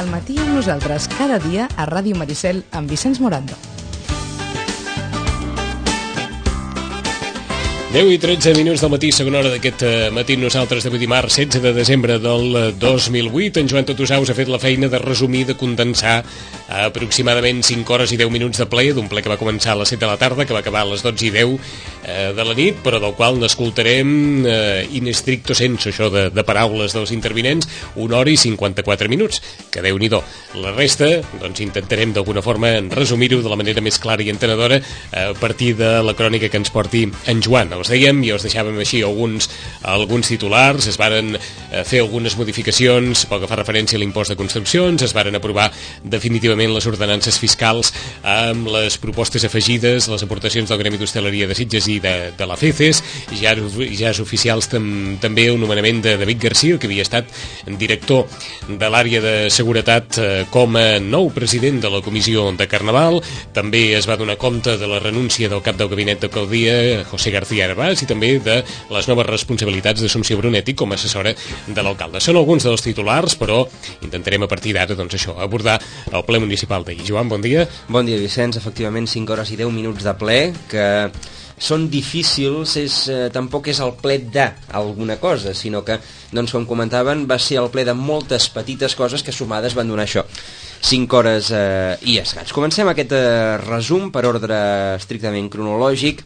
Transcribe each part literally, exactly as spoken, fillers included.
al matí amb nosaltres cada dia a Ràdio Maricel amb Vicenç Morando. deu i tretze minuts del matí, segona hora d'aquest matí nosaltres d'avui dimarts setze de desembre del dos mil vuit. En Joan Totusaus ha fet la feina de resumir, de condensar a aproximadament cinc hores i deu minuts de ple, d'un ple que va començar a les set de la tarda, que va acabar a les dotze i deu eh, de la nit, però del qual n'escoltarem eh, in stricto sensu, això de, de paraules dels intervinents, una hora i cinquanta-quatre minuts, que Déu-n'hi-do. La resta, doncs intentarem d'alguna forma resumir-ho de la manera més clara i entenedora a partir de la crònica que ens porti en Joan. Els dèiem i els deixàvem així alguns, alguns titulars, es varen fer algunes modificacions pel que fa referència a l'impost de construccions, es varen aprovar definitivament les ordenances fiscals amb les propostes afegides, les aportacions del Gremi d'Hostaleria de Sitges i de, de la FECES, ja, ja és oficials tam, també el nomenament de David García, que havia estat director de l'àrea de seguretat eh, com a nou president de la Comissió de Carnaval. També es va donar compte de la renúncia del cap del gabinet d'alcaldia, José García Arbas, i també de les noves responsabilitats d'Assumpció Brunetti com a assessora de l'alcalde. Són alguns dels titulars, però intentarem a partir d'ara, doncs això, abordar el ple municipal d'ahir. Joan, bon dia. Bon dia, Vicenç. Efectivament, cinc hores i deu minuts de ple, que són difícils, és, eh, tampoc és el ple d'alguna cosa, sinó que, doncs, com comentaven, va ser el ple de moltes petites coses que sumades van donar això. cinc hores eh, i escaig. Comencem aquest eh, resum per ordre estrictament cronològic,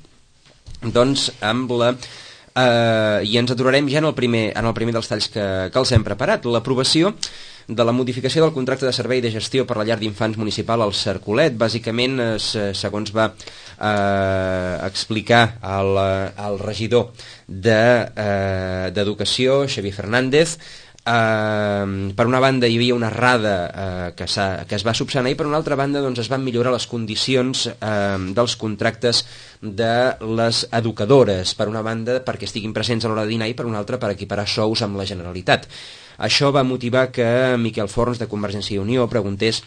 doncs amb la eh, i ens aturarem ja en el primer, en el primer dels talls que, que els hem preparat, l'aprovació de la modificació del contracte de servei de gestió per la llar d'infants municipal al Cercolet. Bàsicament, eh, segons va eh, explicar el, el regidor d'Educació, de, eh, Xavier Fernández, Uh, per una banda hi havia una errada uh, que, que es va subsanar, i per una altra banda doncs, es van millorar les condicions uh, dels contractes de les educadores, per una banda perquè estiguin presents a l'hora de dinar i per una altra per equiparar sous amb la Generalitat. Això va motivar que Miquel Forns de Convergència i Unió preguntés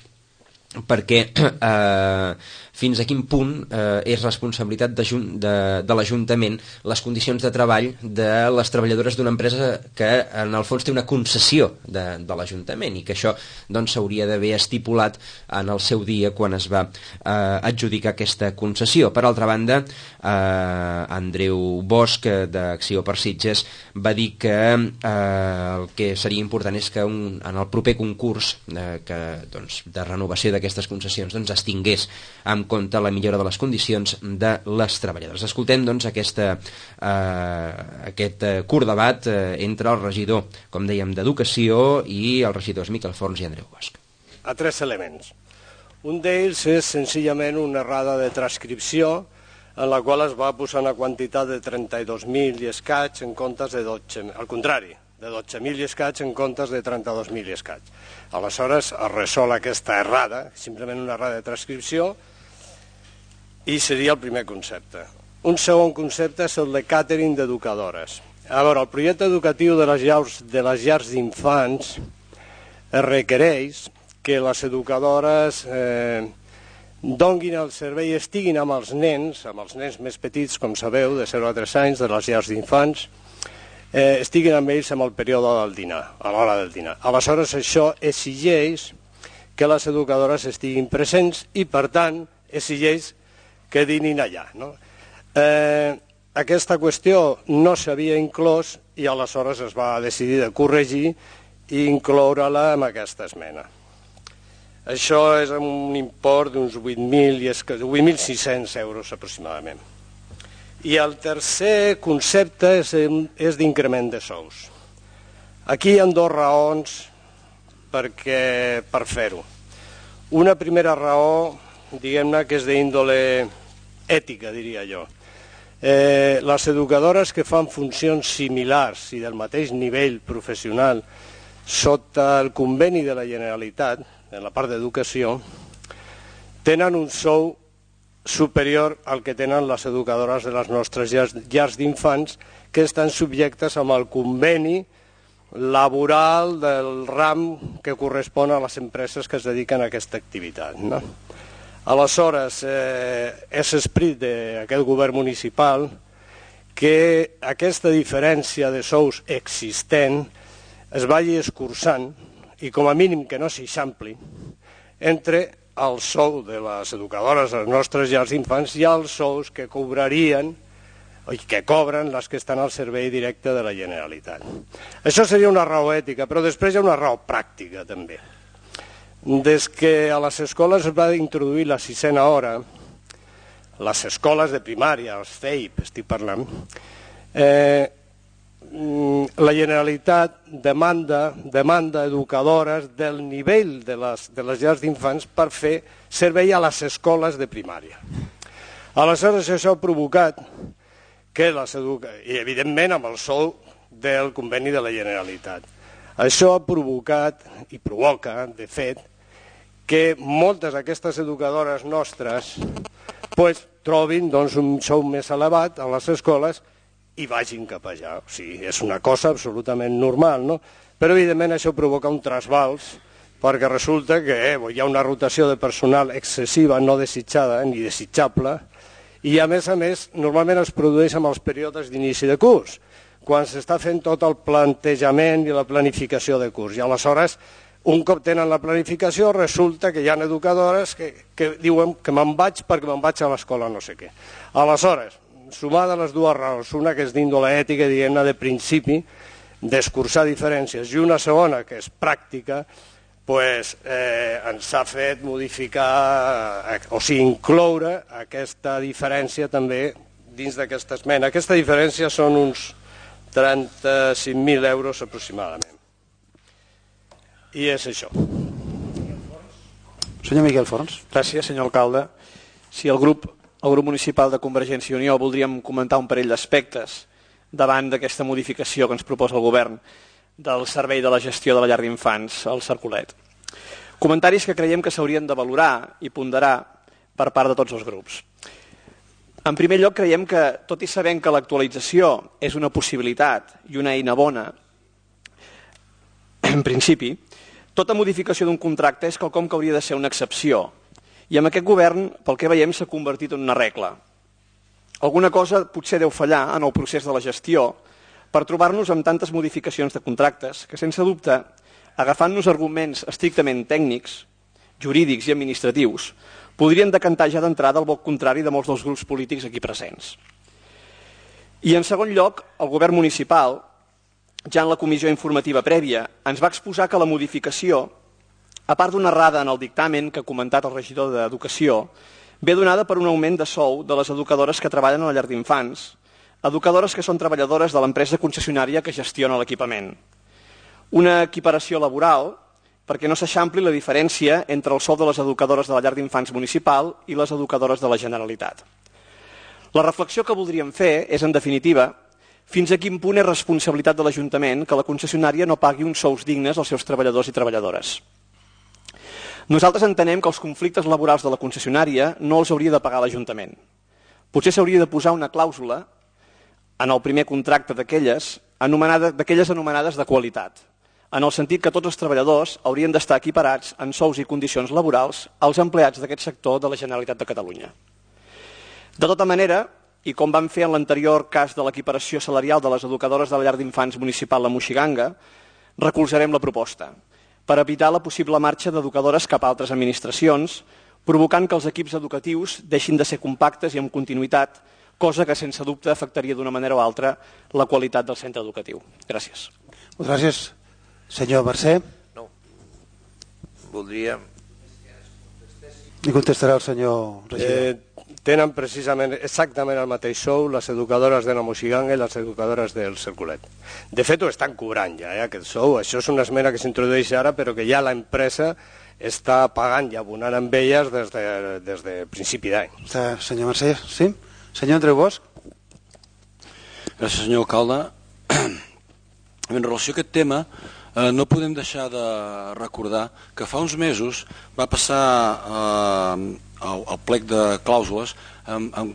perquè eh, fins a quin punt eh, és responsabilitat de, de, de l'Ajuntament les condicions de treball de les treballadores d'una empresa que en el fons té una concessió de, de l'Ajuntament, i que això doncs s'hauria d'haver estipulat en el seu dia quan es va eh, adjudicar aquesta concessió. Per altra banda, eh, Andreu Bosch d'Acció per Sitges va dir que eh, el que seria important és que un, en el proper concurs eh, que, doncs, de renovació de aquestes concessions doncs, es tingués en compte la millora de les condicions de les treballadores. Escoltem doncs aquesta, eh, aquest eh, curt debat eh, entre el regidor, com dèiem, d'Educació i els regidors Miquel Forns i Andreu Bosch. A tres elements. Un d'ells és senzillament una errada de transcripció en la qual es va posar una quantitat de trenta-dos mil i escaig en comptes de dotze mil, al contrari, de dotze mil i escaig en comptes de trenta-dos mil i escaig. Aleshores es resol aquesta errada, simplement una errada de transcripció, i seria el primer concepte. Un segon concepte és el de càtering d'educadores. A veure, el projecte educatiu de les llars, de les llars d'infants requereix que les educadores eh, donguin el servei, estiguin amb els nens, amb els nens més petits, com sabeu, de zero a tres anys, de les llars d'infants, eh, estiguin amb ells en el període del dinar, a l'hora del dinar. Aleshores, això exigeix que les educadores estiguin presents i, per tant, exigeix que dinin allà. No? Eh, aquesta qüestió no s'havia inclòs i aleshores es va decidir de corregir i incloure-la en aquesta esmena. Això és un import d'uns vuit mil sis-cents euros aproximadament. I el tercer concepte és, és d'increment de sous. Aquí hi ha dues raons perquè, per fer-ho. Una primera raó, diguem-ne, que és d'índole ètica, diria jo. Eh, les educadores que fan funcions similars i del mateix nivell professional sota el conveni de la Generalitat, en la part d'educació, tenen un sou superior al que tenen les educadores de les nostres llars, llars d'infants, que estan subjectes amb el conveni laboral del ram que correspon a les empreses que es dediquen a aquesta activitat. No? Aleshores, eh, és esperit d'aquest govern municipal que aquesta diferència de sous existent es vagi escurçant i com a mínim que no s'eixampli, entre el sou de les educadores de les nostres llars d'infants i els sous que cobrarien i que cobren les que estan al servei directe de la Generalitat. Això seria una raó ètica, però després hi ha una raó pràctica també. Des que a les escoles es va introduir la sisena hora, les escoles de primària, els C E I P, estic parlant, eh, la Generalitat demanda, demanda educadores del nivell de les, de les llars d'infants per fer servei a les escoles de primària. Aleshores, això ha provocat que les educadores, i evidentment amb el sou del conveni de la Generalitat, això ha provocat i provoca, de fet, que moltes d'aquestes educadores nostres pues, trobin doncs, un sou més elevat a les escoles i vagin cap allà. O sigui, és una cosa absolutament normal, no? Però evidentment això provoca un trasbals perquè resulta que eh, hi ha una rotació de personal excessiva, no desitjada ni desitjable, i a més a més normalment es produeix amb els períodes d'inici de curs, quan s'està fent tot el plantejament i la planificació de curs. I aleshores, un cop tenen la planificació, resulta que hi ha educadores que, que diuen que me'n vaig perquè me'n vaig a l'escola no sé què. Aleshores, sumada les dues raons, una que és d'índole ètica, diguem-ne, de principi, d'escurçar diferències, i una segona que és pràctica, pues, eh, ens ha fet modificar, o sigui, incloure aquesta diferència també dins d'aquesta esmena. Aquesta diferència són uns trenta-cinc mil euros aproximadament. I és això. Senyor Miquel Forns. Gràcies, senyor alcalde. Si el grup, el grup municipal de Convergència i Unió voldríem comentar un parell d'aspectes davant d'aquesta modificació que ens proposa el govern del servei de la gestió de la llar d'infants al Cercolet. Comentaris que creiem que s'haurien de valorar i ponderar per part de tots els grups. En primer lloc, creiem que, tot i sabent que l'actualització és una possibilitat i una eina bona, en principi, tota modificació d'un contracte és quelcom que hauria de ser una excepció. I amb aquest govern, pel que veiem, s'ha convertit en una regla. Alguna cosa potser deu fallar en el procés de la gestió per trobar-nos amb tantes modificacions de contractes que, sense dubte, agafant-nos arguments estrictament tècnics, jurídics i administratius, podrien decantar ja d'entrada el vot contrari de molts dels grups polítics aquí presents. I, en segon lloc, el govern municipal, ja en la comissió informativa prèvia, ens va exposar que la modificació, a part d'una errada en el dictamen que ha comentat el regidor d'Educació, ve donada per un augment de sou de les educadores que treballen a la llar d'infants, educadores que són treballadores de l'empresa concessionària que gestiona l'equipament. Una equiparació laboral perquè no s'eixampli la diferència entre el sou de les educadores de la llar d'infants municipal i les educadores de la Generalitat. La reflexió que voldríem fer és, en definitiva, fins a quin punt és responsabilitat de l'Ajuntament que la concessionària no pagui uns sous dignes als seus treballadors i treballadores. Nosaltres entenem que els conflictes laborals de la concessionària no els hauria de pagar l'Ajuntament. Potser s'hauria de posar una clàusula en el primer contracte d'aquelles anomenades, d'aquelles anomenades de qualitat, en el sentit que tots els treballadors haurien d'estar equiparats en sous i condicions laborals als empleats d'aquest sector de la Generalitat de Catalunya. De tota manera, i com vam fer en l'anterior cas de l'equiparació salarial de les educadores de la llar d'infants municipal La Moixiganga, recolzarem la proposta per evitar la possible marxa d'educadores cap a altres administracions, provocant que els equips educatius deixin de ser compactes i amb continuïtat, cosa que sense dubte afectaria d'una manera o altra la qualitat del centre educatiu. Gràcies. Moltes gràcies. Senyor Mercè. No. Voldria... I contestarà el senyor regidor. Eh, tenen precisament exactament el mateix sou les educadores de la Moixiganga i les educadores del Cercolet. De fet, ho estan cobrant ja, eh, aquest sou. Això és una esmena que s'introdueix ara, però que ja l'empresa està pagant i abonant amb elles des de, des de principi d'any. Senyor Mercè, sí? Senyor Andreu Bosch. Gràcies, senyor alcalde. En relació a aquest tema, eh, no podem deixar de recordar que fa uns mesos va passar eh, el, el plec de clàusules en, en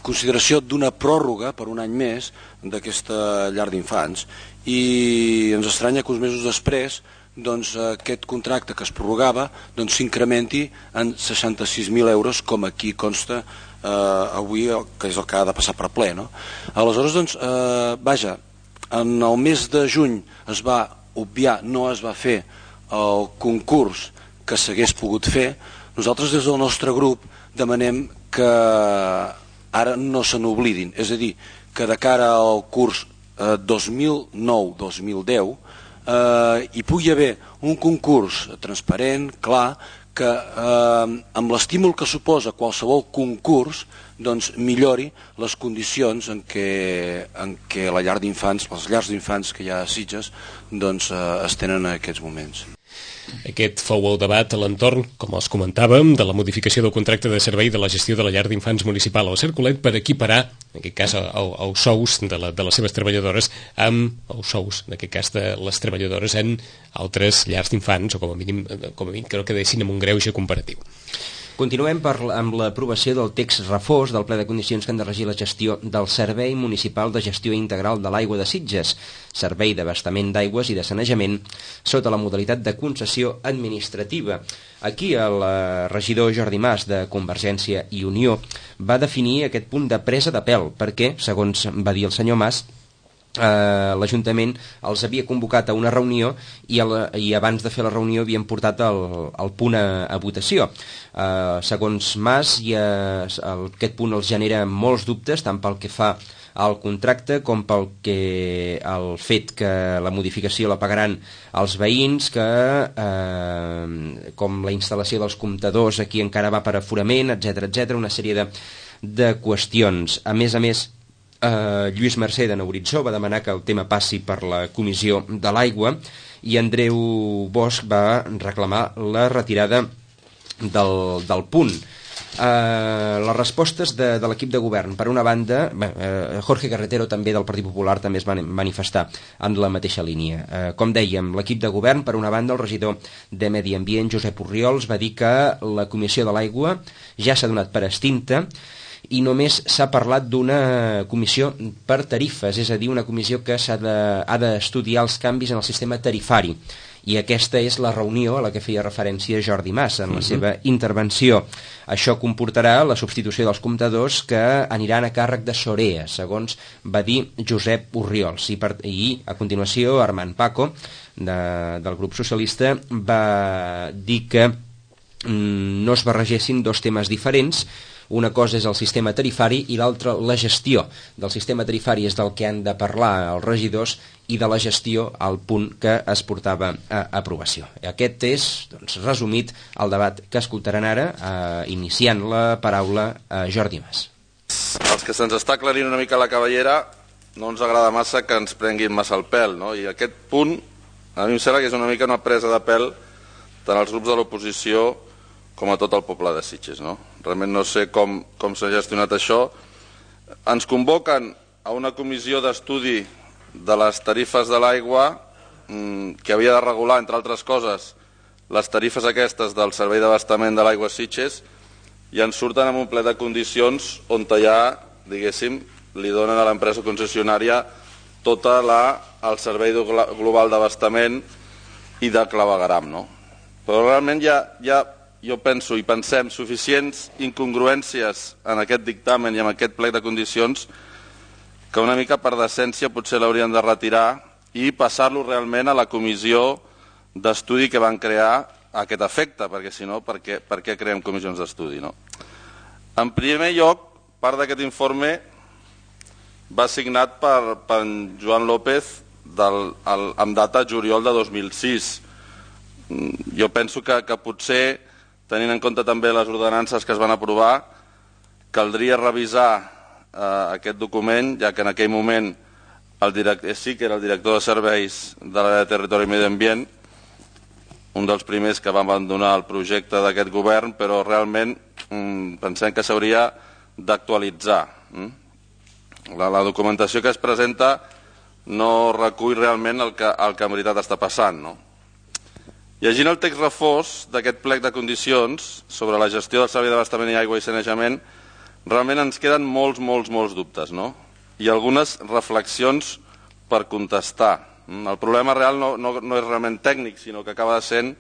consideració d'una pròrroga per un any més d'aquesta llar d'infants i ens estranya que uns mesos després doncs, aquest contracte que es prorrogava doncs, s'incrementi en seixanta-sis mil euros com aquí consta eh, avui, que és el que ha de passar per ple. No? Aleshores, doncs, eh, vaja, en el mes de juny es va obviar, no es va fer el concurs que s'hagués pogut fer, nosaltres des del nostre grup demanem que ara no se n'oblidin, és a dir, que de cara al curs eh, dos mil nou dos mil deu eh, hi pugui haver un concurs transparent, clar, que eh, amb l'estímul que suposa qualsevol concurs doncs millori les condicions en què, en què la llar d'infants, les llars d'infants que hi ha a Sitges doncs, eh, es tenen en aquests moments. Aquest fou el debat a l'entorn, com els comentàvem, de la modificació del contracte de servei de la gestió de la llar d'infants municipal al Cercolet per equiparar, en aquest cas, els sous de, la, de les seves treballadores amb els sous, en aquest cas, de les treballadores en altres llars d'infants, o com a mínim, com a mínim que no quedessin amb un greuge comparatiu. Continuem per, amb l'aprovació del text refós del ple de condicions que han de regir la gestió del Servei Municipal de Gestió Integral de l'Aigua de Sitges, servei d'abastament d'aigües i de sanejament, sota la modalitat de concessió administrativa. Aquí el regidor Jordi Mas, de Convergència i Unió, va definir aquest punt de presa de pèl, perquè, segons va dir el senyor Mas, Uh, l'Ajuntament els havia convocat a una reunió i, el, i abans de fer la reunió havien portat el, el punt a, a votació. Uh, segons Mas, i, uh, el, aquest punt els genera molts dubtes, tant pel que fa al contracte com pel que el fet que la modificació la pagaran els veïns, que uh, com la instal·lació dels comptadors aquí encara va per aforament, etcètera, etcètera, una sèrie de, de qüestions. A més a més, Uh, Lluís Mercè de Horitzó va demanar que el tema passi per la Comissió de l'Aigua i Andreu Bosch va reclamar la retirada del, del punt. Uh, les respostes de, de l'equip de govern, per una banda, uh, Jorge Carretero també del Partit Popular també es va manifestar en la mateixa línia. Uh, com dèiem, l'equip de govern, per una banda, el regidor de Medi Ambient, Josep Orriols, va dir que la Comissió de l'Aigua ja s'ha donat per extinta i només s'ha parlat d'una comissió per tarifes, és a dir, una comissió que s'ha de, ha d'estudiar els canvis en el sistema tarifari. I aquesta és la reunió a la que feia referència Jordi Mas en la uh-huh. seva intervenció. Això comportarà la substitució dels comptadors que aniran a càrrec de Sorea, segons va dir Josep Orriols. I, per, i a continuació, Armand Paco, de, del grup socialista, va dir que mm, no es barregessin dos temes diferents. Una cosa és el sistema tarifari i l'altra la gestió del sistema tarifari, és del que han de parlar els regidors, i de la gestió al punt que es portava a aprovació. Aquest és, doncs, resumit el debat que escoltaran ara, eh, iniciant la paraula a Jordi Mas. Els que se'ns està aclarint una mica la cabellera no ens agrada massa que ens prenguin massa el pèl, no? I aquest punt a mi em sembla que és una mica una presa de pèl tant als grups de l'oposició com a tot el poble de Sitges, no? Realment no sé com, com s'ha gestionat això. Ens convoquen a una comissió d'estudi de les tarifes de l'aigua mmm, que havia de regular, entre altres coses, les tarifes aquestes del servei d'abastament de l'aigua a Sitges, i ens surten amb un ple de condicions on ja, diguéssim, li donen a l'empresa concessionària tota la, el servei global d'abastament i de clavegueram, no? Però realment hi ha, hi ha jo penso i pensem suficients incongruències en aquest dictamen i en aquest plec de condicions que una mica per decència potser l'haurien de retirar i passar-lo realment a la comissió d'estudi que van crear a aquest efecte, perquè si no, per què, per què creem comissions d'estudi, no? En primer lloc, part d'aquest informe va signat per, per Joan López del, el, amb data juliol de dos mil sis. Jo penso que, que potser, tenint en compte també les ordenances que es van aprovar, caldria revisar eh, aquest document, ja que en aquell moment el director, sí que era el director de serveis de l'àrea de territori i medi ambient, un dels primers que va abandonar el projecte d'aquest govern, però realment mm, pensem que s'hauria d'actualitzar. Mm? La, la documentació que es presenta no recull realment el que, el que en veritat està passant, no? Llegint el text refós d'aquest plec de condicions sobre la gestió del servei d'abastament i aigua i sanejament, realment ens queden molts, molts, molts dubtes, no? I algunes reflexions per contestar. El problema real no, no, no és realment tècnic, sinó que acaba sent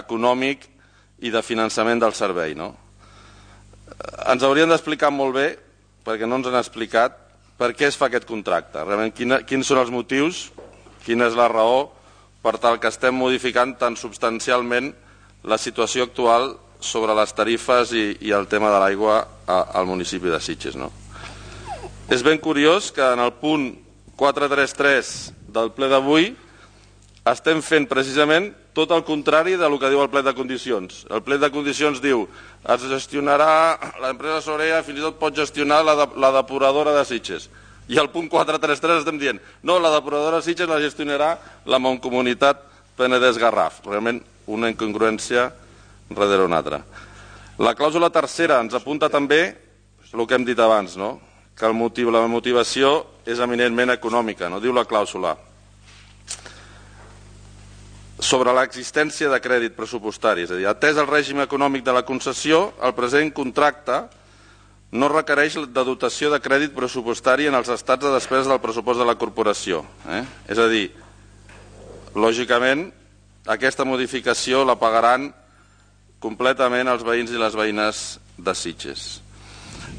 econòmic i de finançament del servei, no? Ens haurien d'explicar molt bé, perquè no ens han explicat, per què es fa aquest contracte. Realment, quina, quins són els motius, quina és la raó per tal que estem modificant tan substancialment la situació actual sobre les tarifes i, i el tema de l'aigua al municipi de Sitges, no? És ben curiós que en el punt quatre trenta tres del ple d'avui estem fent precisament tot el contrari del que diu el plec de condicions. El plec de condicions diu es gestionarà, l'empresa Sorea fins i tot pot gestionar la, de, la depuradora de Sitges. I al punt quatre trenta tres estem dient no, la depuradora de Sitges la gestionarà la Mancomunitat Penedès-Garraf. Realment una incongruència darrere una altra. La clàusula tercera ens apunta també el que hem dit abans, no? Que el motiu, la motivació és eminentment econòmica, no? Diu la clàusula sobre l'existència de crèdit pressupostari, és a dir, atès el règim econòmic de la concessió, el present contracte no requereix de dotació de crèdit pressupostari en els estats de despesa del pressupost de la corporació. Eh? És a dir, lògicament, aquesta modificació la pagaran completament els veïns i les veïnes de Sitges.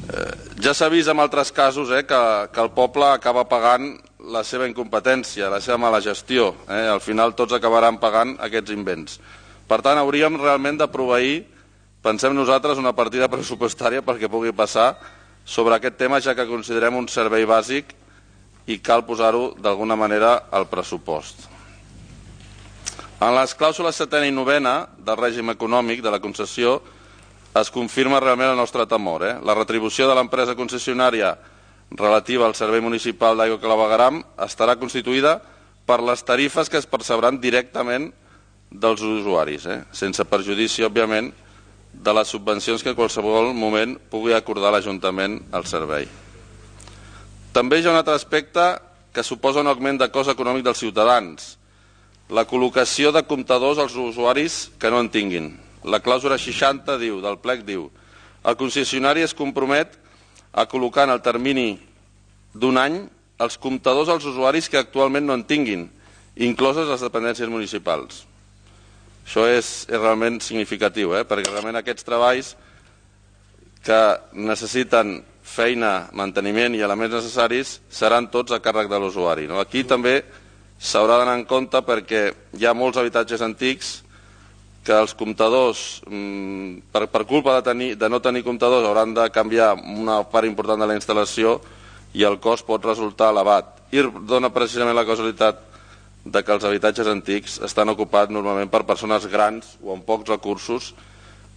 Eh, ja s'ha vist en altres casos eh, que, que el poble acaba pagant la seva incompetència, la seva mala gestió. Eh? Al final tots acabaran pagant aquests invents. Per tant, hauríem realment de proveir, pensem nosaltres, una partida pressupostària perquè pugui passar sobre aquest tema, ja que considerem un servei bàsic i cal posar-ho d'alguna manera al pressupost. En les clàusules setena i novena del règim econòmic de la concessió es confirma realment el nostre temor. Eh? La retribució de l'empresa concessionària relativa al servei municipal d'aigua Clavegueram estarà constituïda per les tarifes que es percebran directament dels usuaris, eh? sense perjudici, òbviament, de les subvencions que en qualsevol moment pugui acordar l'Ajuntament al servei. També hi ha un altre aspecte que suposa un augment de cost econòmic dels ciutadans, la col·locació de comptadors als usuaris que no en tinguin. La clàusula seixanta diu, del plec diu, el concessionari es compromet a col·locar en el termini d'un any els comptadors als usuaris que actualment no en tinguin, incloses les dependències municipals. Això és, és realment significatiu, eh? perquè realment aquests treballs que necessiten feina, manteniment i elements necessaris seran tots a càrrec de l'usuari. No? Aquí també s'haurà d'anar en compte perquè hi ha molts habitatges antics que els comptadors, per, per culpa de, tenir, de no tenir comptadors, hauran de canviar una part important de la instal·lació i el cost pot resultar elevat. I dona precisament la causalitat de que els habitatges antics estan ocupats normalment per persones grans o amb pocs recursos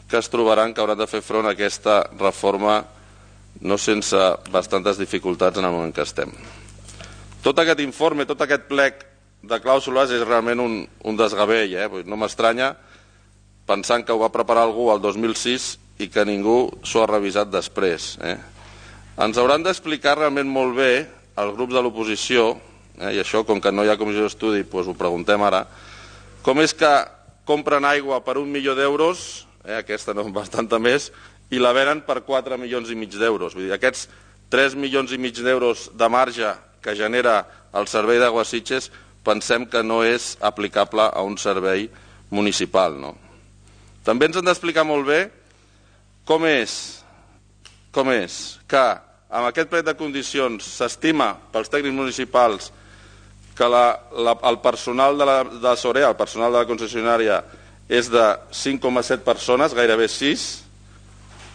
que es trobaran que hauran de fer front a aquesta reforma no sense bastantes dificultats en el moment que estem. Tot aquest informe, tot aquest plec de clàusules és realment un, un desgavell. Eh? No m'estranya pensant que ho va preparar algú el dos mil sis i que ningú s'ho ha revisat després. Eh? Ens hauran d'explicar realment molt bé els grups de l'oposició, eh, i això, com que no hi ha comissió d'estudi, doncs ho preguntem ara, com és que compren aigua per un milió d'euros, eh, aquesta no bastanta més, i la venen per quatre milions i mig d'euros. Vull dir, aquests tres milions i mig d'euros de marge que genera el servei d'aigua a Sitges pensem que no és aplicable a un servei municipal. No? També ens han d'explicar molt bé com és, com és que amb aquest plec de condicions s'estima pels tècnics municipals que la, la, el personal de la de Sorea, el personal de la concessionària, és de cinc coma set persones, gairebé sis,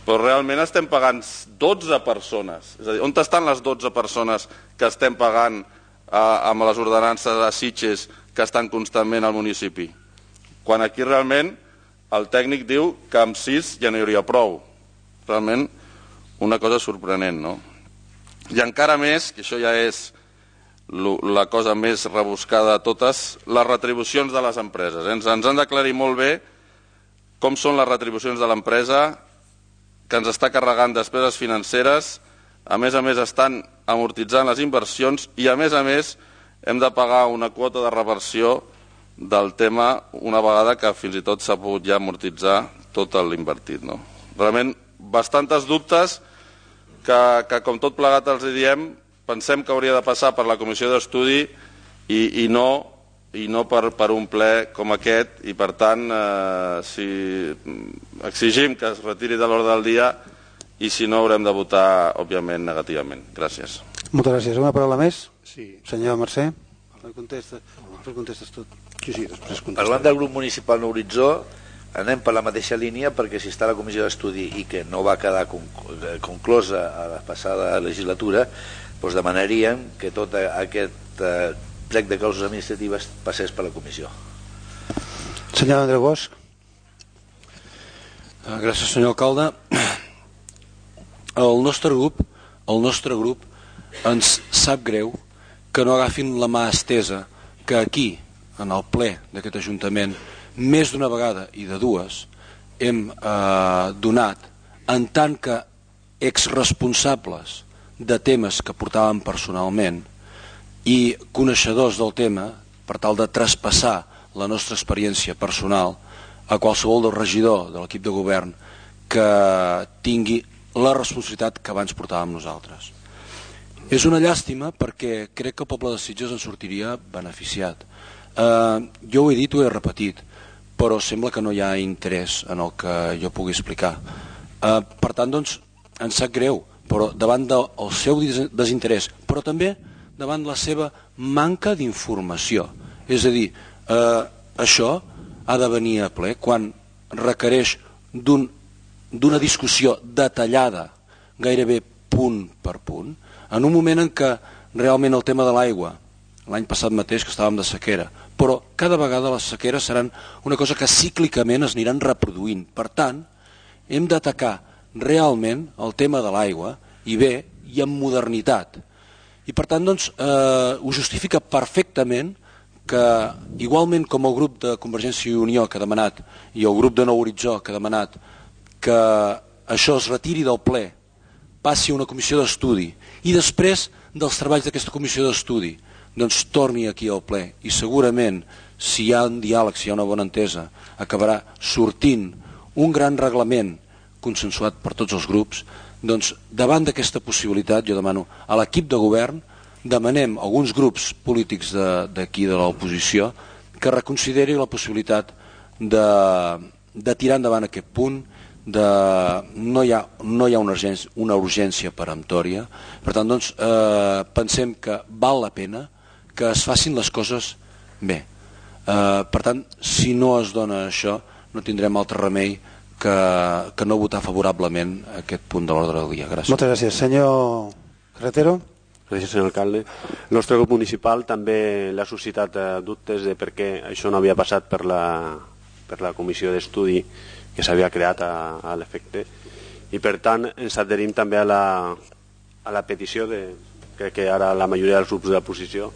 però realment estem pagant dotze persones. És a dir, on estan les dotze persones que estem pagant eh, amb les ordenances de Sitges que estan constantment al municipi? Quan aquí realment el tècnic diu que amb sis ja no hi hauria prou. Realment una cosa sorprenent, no? I encara més, que això ja és la cosa més rebuscada de totes, les retribucions de les empreses. Ens, ens han d'aclarir molt bé com són les retribucions de l'empresa que ens està carregant despeses financeres, a més a més estan amortitzant les inversions i a més a més hem de pagar una quota de reversió del tema una vegada que fins i tot s'ha pogut ja amortitzar tot l'invertit. No? Realment bastantes dubtes que, que com tot plegat els diem, pensem que hauria de passar per la comissió d'estudi i, i no, i no per, per un ple com aquest, i per tant eh, si exigim que es retiri de l'ordre del dia i si no haurem de votar òbviament negativament. Gràcies. Moltes gràcies. Una paraula més? Sí. Senyor Mercè, contesta. Després contestes tot. Sí, sí, després contestes. Parlant del grup municipal No Horitzó, anem per la mateixa línia, perquè si està la comissió d'estudi i que no va quedar conclosa a la passada legislatura, doncs demanaríem que tot aquest plec de causes administratives passés per la comissió. Senyor Andreu Bosch. Gràcies, senyor alcalde. El nostre grup, el nostre grup ens sap greu que no agafin la mà estesa que aquí, en el ple d'aquest Ajuntament, més d'una vegada i de dues, hem eh, donat en tant que exresponsables de temes que portàvem personalment i coneixedors del tema, per tal de traspassar la nostra experiència personal a qualsevol del regidor de l'equip de govern que tingui la responsabilitat que abans portàvem nosaltres. És una llàstima perquè crec que el poble de Sitges en sortiria beneficiat. Eh, jo ho he dit, ho he repetit, però sembla que no hi ha interès en el que jo pugui explicar. Eh, per tant, doncs, ens sap greu, però davant del seu desinterès, però també davant la seva manca d'informació. És a dir, eh, això ha de venir a ple quan requereix d'un, d'una discussió detallada, gairebé punt per punt, en un moment en què realment el tema de l'aigua, l'any passat mateix que estàvem de sequera, però cada vegada les sequeres seran una cosa que cíclicament es aniran reproduint. Per tant, hem d'atacar realment el tema de l'aigua, i bé, i amb modernitat. I per tant, doncs, eh, ho justifica perfectament que, igualment com el grup de Convergència i Unió que ha demanat, i el grup de Nou Horitzó que ha demanat que això es retiri del ple, passi a una comissió d'estudi, i després dels treballs d'aquesta comissió d'estudi, doncs torni aquí al ple, i segurament, si hi ha un diàleg, si hi ha una bona entesa, acabarà sortint un gran reglament consensuat per tots els grups. Doncs davant d'aquesta possibilitat jo demano a l'equip de govern, demanem a alguns grups polítics d'aquí de, de l'oposició que reconsideri la possibilitat de, de tirar endavant aquest punt, de, no, hi ha, no hi ha una urgència, una urgència peremptòria. Per tant, doncs, eh, pensem que val la pena que es facin les coses bé. Eh, per tant, si no es dona això, no tindrem altre remei que, que no votar favorablement aquest punt de l'ordre del dia. Gràcies. Moltes gràcies. Senyor Carretero. Gràcies, senyor alcalde. El nostre grup municipal també l'ha suscitat eh, dubtes de per què això no havia passat per la, per la comissió d'estudi que s'havia creat a, a l'efecte, i per tant ens adherim també a la, a la petició de, crec que ara la majoria dels grups de l'oposició,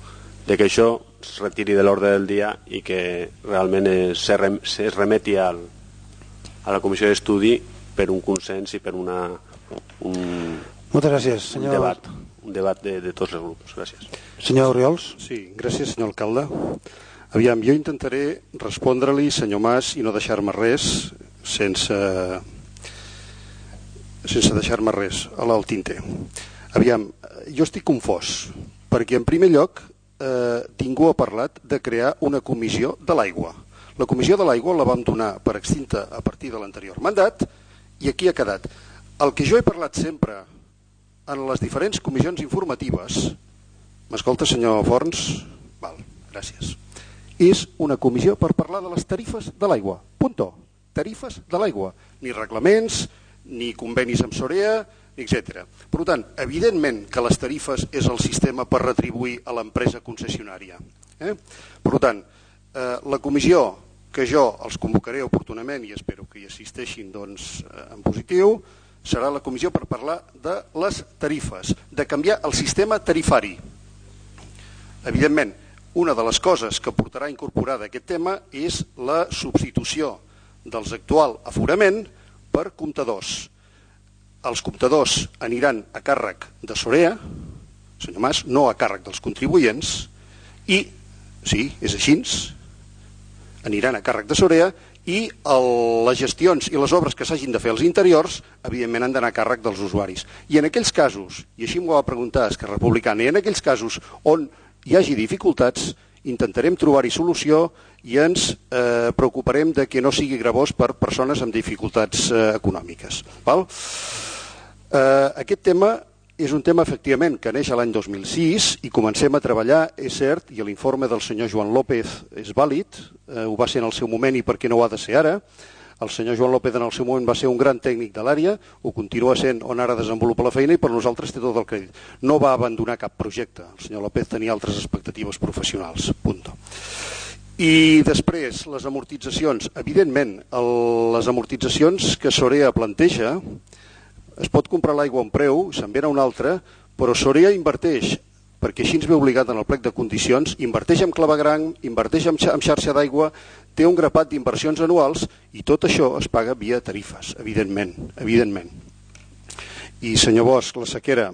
de que això es retiri de l'ordre del dia i que realment es, es remeti al, a la comissió d'estudi per un consens i per una, un, Moltes gràcies, senyor... un debat, un debat de, de tots els grups. Gràcies. Senyor Oriols. Sí, gràcies, senyor alcalde. Aviam, jo intentaré respondre-li, senyor Mas, i no deixar-me res sense, sense deixar-me res a l'alt tinter. Aviam, jo estic confós, perquè en primer lloc eh, ningú ha parlat de crear una comissió de l'aigua. La comissió de l'aigua la vam donar per extinta a partir de l'anterior mandat i aquí ha quedat. El que jo he parlat sempre en les diferents comissions informatives, m'escolta, senyor Forns? Val, gràcies. És una comissió per parlar de les tarifes de l'aigua. Punto. Tarifes de l'aigua. Ni reglaments, ni convenis amb Sorea, etcètera. Per tant, evidentment que les tarifes és el sistema per retribuir a l'empresa concessionària. Eh? Per tant, eh, la comissió que jo els convocaré oportunament i espero que hi assisteixin doncs, en positiu, serà la comissió per parlar de les tarifes, de canviar el sistema tarifari. Evidentment, una de les coses que portarà incorporada aquest tema és la substitució dels actual aforament per comptadors. Els comptadors aniran a càrrec de Sorea, senyor Mas, no a càrrec dels contribuents, i, sí, és així, aniran a càrrec de Sorea i el, les gestions i les obres que s'hagin de fer als interiors, evidentment han d'anar a càrrec dels usuaris. I en aquells casos, i així m'ho va preguntar Esquerra Republicana, i en aquells casos on hi hagi dificultats, intentarem trobar-hi solució i ens eh, preocuparem de que no sigui gravós per persones amb dificultats eh, econòmiques. Val? Eh, aquest tema és un tema, efectivament, que neix l'any dos mil sis i comencem a treballar, és cert, i l'informe del senyor Joan López és vàlid, eh, ho va ser en el seu moment i per què no ho ha de ser ara. El senyor Joan López en el seu moment va ser un gran tècnic de l'àrea, ho continua sent on ara desenvolupa la feina i per nosaltres té tot el crèdit. No va abandonar cap projecte, el senyor López tenia altres expectatives professionals, punt. I després, les amortitzacions. Evidentment, el, les amortitzacions que Sorea planteja, es pot comprar l'aigua a un preu, se'n ve a un altre, però Sorea inverteix, perquè així ens ve obligat en el plec de condicions, inverteix en clavegueram, inverteix en xarxa d'aigua, té un grapat d'inversions anuals i tot això es paga via tarifes, evidentment, evidentment. I senyor Bosch, la sequera,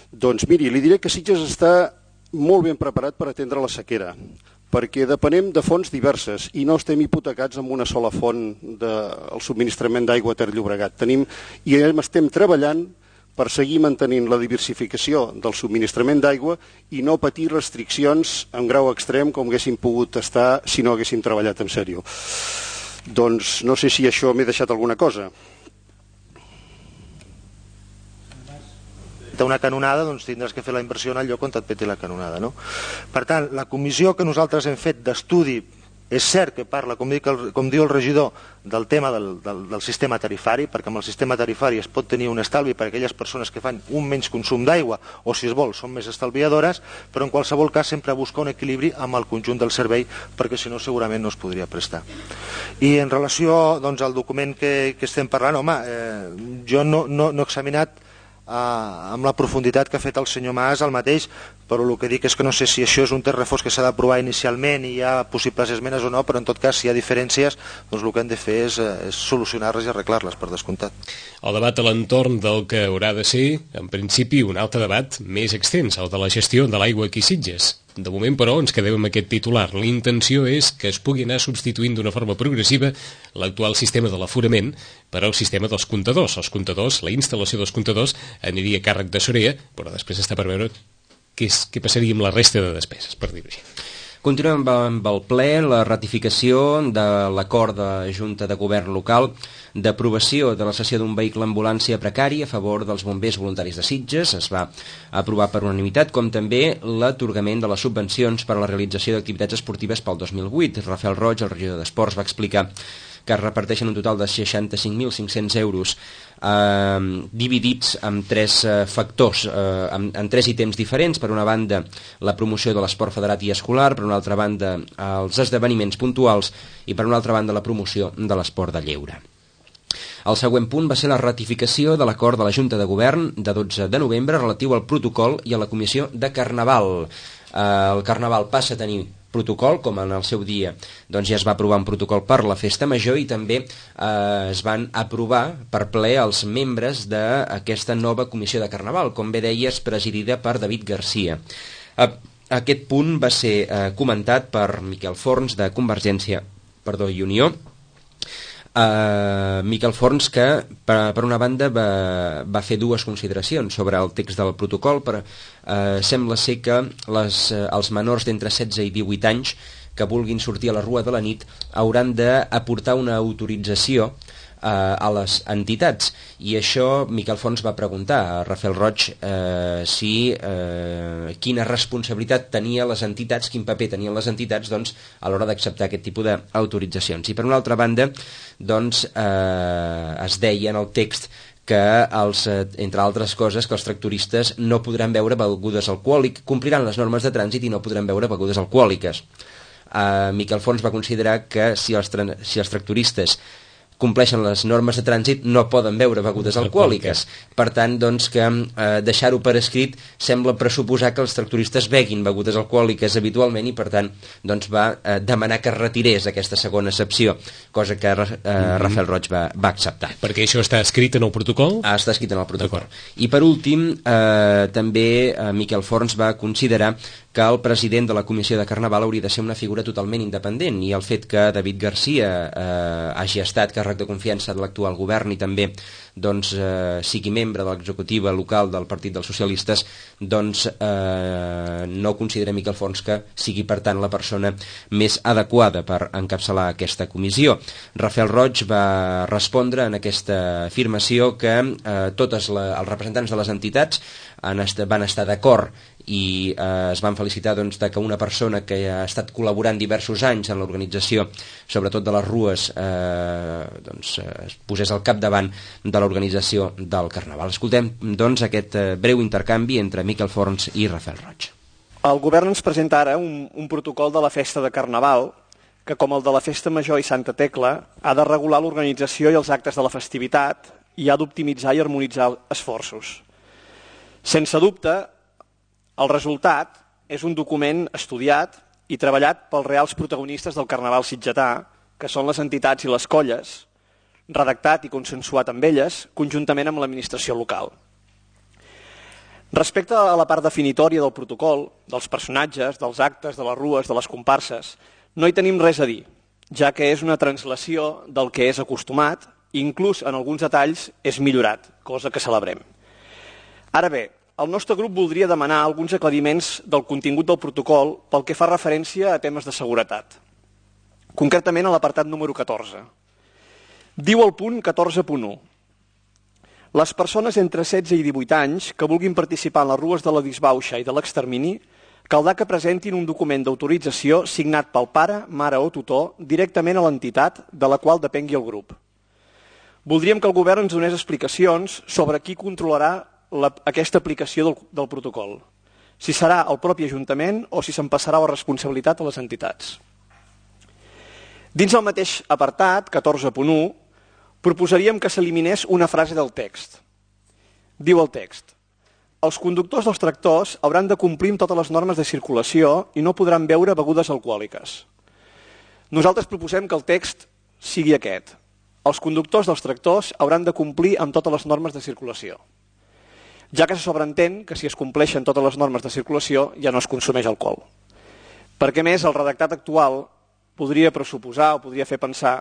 doncs miri, li diré que Sitges està molt ben preparat per atendre la sequera, perquè depenem de fonts diverses i no estem hipotecats amb una sola font del subministrament d'aigua a Ter Llobregat. Tenim, i estem treballant per seguir mantenint la diversificació del subministrament d'aigua i no patir restriccions en grau extrem com haguéssim pogut estar si no haguéssim treballat en sèrio. Doncs no sé si això m'he deixat alguna cosa. Una canonada, doncs tindràs que fer la inversió en el lloc on et peti la canonada, no? Per tant, la comissió que nosaltres hem fet d'estudi, és cert que parla, com, dic el, com diu el regidor, del tema del, del, del sistema tarifari, perquè amb el sistema tarifari es pot tenir un estalvi per a aquelles persones que fan un menys consum d'aigua o, si es vol, són més estalviadores, però en qualsevol cas sempre busca un equilibri amb el conjunt del servei, perquè si no segurament no es podria prestar. I en relació doncs, al document que, que estem parlant, home, eh, jo no, no, no he examinat Uh, amb la profunditat que ha fet el senyor Mas el mateix, però el que dic és que no sé si això és un text refós que s'ha d'aprovar inicialment i hi ha possibles esmenes o no, però en tot cas si hi ha diferències doncs el que hem de fer és, és solucionar-les i arreglar-les per descomptat. El debat a l'entorn del que haurà de ser en principi un altre debat més extens, el de la gestió de l'aigua aquí a Sitges. De moment, però, ens quedem amb aquest titular. La intenció és que es pugui anar substituint d'una forma progressiva l'actual sistema de l'aforament per al sistema dels comptadors. Els comptadors, la instal·lació dels comptadors aniria a càrrec de Sorea, però després està per veure què, és, què passaria amb la resta de despeses, per dir-ho així. Continuem amb el ple, la ratificació de l'acord de Junta de Govern local d'aprovació de la cessió d'un vehicle ambulància precari a favor dels bombers voluntaris de Sitges. Es va aprovar per unanimitat, com també l'atorgament de les subvencions per a la realització d'activitats esportives pel dos mil vuit. Rafael Roig, el regidor d'Esports, va explicar que es reparteixen un total de seixanta-cinc mil cinc-cents euros eh, dividits en tres eh, factors, eh, en, en tres ítems diferents. Per una banda, la promoció de l'esport federat i escolar, per una altra banda, els esdeveniments puntuals i per una altra banda, la promoció de l'esport de lleure. El següent punt va ser la ratificació de l'acord de la Junta de Govern de dotze de novembre relatiu al protocol i a la comissió de Carnaval. Eh, el Carnaval passa a tenir protocol, com en el seu dia doncs ja es va aprovar un protocol per la festa major i també eh, es van aprovar per ple els membres d'aquesta nova comissió de Carnaval, com bé deies, presidida per David Garcia. Eh, aquest punt va ser eh, comentat per Miquel Forns de Convergència perdó, i Unió. Uh, Miquel Forns, que per, per una banda va, va fer dues consideracions sobre el text del protocol, però uh, sembla ser que les, uh, els menors d'entre setze i divuit anys que vulguin sortir a la rua de la nit hauran d'aportar una autorització eh, a les entitats, i això Miquel Fons va preguntar a Rafael Roig eh, si eh, quina responsabilitat tenia les entitats, quin paper tenien les entitats doncs, a l'hora d'acceptar aquest tipus d'autoritzacions. I per una altra banda doncs, eh, es deia en el text que, els, entre altres coses, que els tractoristes no podran beure begudes alcohòliques, compliran les normes de trànsit i no podran beure begudes alcohòliques. Uh, Miquel Fons va considerar que si els, si els tractoristes compleixen les normes de trànsit no poden beure begudes alcohòliques. Per tant, doncs, que eh, deixar-ho per escrit sembla pressuposar que els tractoristes beguin begudes alcohòliques habitualment, i per tant doncs, va eh, demanar que es retirés aquesta segona excepció, cosa que eh, Rafael Roig va, va acceptar. Perquè això està escrit en el protocol? Ah, està escrit en el protocol. I per últim, eh, també eh, Miquel Forns va considerar que el president de la Comissió de Carnaval hauria de ser una figura totalment independent, i el fet que David Garcia eh, hagi estat càrrec de confiança de l'actual govern i també doncs, eh, sigui membre de l'executiva local del Partit dels Socialistes, doncs eh, no considerem Miquel Forns que sigui per tant la persona més adequada per encapçalar aquesta comissió. Rafael Roig va respondre en aquesta afirmació que eh, tots els representants de les entitats han est van estar d'acord i eh, es van felicitar doncs, de que una persona que ha estat col·laborant diversos anys en l'organització, sobretot de les rues, eh, doncs, eh, es posés al capdavant de l'organització del Carnaval. Escoltem doncs, aquest eh, breu intercanvi entre Miquel Forns i Rafael Roig. El govern ens presenta ara un, un protocol de la festa de Carnaval que, com el de la Festa Major i Santa Tecla, ha de regular l'organització i els actes de la festivitat i ha d'optimitzar i harmonitzar esforços. Sense dubte, el resultat és un document estudiat i treballat pels reals protagonistes del Carnaval sitgetà, que són les entitats i les colles, redactat i consensuat amb elles, conjuntament amb l'administració local. Respecte a la part definitòria del protocol, dels personatges, dels actes, de les rues, de les comparses, no hi tenim res a dir, ja que és una translació del que és acostumat i inclús en alguns detalls és millorat, cosa que celebrem. Ara bé, el nostre grup voldria demanar alguns aclariments del contingut del protocol pel que fa referència a temes de seguretat. Concretament a l'apartat número catorze. Diu el punt catorze punt u. Les persones entre setze i divuit anys que vulguin participar en les rues de la disbauxa i de l'extermini caldrà que presentin un document d'autorització signat pel pare, mare o tutor directament a l'entitat de la qual depengui el grup. Voldríem que el govern ens donés explicacions sobre qui controlarà La, aquesta aplicació del, del protocol, si serà el propi Ajuntament o si se'n passarà la responsabilitat a les entitats. Dins el mateix apartat, catorze punt u, proposaríem que s'eliminés una frase del text. Diu el text: els conductors dels tractors hauran de complir amb totes les normes de circulació i no podran beure begudes alcohòliques. Nosaltres proposem que el text sigui aquest: els conductors dels tractors hauran de complir amb totes les normes de circulació, ja que se sobreentén que si es compleixen totes les normes de circulació ja no es consumeix alcohol. Perquè més el redactat actual podria pressuposar o podria fer pensar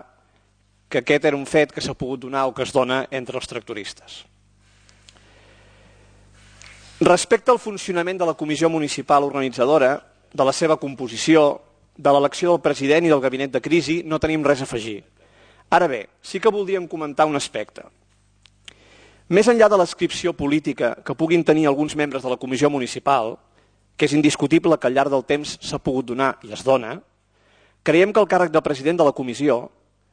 que aquest era un fet que s'ha pogut donar o que es dona entre els tractoristes. Respecte al funcionament de la comissió municipal organitzadora, de la seva composició, de l'elecció del president i del gabinet de crisi, no tenim res a afegir. Ara bé, sí que voldríem comentar un aspecte. Més enllà de l'adscripció política que puguin tenir alguns membres de la comissió municipal, que és indiscutible que al llarg del temps s'ha pogut donar i es dona, creiem que el càrrec de president de la comissió,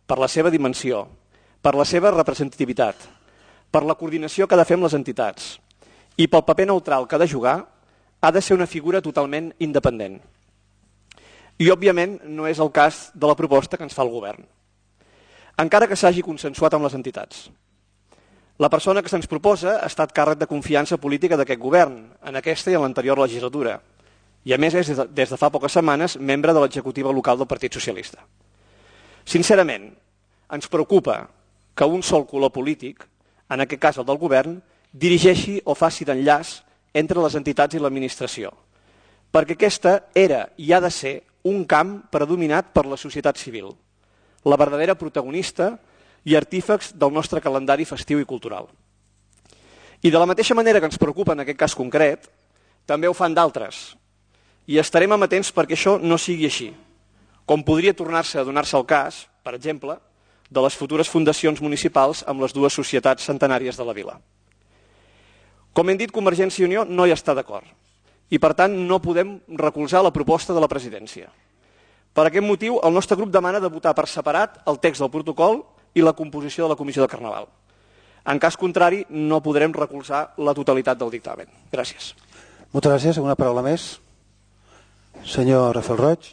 per la seva dimensió, per la seva representativitat, per la coordinació que ha de fer amb les entitats i pel paper neutral que ha de jugar, ha de ser una figura totalment independent. I, òbviament, no és el cas de la proposta que ens fa el govern, encara que s'hagi consensuat amb les entitats. La persona que se'ns proposa ha estat càrrec de confiança política d'aquest govern, en aquesta i en l'anterior legislatura, i a més és, des de fa poques setmanes, membre de l'executiva local del Partit Socialista. Sincerament, ens preocupa que un sol color polític, en aquest cas el del govern, dirigeixi o faci d'enllaç entre les entitats i l'administració, perquè aquesta era i ha de ser un camp predominat per la societat civil, la verdadera protagonista i artífex del nostre calendari festiu i cultural. I de la mateixa manera que ens preocupa en aquest cas concret, també ho fan d'altres. I estarem amatents perquè això no sigui així, com podria tornar-se a donar-se el cas, per exemple, de les futures fundacions municipals amb les dues societats centenàries de la vila. Com hem dit, Convergència i Unió no hi està d'acord i, per tant, no podem recolzar la proposta de la presidència. Per aquest motiu, el nostre grup demana de votar per separat el text del protocol i la composició de la Comissió de Carnaval. En cas contrari, no podrem recolzar la totalitat del dictamen. Gràcies. Moltes gràcies. Alguna paraula més? Senyor Rafael Roig.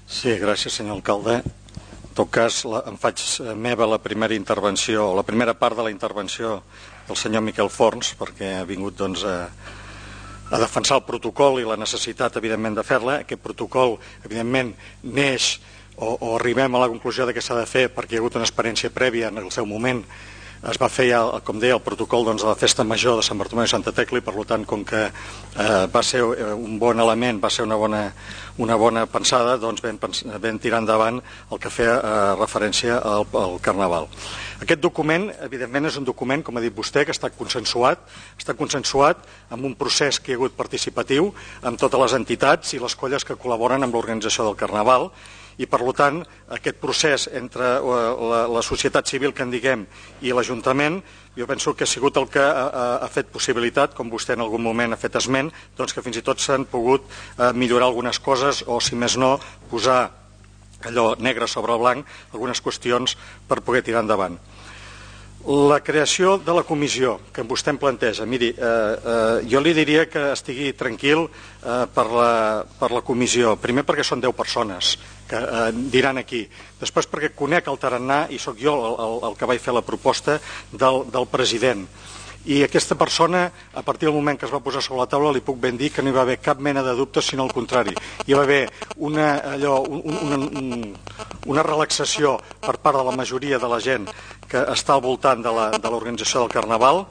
Sí, gràcies, senyor alcalde. En tot cas, la, em faig meva la primera intervenció, la primera part de la intervenció del senyor Miquel Forns, perquè ha vingut doncs, a, a defensar el protocol i la necessitat, evidentment, de fer-la. Aquest protocol, evidentment, neix o, o arribem a la conclusió de que s'ha de fer perquè hi ha hagut una experiència prèvia en el seu moment es va fer, ja, com deia, el protocol doncs, de la festa major de Sant Bartomeu i Santa Tecla, i per tant, com que eh, va ser un bon element, va ser una bona, una bona pensada, doncs vam, vam tirar endavant el que feia eh, referència al, al Carnaval. Aquest document, evidentment, és un document, com ha dit vostè, que està consensuat, està consensuat amb un procés que hi ha hagut participatiu amb totes les entitats i les colles que col·laboren amb l'organització del Carnaval, i per tant aquest procés entre la, la societat civil, que en diguem, i l'Ajuntament, jo penso que ha sigut el que ha, ha fet possibilitat, com vostè en algun moment ha fet esment, doncs que fins i tot s'han pogut eh, millorar algunes coses, o si més no, posar allò negre sobre blanc, algunes qüestions per poder tirar endavant. La creació de la comissió que vostè em planteja, miri, eh, eh, jo li diria que estigui tranquil eh, per, la, per la comissió. Primer perquè són deu persones que eh, diran aquí. Després perquè conec el tarannà i sóc jo el, el, el que vaig fer la proposta del, del president. I aquesta persona, a partir del moment que es va posar sobre la taula, li puc ben dir que no hi va haver cap mena de dubte, sinó al contrari. Hi va haver una, allò, un, una, una relaxació per part de la majoria de la gent que està al voltant de l'organització del Carnaval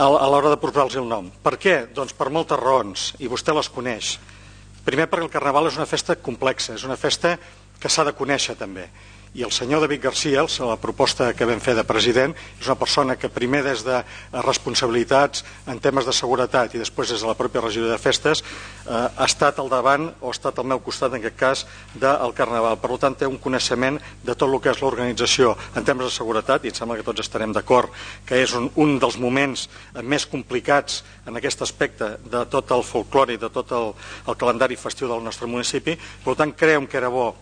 a, a l'hora de posar-los el nom. Per què? Doncs per moltes raons, i vostè les coneix. Primer perquè el Carnaval és una festa complexa, és una festa que s'ha de conèixer també. I el senyor David Garcia, la proposta que vam fer de president, és una persona que primer des de responsabilitats en temes de seguretat i després des de la pròpia regidoria de festes eh, ha estat al davant o ha estat al meu costat en aquest cas del Carnaval. Per tant té un coneixement de tot el que és l'organització en temes de seguretat, i em sembla que tots estarem d'acord que és un, un dels moments més complicats en aquest aspecte de tot el folclore i de tot el, el calendari festiu del nostre municipi. Per tant creiem que era bo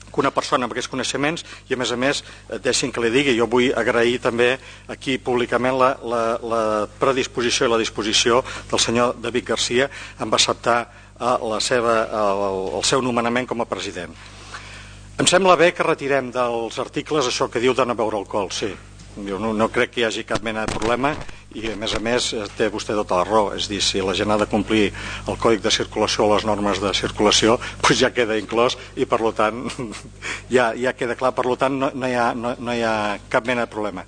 que una persona amb aquests coneixements, i a més a més deixin que li digui, jo vull agrair també aquí públicament la, la, la predisposició i la disposició del senyor David Garcia en acceptar la seva, el, el seu nomenament com a president. Em sembla bé que retirem dels articles això que diu de no beure alcohol, sí. Jo no, no crec que hi hagi cap mena de problema, i a més a més té vostè tota la raó, és dir, si la gent ha de complir el còdic de circulació o les normes de circulació, doncs ja queda inclòs i per tant ja, ja queda clar, per tant no, no, hi ha, no, no hi ha cap mena de problema.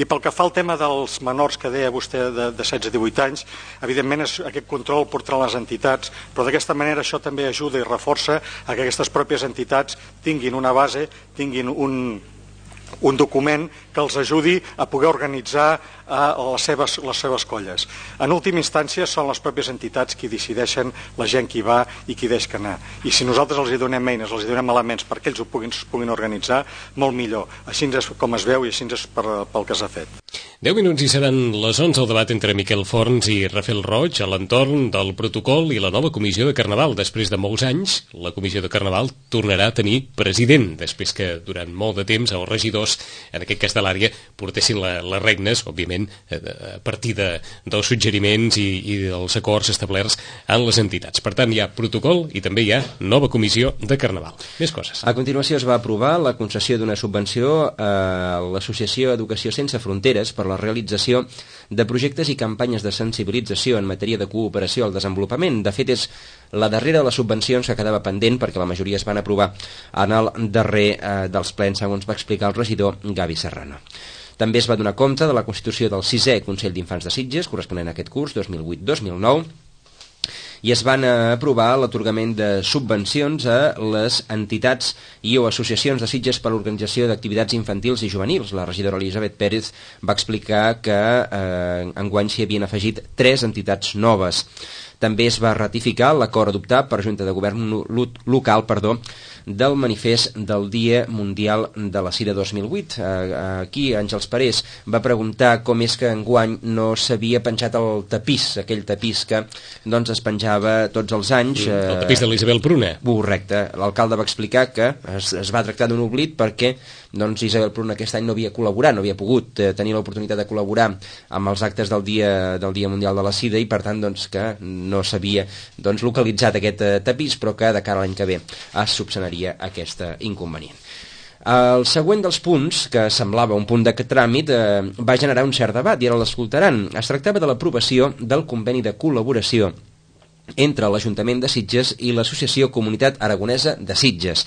I pel que fa al tema dels menors que deia vostè de, de setze a divuit anys, evidentment és, aquest control portarà les entitats, però d'aquesta manera això també ajuda i reforça a que aquestes pròpies entitats tinguin una base, tinguin un un document que els ajudi a poder organitzar a les seves, les seves colles. En última instància són les pròpies entitats qui decideixen la gent qui va i qui deixa anar. I si nosaltres els hi donem eines, els hi donem elements perquè ells ho puguin, puguin organitzar, molt millor. Així és com es veu i així és per, pel que s'ha fet. deu minuts i seran les onze al debat entre Miquel Forns i Rafael Roig a l'entorn del protocol i la nova comissió de Carnaval. Després de molts anys, la comissió de Carnaval tornarà a tenir president, després que durant molt de temps els regidors, en aquest cas de l'àrea, portessin la, les regnes, òbviament, a partir de, dels suggeriments i, i dels acords establerts en les entitats. Per tant, hi ha protocol i també hi ha nova comissió de Carnaval. Més coses. A continuació es va aprovar la concessió d'una subvenció a l'Associació Educació Sense Fronteres per la realització de projectes i campanyes de sensibilització en matèria de cooperació al desenvolupament. De fet, és la darrera de les subvencions que quedava pendent perquè la majoria es van aprovar en el darrer eh, dels plens, segons va explicar el regidor Gavi Serrano. També es va donar compte de la constitució del sisè Consell d'Infants de Sitges, corresponent a aquest curs dos mil vuit dos mil nou, i es van aprovar l'atorgament de subvencions a les entitats i o associacions de Sitges per l'organització d'activitats infantils i juvenils. La regidora Elisabet Pérez va explicar que eh, enguany s'hi havien afegit tres entitats noves. També es va ratificar l'acord adoptat per Junta de Govern local perdó, del manifest del Dia Mundial de la Sida dos mil vuit. Aquí Àngels Parés va preguntar com és que enguany no s'havia penjat el tapís, aquell tapís que doncs, es penjava tots els anys. Mm, el tapís de l'Isabel Pruna. Correcte. L'alcalde va explicar que es, es va tractar d'un oblit perquè doncs, Isabel Pruna aquest any no havia col·laborat, no havia pogut eh, tenir l'oportunitat de col·laborar amb els actes del Dia, del Dia Mundial de la Sida i per tant doncs, que no s'havia doncs, localitzat aquest eh, tapís, però que de cara a l'any que ve es subsanaria aquest inconvenient. El següent dels punts, que semblava un punt de tràmit, eh, va generar un cert debat i ara l'escoltaran. Es tractava de l'aprovació del conveni de col·laboració entre l'Ajuntament de Sitges i l'Associació Comunitat Aragonesa de Sitges.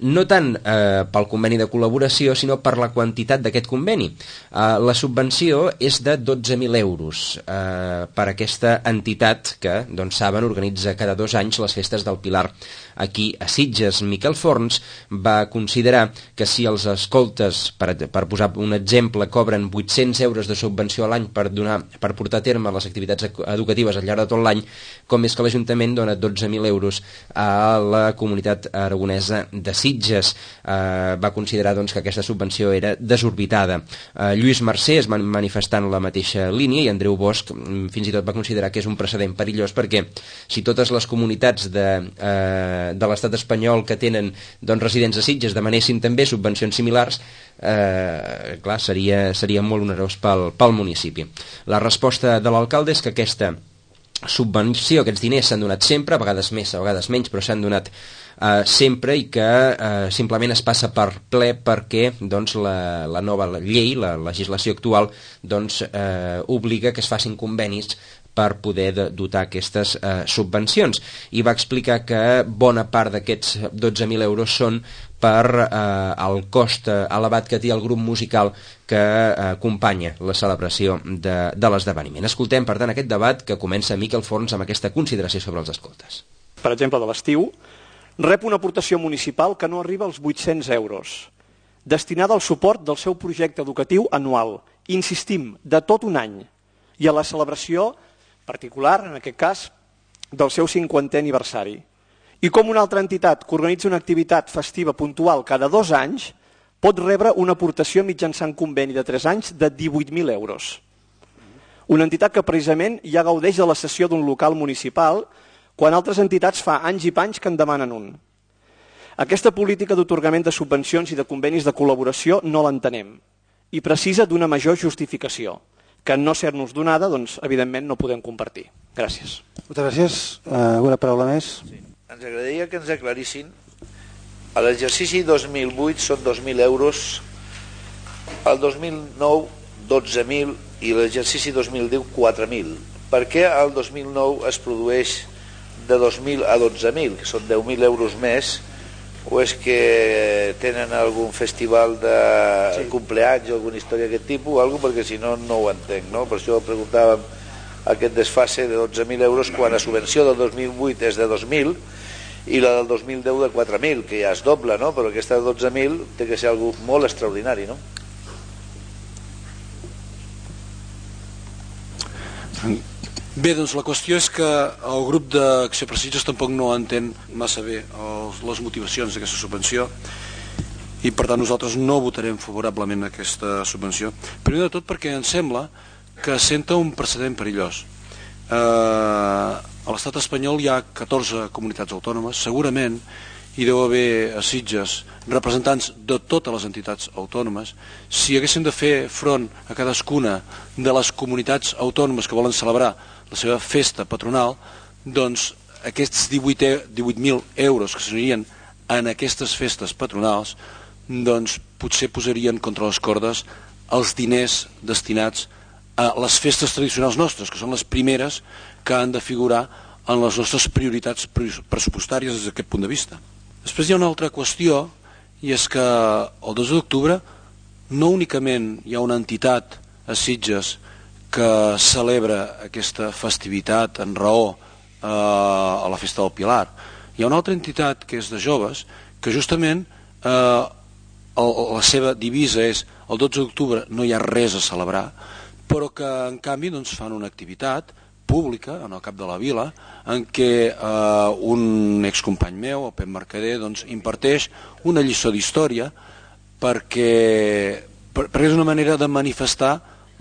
no tant eh, pel conveni de col·laboració, sinó per la quantitat d'aquest conveni. Eh, la subvenció és de dotze mil euros eh, per aquesta entitat que, doncs saben, organitza cada dos anys les festes del Pilar aquí a Sitges. Miquel Forns va considerar que si els escoltes, per, per posar un exemple, cobren vuit-cents euros de subvenció a l'any per, donar, per portar a terme les activitats educatives al llarg de tot l'any, com és que l'Ajuntament dona dotze mil euros a la comunitat aragonesa de Sitges. Eh, va considerar doncs, que aquesta subvenció era desorbitada. Eh, Lluís Mercè es va manifestar en la mateixa línia i Andreu Bosch fins i tot va considerar que és un precedent perillós perquè si totes les comunitats de, eh, de l'estat espanyol que tenen doncs, residents a Sitges demanessin també subvencions similars, eh, clar, seria, seria molt onerós pel, pel municipi. La resposta de l'alcalde és que aquesta subvenció, aquests diners s'han donat sempre, a vegades més, a vegades menys, però s'han donat eh, sempre i que eh, simplement es passa per ple perquè doncs, la, la nova llei, la legislació actual, doncs, eh, obliga que es facin convenis per poder de, dotar aquestes eh, subvencions. I va explicar que bona part d'aquests dotze mil euros són per eh, el cost elevat que té el grup musical que eh, acompanya la celebració de, de l'esdeveniment. Escoltem, per tant, aquest debat que comença Miquel Forns amb aquesta consideració sobre els escoltes. Per exemple, de l'estiu, rep una aportació municipal que no arriba als vuit-cents euros, destinada al suport del seu projecte educatiu anual, insistim, de tot un any, i a la celebració particular, en aquest cas, del seu cinquantè aniversari. I com una altra entitat que organitza una activitat festiva puntual cada dos anys pot rebre una aportació mitjançant conveni de tres anys de divuit mil euros. Una entitat que precisament ja gaudeix de la cessió d'un local municipal quan altres entitats fa anys i panys que en demanen un. Aquesta política d'atorgament de subvencions i de convenis de col·laboració no l'entenem i precisa d'una major justificació, que no ser-nos donada, doncs, evidentment, no podem compartir. Gràcies. Moltes gràcies. Uh, alguna paraula més? Sí. Ens agradaria que ens aclarissin. A l'exercici dos mil vuit són dos mil euros, el dos mil nou dotze mil i l'exercici dos mil deu quatre mil. Per què el dos mil nou es produeix de dos mil a dotze mil, que són deu mil euros més, o és que tenen algun festival de sí. cumpleaños o alguna història d'aquest tipus o alguna, perquè si no, no ho entenc, no? Per això preguntàvem aquest desfase de dotze mil euros quan la subvenció del dos mil vuit és de dos mil i la del dos mil deu de quatre mil, que ja és doble, no? Però aquesta de dotze mil té que ser algo molt extraordinari, no? Bé, doncs la qüestió és que el grup d'Acció per Sitges tampoc no entén massa bé els, les motivacions d'aquesta subvenció i per tant nosaltres no votarem favorablement aquesta subvenció. Primer de tot perquè ens sembla que senta un precedent perillós. Eh, a l'estat espanyol hi ha catorze comunitats autònomes, segurament hi deu haver a Sitges representants de totes les entitats autònomes. Si haguéssim de fer front a cadascuna de les comunitats autònomes que volen celebrar la seva festa patronal, doncs aquests divuit mil euros que s'anirien en aquestes festes patronals doncs potser posarien contra les cordes els diners destinats a les festes tradicionals nostres, que són les primeres que han de figurar en les nostres prioritats pressupostàries des d'aquest punt de vista. Després hi ha una altra qüestió, i és que el dos d'octubre no únicament hi ha una entitat a Sitges que celebra aquesta festivitat en raó eh, a la festa del Pilar. Hi ha una altra entitat que és de joves que justament eh, el, la seva divisa és el dotze d'octubre no hi ha res a celebrar, però que en canvi doncs, fan una activitat pública en el cap de la vila en què eh, un excompany meu, el Pep Mercader, doncs, imparteix una lliçó d'història perquè, per, perquè és una manera de manifestar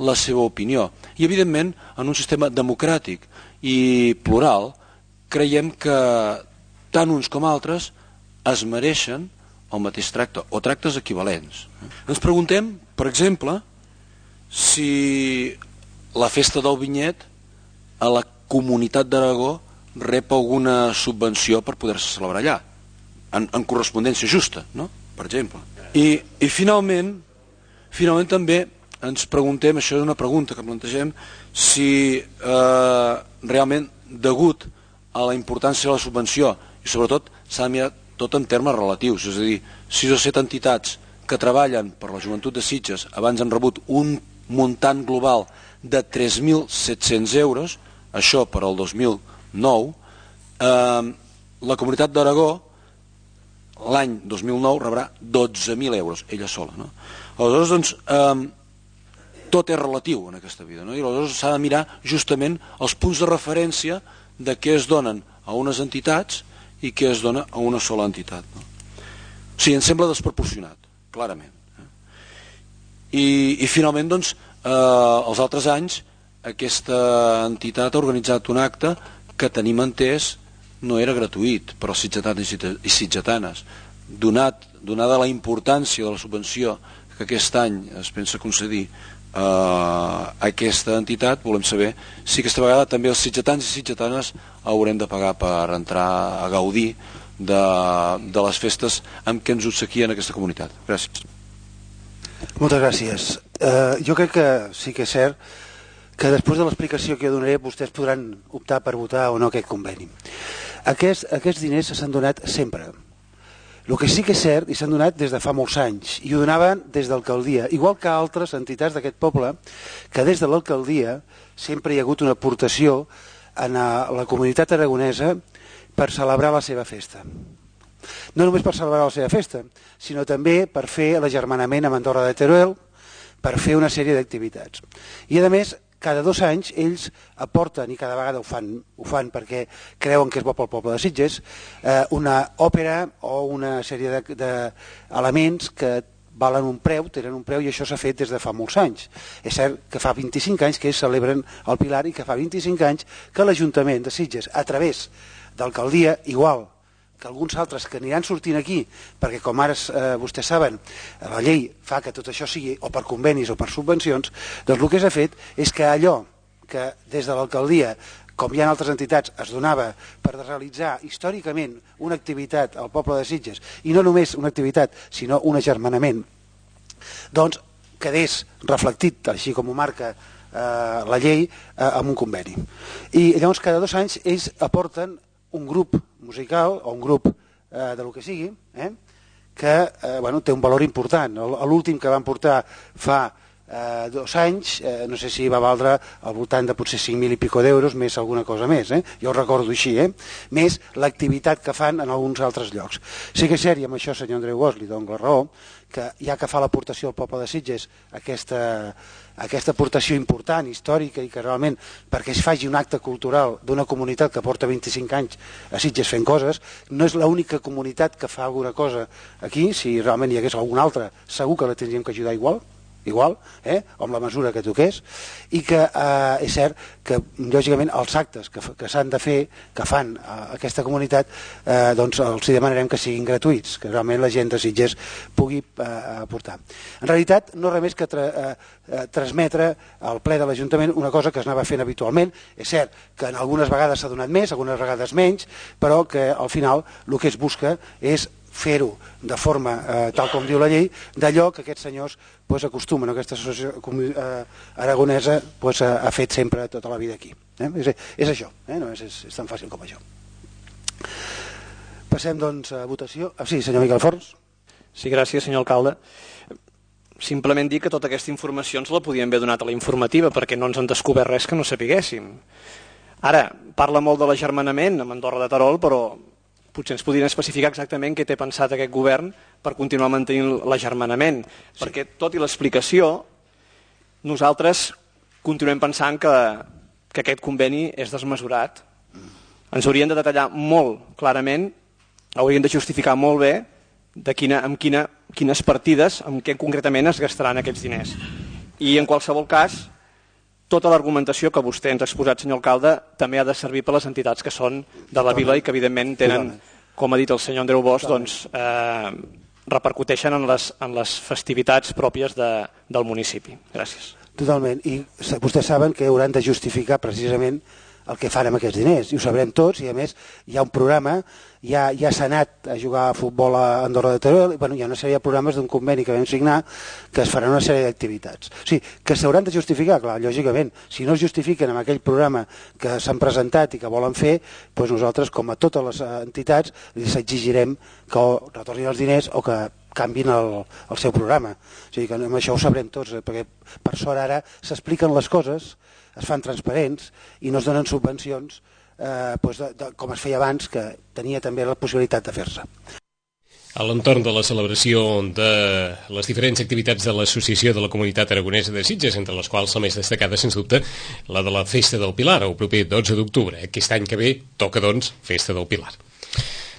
la seva opinió. I evidentment en un sistema democràtic i plural creiem que tant uns com altres es mereixen el mateix tracte o tractes equivalents. Ens preguntem, per exemple, si la festa del vinyet a la comunitat d'Aragó rep alguna subvenció per poder-se celebrar allà, en, en correspondència justa, no? Per exemple. I, i finalment, finalment també ens preguntem, això és una pregunta que plantegem, si eh, realment degut a la importància de la subvenció i sobretot s'ha de mirar tot en termes relatius, és a dir, sis o set entitats que treballen per la joventut de Sitges abans han rebut un muntant global de tres mil set-cents euros, això per al dos mil nou, eh, la Comunitat d'Aragó l'any dos mil nou rebrà dotze mil euros, ella sola, no? Aleshores, doncs, eh, tot és relatiu en aquesta vida, no? I aleshores s'ha de mirar justament els punts de referència de què es donen a unes entitats i què es dona a una sola entitat, no? O sigui, em sembla desproporcionat, clarament. Eh? I, i finalment, doncs, eh, els altres anys, aquesta entitat ha organitzat un acte que tenim entès no era gratuït per als sitgetans i sitgetanes. Donat, donada la importància de la subvenció que aquest any es pensa concedir a aquesta entitat, volem saber si aquesta vegada també els sitgetans i sitgetanes haurem de pagar per entrar a gaudir de, de les festes amb què ens obsequien aquesta comunitat. Gràcies. Moltes gràcies. Uh, jo crec que sí que és cert que després de l'explicació que jo donaré vostès podran optar per votar o no aquest conveni. Aquests, aquests diners s'han donat sempre. El que sí que és cert, i s'han donat des de fa molts anys, i ho donaven des de l'alcaldia, igual que altres entitats d'aquest poble, que des de l'alcaldia sempre hi ha hagut una aportació en la comunitat aragonesa per celebrar la seva festa. No només per celebrar la seva festa, sinó també per fer l'agermanament amb Andorra de Teruel, per fer una sèrie d'activitats. I a més, cada dos anys ells aporten, i cada vegada ho fan, ho fan perquè creuen que és bo pel poble de Sitges, eh, una òpera o una sèrie d'elements de, que valen un preu, tenen un preu, i això s'ha fet des de fa molts anys. És cert que fa vint-i-cinc anys que ells celebren el Pilar i que fa vint-i-cinc anys que l'Ajuntament de Sitges, a través d'alcaldia, igual que alguns altres que aniran sortint aquí, perquè com ara eh, vostès saben, la llei fa que tot això sigui o per convenis o per subvencions, doncs el que s'ha fet és que allò que des de l'alcaldia, com hi ha altres entitats, es donava per realitzar històricament una activitat al poble de Sitges, i no només una activitat, sinó un agermanament, doncs quedés reflectit, així com ho marca eh, la llei, eh, amb un conveni. I llavors cada dos anys ells aporten un grup musical o un grup eh, de lo que sigui, eh, que eh, bueno, té un valor important. L'últim que van portar fa eh, dos anys, eh, no sé si va valdre al voltant de potser cinc mil i pico d'euros, més alguna cosa més, eh? Jo ho recordo així, eh? Més l'activitat que fan en alguns altres llocs. Sí que és cert, i amb això senyor Andreu Bosch li dono la raó, que ja que fa l'aportació al poble de Sitges aquesta, aquesta aportació important, històrica, i que realment perquè es faci un acte cultural d'una comunitat que porta vint-i-cinc anys a Sitges fent coses, no és l'única comunitat que fa alguna cosa aquí. Si realment hi hagués alguna altra, segur que la tindríem que ajudar igual, igual, eh? O amb la mesura que toqués, i que eh, és cert que lògicament els actes que, que s'han de fer, que fan eh, aquesta comunitat, eh, doncs els hi demanarem que siguin gratuïts, que realment la gent de Sitges pugui eh, aportar. En realitat no res més que tra eh, eh, transmetre al ple de l'Ajuntament una cosa que es anava fent habitualment. És cert que en algunes vegades s'ha donat més, algunes vegades menys, però que al final el que es busca és fer-ho de forma, eh, tal com diu la llei, d'allò que aquests senyors pues, acostumen, aquesta associació eh, aragonesa pues, ha, ha fet sempre tota la vida aquí. Eh? És, és això, eh? No és, és, és tan fàcil com això. Passem doncs a votació. Ah, sí, senyor Miquel Forns. Sí, gràcies, senyor alcalde. Simplement dir que tota aquesta informació ens la podíem haver donat a la informativa, perquè no ens han descobert res que no sapiguéssim. Ara, parla molt de l'agermanament amb Andorra de Terol, però potser ens podrien especificar exactament què té pensat aquest govern per continuar mantenint l'agermanament, sí. Perquè tot i l'explicació, nosaltres continuem pensant que, que aquest conveni és desmesurat. Ens haurien de detallar molt clarament, haurien de justificar molt bé de quina, amb quina, quines partides, amb què concretament es gastaran aquests diners. I en qualsevol cas, tota l'argumentació que vostè ens ha exposat, senyor alcalde, també ha de servir per les entitats que són de la vila i que evidentment tenen, com ha dit el senyor Andreu Bosch, doncs, eh, repercuteixen en les, en les festivitats pròpies de, del municipi. Gràcies. Totalment. I vostès saben que hauran de justificar precisament el que fan amb aquests diners, i ho sabrem tots, i a més hi ha un programa, ja, ja s'ha anat a jugar a futbol a Andorra de Teruel, i bueno, hi ha una sèrie de programes d'un conveni que vam signar que es faran una sèrie d'activitats. O sigui, que s'hauran de justificar, clar, lògicament, si no es justifiquen amb aquell programa que s'han presentat i que volen fer, doncs nosaltres, com a totes les entitats, els exigirem que o retornin els diners o que canvin el, el seu programa. O sigui que amb això ho sabrem tots, perquè per sort ara s'expliquen les coses, es fan transparents i no es donen subvencions eh, doncs de, de, com es feia abans, que tenia també la possibilitat de fer-se. A l'entorn de la celebració de les diferents activitats de l'Associació de la Comunitat Aragonesa de Sitges, entre les quals la més destacada, sens dubte, la de la Festa del Pilar, el proper dotze d'octubre. Aquest any que ve toca, doncs, Festa del Pilar.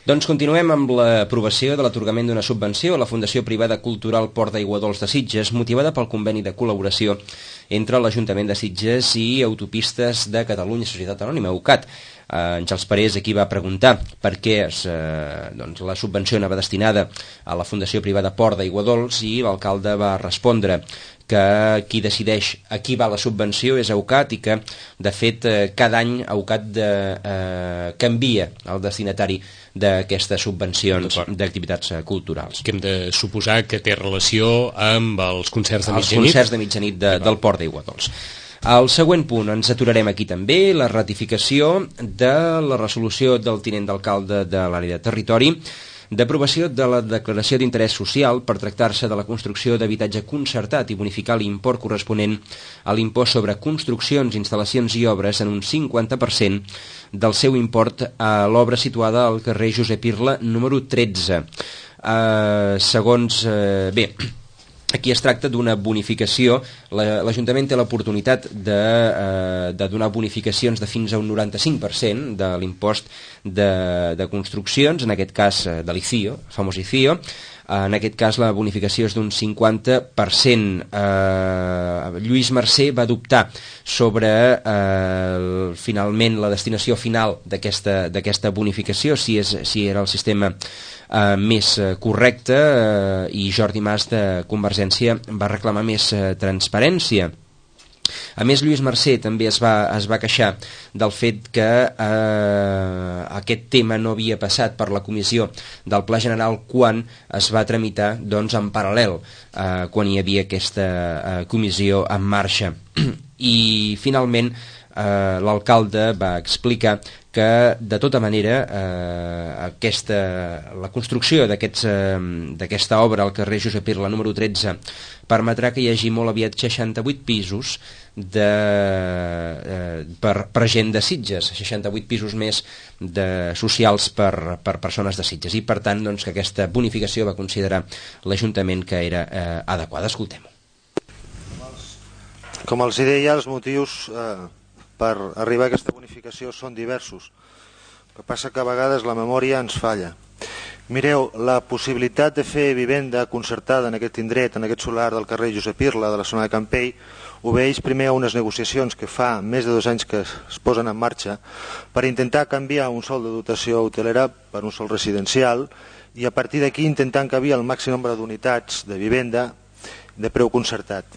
Doncs continuem amb l'aprovació de l'atorgament d'una subvenció a la Fundació Privada Cultural Port d'Aiguadols de Sitges, motivada pel conveni de col·laboració entre l'Ajuntament de Sitges i Autopistes de Catalunya, Societat Anònima, UCAT. Eh, Àngels Parés aquí va preguntar per què es, eh, doncs, la subvenció anava destinada a la Fundació Privada Port d'Aiguadols i l'alcalde va respondre que qui decideix a qui va la subvenció és AUCAT i que, de fet, eh, cada any AUCAT de, eh, canvia el destinatari d'aquestes subvencions d'activitats culturals. Que hem de suposar que té relació amb els concerts de mitjanit? Els concerts de mitjanit de, del Port d'Aiguadols. Al següent punt ens aturarem aquí també, la ratificació de la resolució del tinent d'alcalde de l'àrea de territori d'aprovació de la declaració d'interès social per tractar-se de la construcció d'habitatge concertat i bonificar l'import corresponent a l'impost sobre construccions, instal·lacions i obres en un cinquanta per cent del seu import a l'obra situada al carrer Josep Irla número tretze. Uh, segons... Uh, bé... Aquí es tracta d'una bonificació. L'Ajuntament té l'oportunitat de, eh, de donar bonificacions de fins a un noranta-cinc per cent de l'impost de, de construccions, en aquest cas de l'I C I O, el famós I C I O. En aquest cas la bonificació és d'un cinquanta per cent. Eh, Lluís Mercè va adoptar sobre eh, finalment la destinació final d'aquesta d'aquesta bonificació, si, és, si era el sistema eh, més correcte, eh, i Jordi Mas de Convergència va reclamar més eh, transparència. A més, Lluís Mercè també es va, es va queixar del fet que eh, aquest tema no havia passat per la comissió del Pla General quan es va tramitar, doncs, en paral·lel, eh, quan hi havia aquesta eh, comissió en marxa. I, finalment, eh, l'alcalde va explicar que, de tota manera, eh, aquesta, la construcció d'aquesta eh, obra al carrer Josep Irla número tretze permetrà que hi hagi molt aviat seixanta-vuit pisos de, eh, per, per gent de Sitges, seixanta-vuit pisos més de, socials per, per persones de Sitges, i per tant, doncs, que aquesta bonificació va considerar l'Ajuntament que era eh, adequada. Escoltem-ho. Com els deia, els motius eh, per arribar a aquesta bonificació són diversos. El que passa que a vegades la memòria ens falla. Mireu, la possibilitat de fer vivenda concertada en aquest indret, en aquest solar del carrer Josep Irla, de la zona de Campell, obeeix primer a unes negociacions que fa més de dos anys que es posen en marxa per intentar canviar un sòl de dotació hotelera per un sòl residencial i a partir d'aquí intentar encabir el màxim nombre d'unitats de vivenda de preu concertat.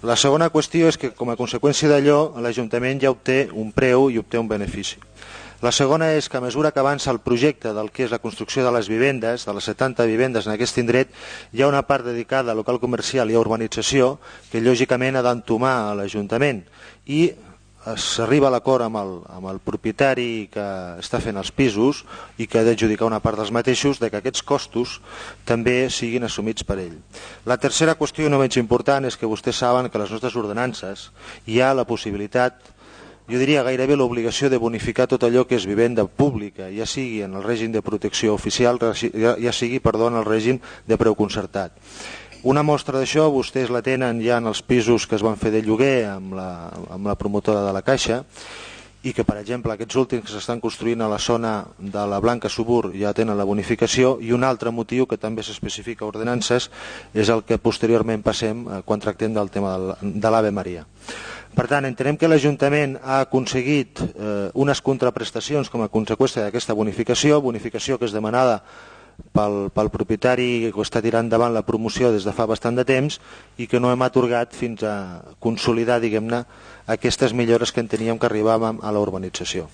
La segona qüestió és que, com a conseqüència d'allò, l'Ajuntament ja obté un preu i obté un benefici. La segona és que, a mesura que avança el projecte del que és la construcció de les vivendes, de les setanta vivendes en aquest indret, hi ha una part dedicada a local comercial i a urbanització que, lògicament, ha d'entomar a l'Ajuntament. I s'arriba a l'acord amb, el, amb el propietari que està fent els pisos i que ha d'adjudicar una part dels mateixos, de que aquests costos també siguin assumits per ell. La tercera qüestió, no menys important, és que vostès saben que a les nostres ordenances hi ha la possibilitat, jo diria gairebé l'obligació de bonificar tot allò que és vivenda pública, ja sigui en el règim de protecció oficial, ja sigui, perdó, en el règim de preu concertat. Una mostra d'això vostès la tenen ja en els pisos que es van fer de lloguer amb la, amb la promotora de la Caixa i que, per exemple, aquests últims que s'estan construint a la zona de la Blanca Subur ja tenen la bonificació, i un altre motiu que també s'especifica a ordenances és el que posteriorment passem quan tractem del tema de l'Ave Maria. Per tant, entenem que l'Ajuntament ha aconseguit eh, unes contraprestacions com a conseqüència d'aquesta bonificació, bonificació que és demanada pel, pel propietari que està tirant endavant la promoció des de fa bastant de temps i que no hem atorgat fins a consolidar, diguem-ne, aquestes millores que en teníem que arribàvem a la urbanització.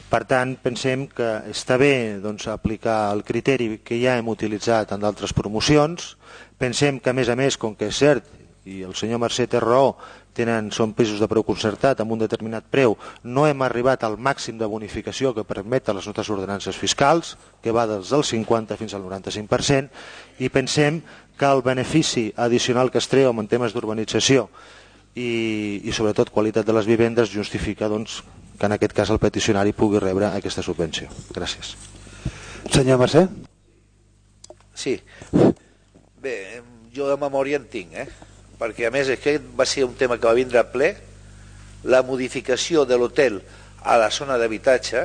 Per tant, pensem que està bé doncs, aplicar el criteri que ja hem utilitzat en d'altres promocions. Pensem que, a més a més, com que és cert, i el senyor Mercè té raó, tenen, són pisos de preu concertat amb un determinat preu, no hem arribat al màxim de bonificació que permeten les nostres ordenances fiscals, que va des del cinquanta fins al noranta-cinc per cent, i pensem que el benefici addicional que es treu en temes d'urbanització i, i sobretot qualitat de les vivendes justifica doncs, que en aquest cas el peticionari pugui rebre aquesta subvenció. Gràcies. Senyor Mercè? Sí. Bé, jo de memòria en tinc, eh? Perquè a més aquest va ser un tema que va vindre a ple, la modificació de l'hotel a la zona d'habitatge,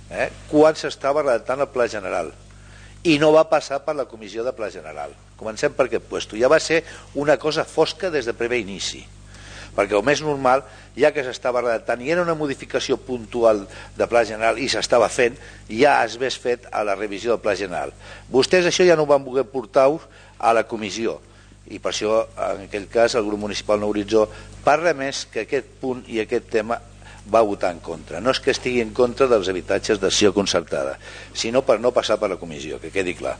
eh, quan s'estava redactant el Pla General, i no va passar per la Comissió de Pla General. Comencem per aquest puesto. Ja va ser una cosa fosca des de primer inici, perquè el més normal, ja que s'estava redactant i era una modificació puntual de Pla General i s'estava fent, ja es hagués fet a la revisió del Pla General. Vostès això ja no ho van voler portar a la comissió, i per això en aquell cas el grup municipal Nou Horitzó parla més que aquest punt i aquest tema va votar en contra. No és que estigui en contra dels habitatges d'acció concertada, sinó per no passar per la comissió, que quedi clar.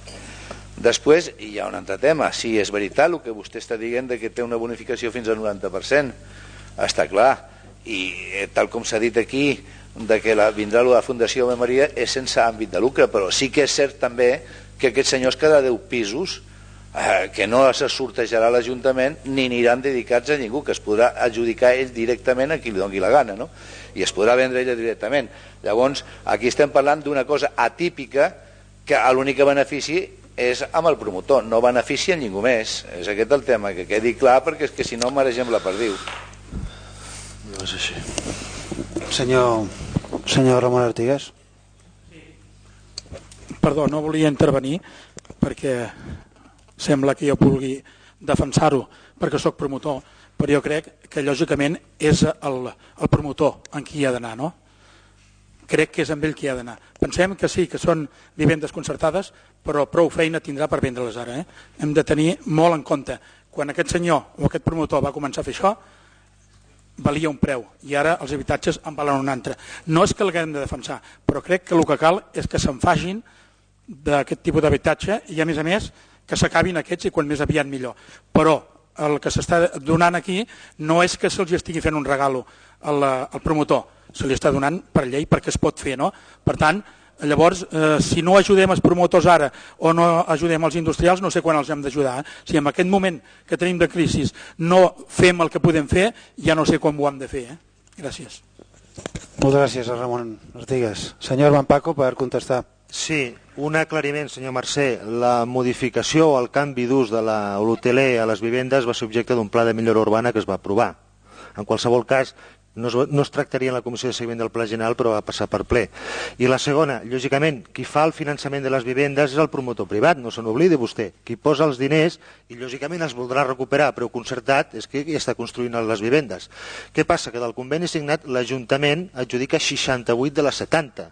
Després hi ha un altre tema. Sí, és veritat el que vostè està dient de que té una bonificació fins al noranta per cent, està clar, i eh, tal com s'ha dit aquí de que la, vindrà la Fundació Ave Maria és sense àmbit de lucre, però sí que és cert també que aquests senyors cada deu pisos eh, que no se sortejarà l'Ajuntament ni aniran dedicats a ningú, que es podrà adjudicar ell directament a qui li doni la gana, no? I es podrà vendre ell directament. Llavors aquí estem parlant d'una cosa atípica que l'únic benefici és amb el promotor, no beneficia ningú més. És aquest el tema, que quedi clar, perquè és que si no maregem la perdiu. No és així. Senyor, senyor Ramon Artigas. Perdó, no volia intervenir perquè sembla que jo vulgui defensar-ho perquè sóc promotor, però jo crec que lògicament és el, el promotor en qui ha d'anar, no? Crec que és amb ell qui ha d'anar. Pensem que sí, que són vivendes concertades, però prou feina tindrà per vendre-les ara. Eh? Hem de tenir molt en compte. Quan aquest senyor o aquest promotor va començar a fer això, valia un preu, i ara els habitatges en valen un altre. No és que l'haguem de defensar, però crec que el que cal és que se'n facin d'aquest tipus d'habitatge i, a més a més, que s'acabin aquests i quan més aviat millor. Però el que s'està donant aquí no és que se'ls estigui fent un regalo al, al promotor, se li està donant per llei perquè es pot fer, no? Per tant, llavors, eh, si no ajudem els promotors ara o no ajudem els industrials, no sé quan els hem d'ajudar. Eh? Si en aquest moment que tenim de crisi no fem el que podem fer, ja no sé com ho hem de fer. Eh? Gràcies. Moltes gràcies a Ramon Artigas. Senyor Van Paco, per contestar. Sí, un aclariment, senyor Mercè. La modificació o el canvi d'ús de l'hoteler a les vivendes va ser objecte d'un pla de millora urbana que es va aprovar. En qualsevol cas, no es, no es tractaria en la Comissió de Seguiment del Pla General, però va passar per ple. I la segona, lògicament, qui fa el finançament de les vivendes és el promotor privat, no se n'oblidi vostè. Qui posa els diners, i lògicament els voldrà recuperar, però concertat és que ja està construint les vivendes. Què passa? Que del conveni signat l'Ajuntament adjudica seixanta-vuit de les setanta,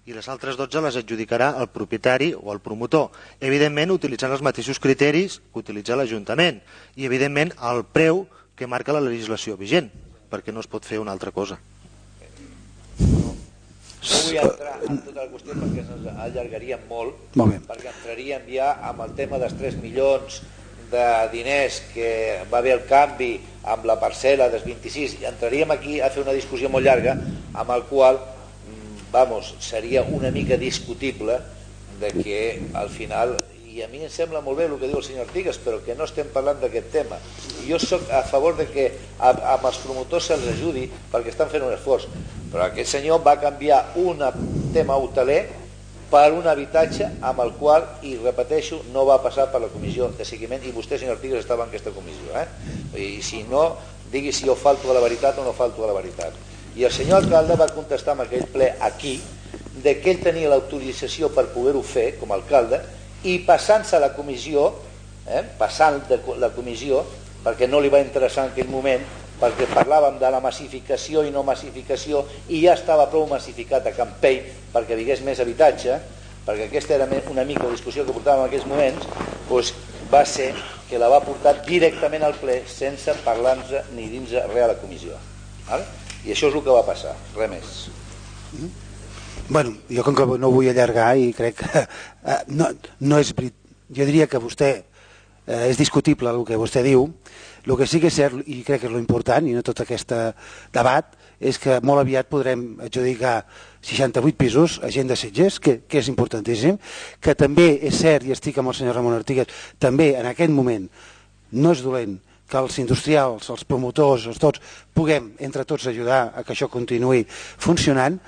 i les altres dotze les adjudicarà el propietari o el promotor, evidentment utilitzant els mateixos criteris que utilitza l'Ajuntament, i evidentment el preu que marca la legislació vigent, perquè no es pot fer una altra cosa. No, no vull entrar en tota la qüestió perquè ens allargaríem molt, molt perquè entraríem ja amb el tema dels tres milions de diners que va haver el canvi amb la parcel·la dels vint-i-sis, i entraríem aquí a fer una discussió molt llarga amb el qual, vamos, seria una mica discutible de que al final, i a mi em sembla molt bé el que diu el senyor Artigas, però que no estem parlant d'aquest tema. I jo sóc a favor de que amb els promotors se'ls ajudi perquè estan fent un esforç, però aquest senyor va canviar un tema hoteler per un habitatge amb el qual, i repeteixo, no va passar per la comissió de seguiment, i vostè, senyor Artigas, estava en aquesta comissió. Eh? I si no, digui si jo falto a la veritat o no falto a la veritat. I el senyor alcalde va contestar en aquell ple aquí de que ell tenia l'autorització per poder-ho fer com a alcalde, i passant-se a la comissió, eh, passant de la comissió, perquè no li va interessar en aquell moment, perquè parlàvem de la massificació i no massificació, i ja estava prou massificat a Campell perquè hi hagués més habitatge, perquè aquesta era una mica la discussió que portàvem en aquells moments, doncs va ser que la va portar directament al ple sense parlar-nos ni dins res a la comissió. Vale? I això és el que va passar, res més. Mm-hmm. Bueno, jo com que no vull allargar i crec que eh, no, no és veritat, jo diria que vostè eh, és discutible el que vostè diu. El que sí que és cert, i crec que és l'important, i no tot aquest debat, és que molt aviat podrem adjudicar seixanta-vuit pisos a gent de Sitges, que, que és importantíssim, que també és cert, i estic amb el senyor Ramon Artigas, també en aquest moment no és dolent que els industrials, els promotors, els tots, puguem entre tots ajudar a que això continuï funcionant,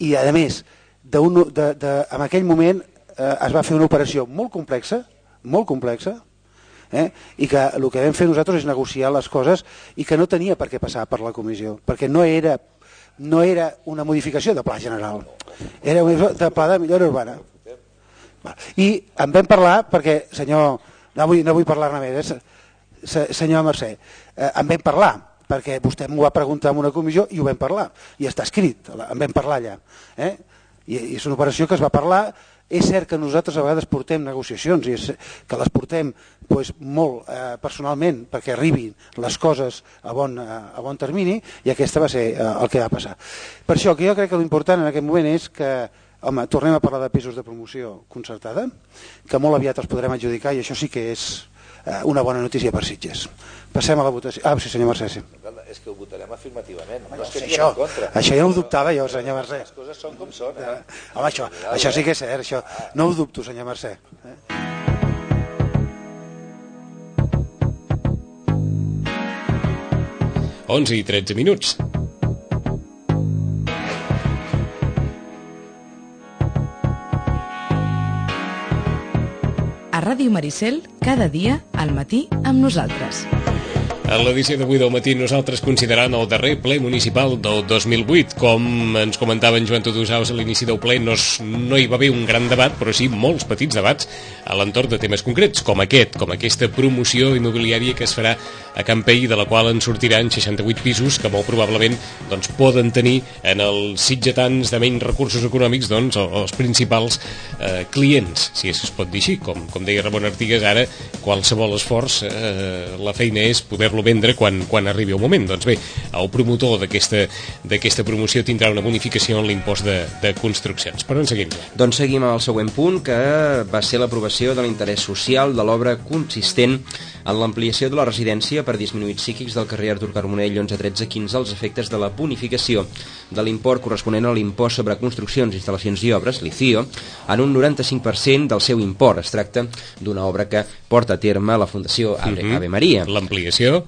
i a més, de un, de, de, en aquell moment eh, es va fer una operació molt complexa, molt complexa, eh, i que el que vam fer nosaltres és negociar les coses i que no tenia per què passar per la comissió, perquè no era, no era una modificació de pla general, era una de pla de millora urbana. I en vam parlar, perquè, senyor, no vull, no vull parlar-ne més, eh, senyor Mercè, eh, en vam parlar, perquè vostè m'ho va preguntar en una comissió i ho vam parlar, i està escrit, en vam parlar allà. Eh? I, I és una operació que es va parlar. És cert que nosaltres a vegades portem negociacions i és, que les portem pues, molt eh, personalment perquè arribin les coses a bon, a bon termini, i aquesta va ser eh, el que va passar. Per això que jo crec que l'important en aquest moment és que, home, tornem a parlar de pisos de promoció concertada, que molt aviat els podrem adjudicar, i això sí que és eh, una bona notícia per Sitges. Passem a la votació. Ah, sí, senyor Mercè, sí. És que ho votarem afirmativament. No, no és que això, en contra. Això ja ho dubtava jo, senyor Mercè. Les coses són com són. Eh? Home, això, això sí que és cert, això. No ho dubto, senyor Mercè. Eh? onze i tretze minuts. A Ràdio Maricel, cada dia, al matí, amb nosaltres. En l'edició d'avui del matí nosaltres considerant el darrer ple municipal del dos mil vuit. Com ens comentava en Joan Tudusaus a l'inici del ple, no, es, no hi va haver un gran debat, però sí molts petits debats a l'entorn de temes concrets, com aquest, com aquesta promoció immobiliària que es farà a Campell, de la qual en sortiran seixanta-vuit pisos que molt probablement doncs, poden tenir en els sitgetans de menys recursos econòmics doncs, els principals eh, clients, si es pot dir així. Com, com deia Ramon Artigas, ara qualsevol esforç, eh, la feina és poder-lo vendre quan, quan arribi el moment. Doncs bé, el promotor d'aquesta promoció tindrà una bonificació en l'impost de, de construccions. Per on seguim? Doncs seguim al següent punt, que va ser l'aprovació de l'interès social de l'obra consistent en l'ampliació de la residència per disminuïts psíquics del carrer Artur Carbonell onze tretze quinze als efectes de la bonificació de l'import corresponent a l'impost sobre construccions, instal·lacions i obres, l'I C I O, en un noranta-cinc per cent del seu import. Es tracta d'una obra que porta a terme la Fundació Ave, uh-huh. Ave Maria. L'ampliació.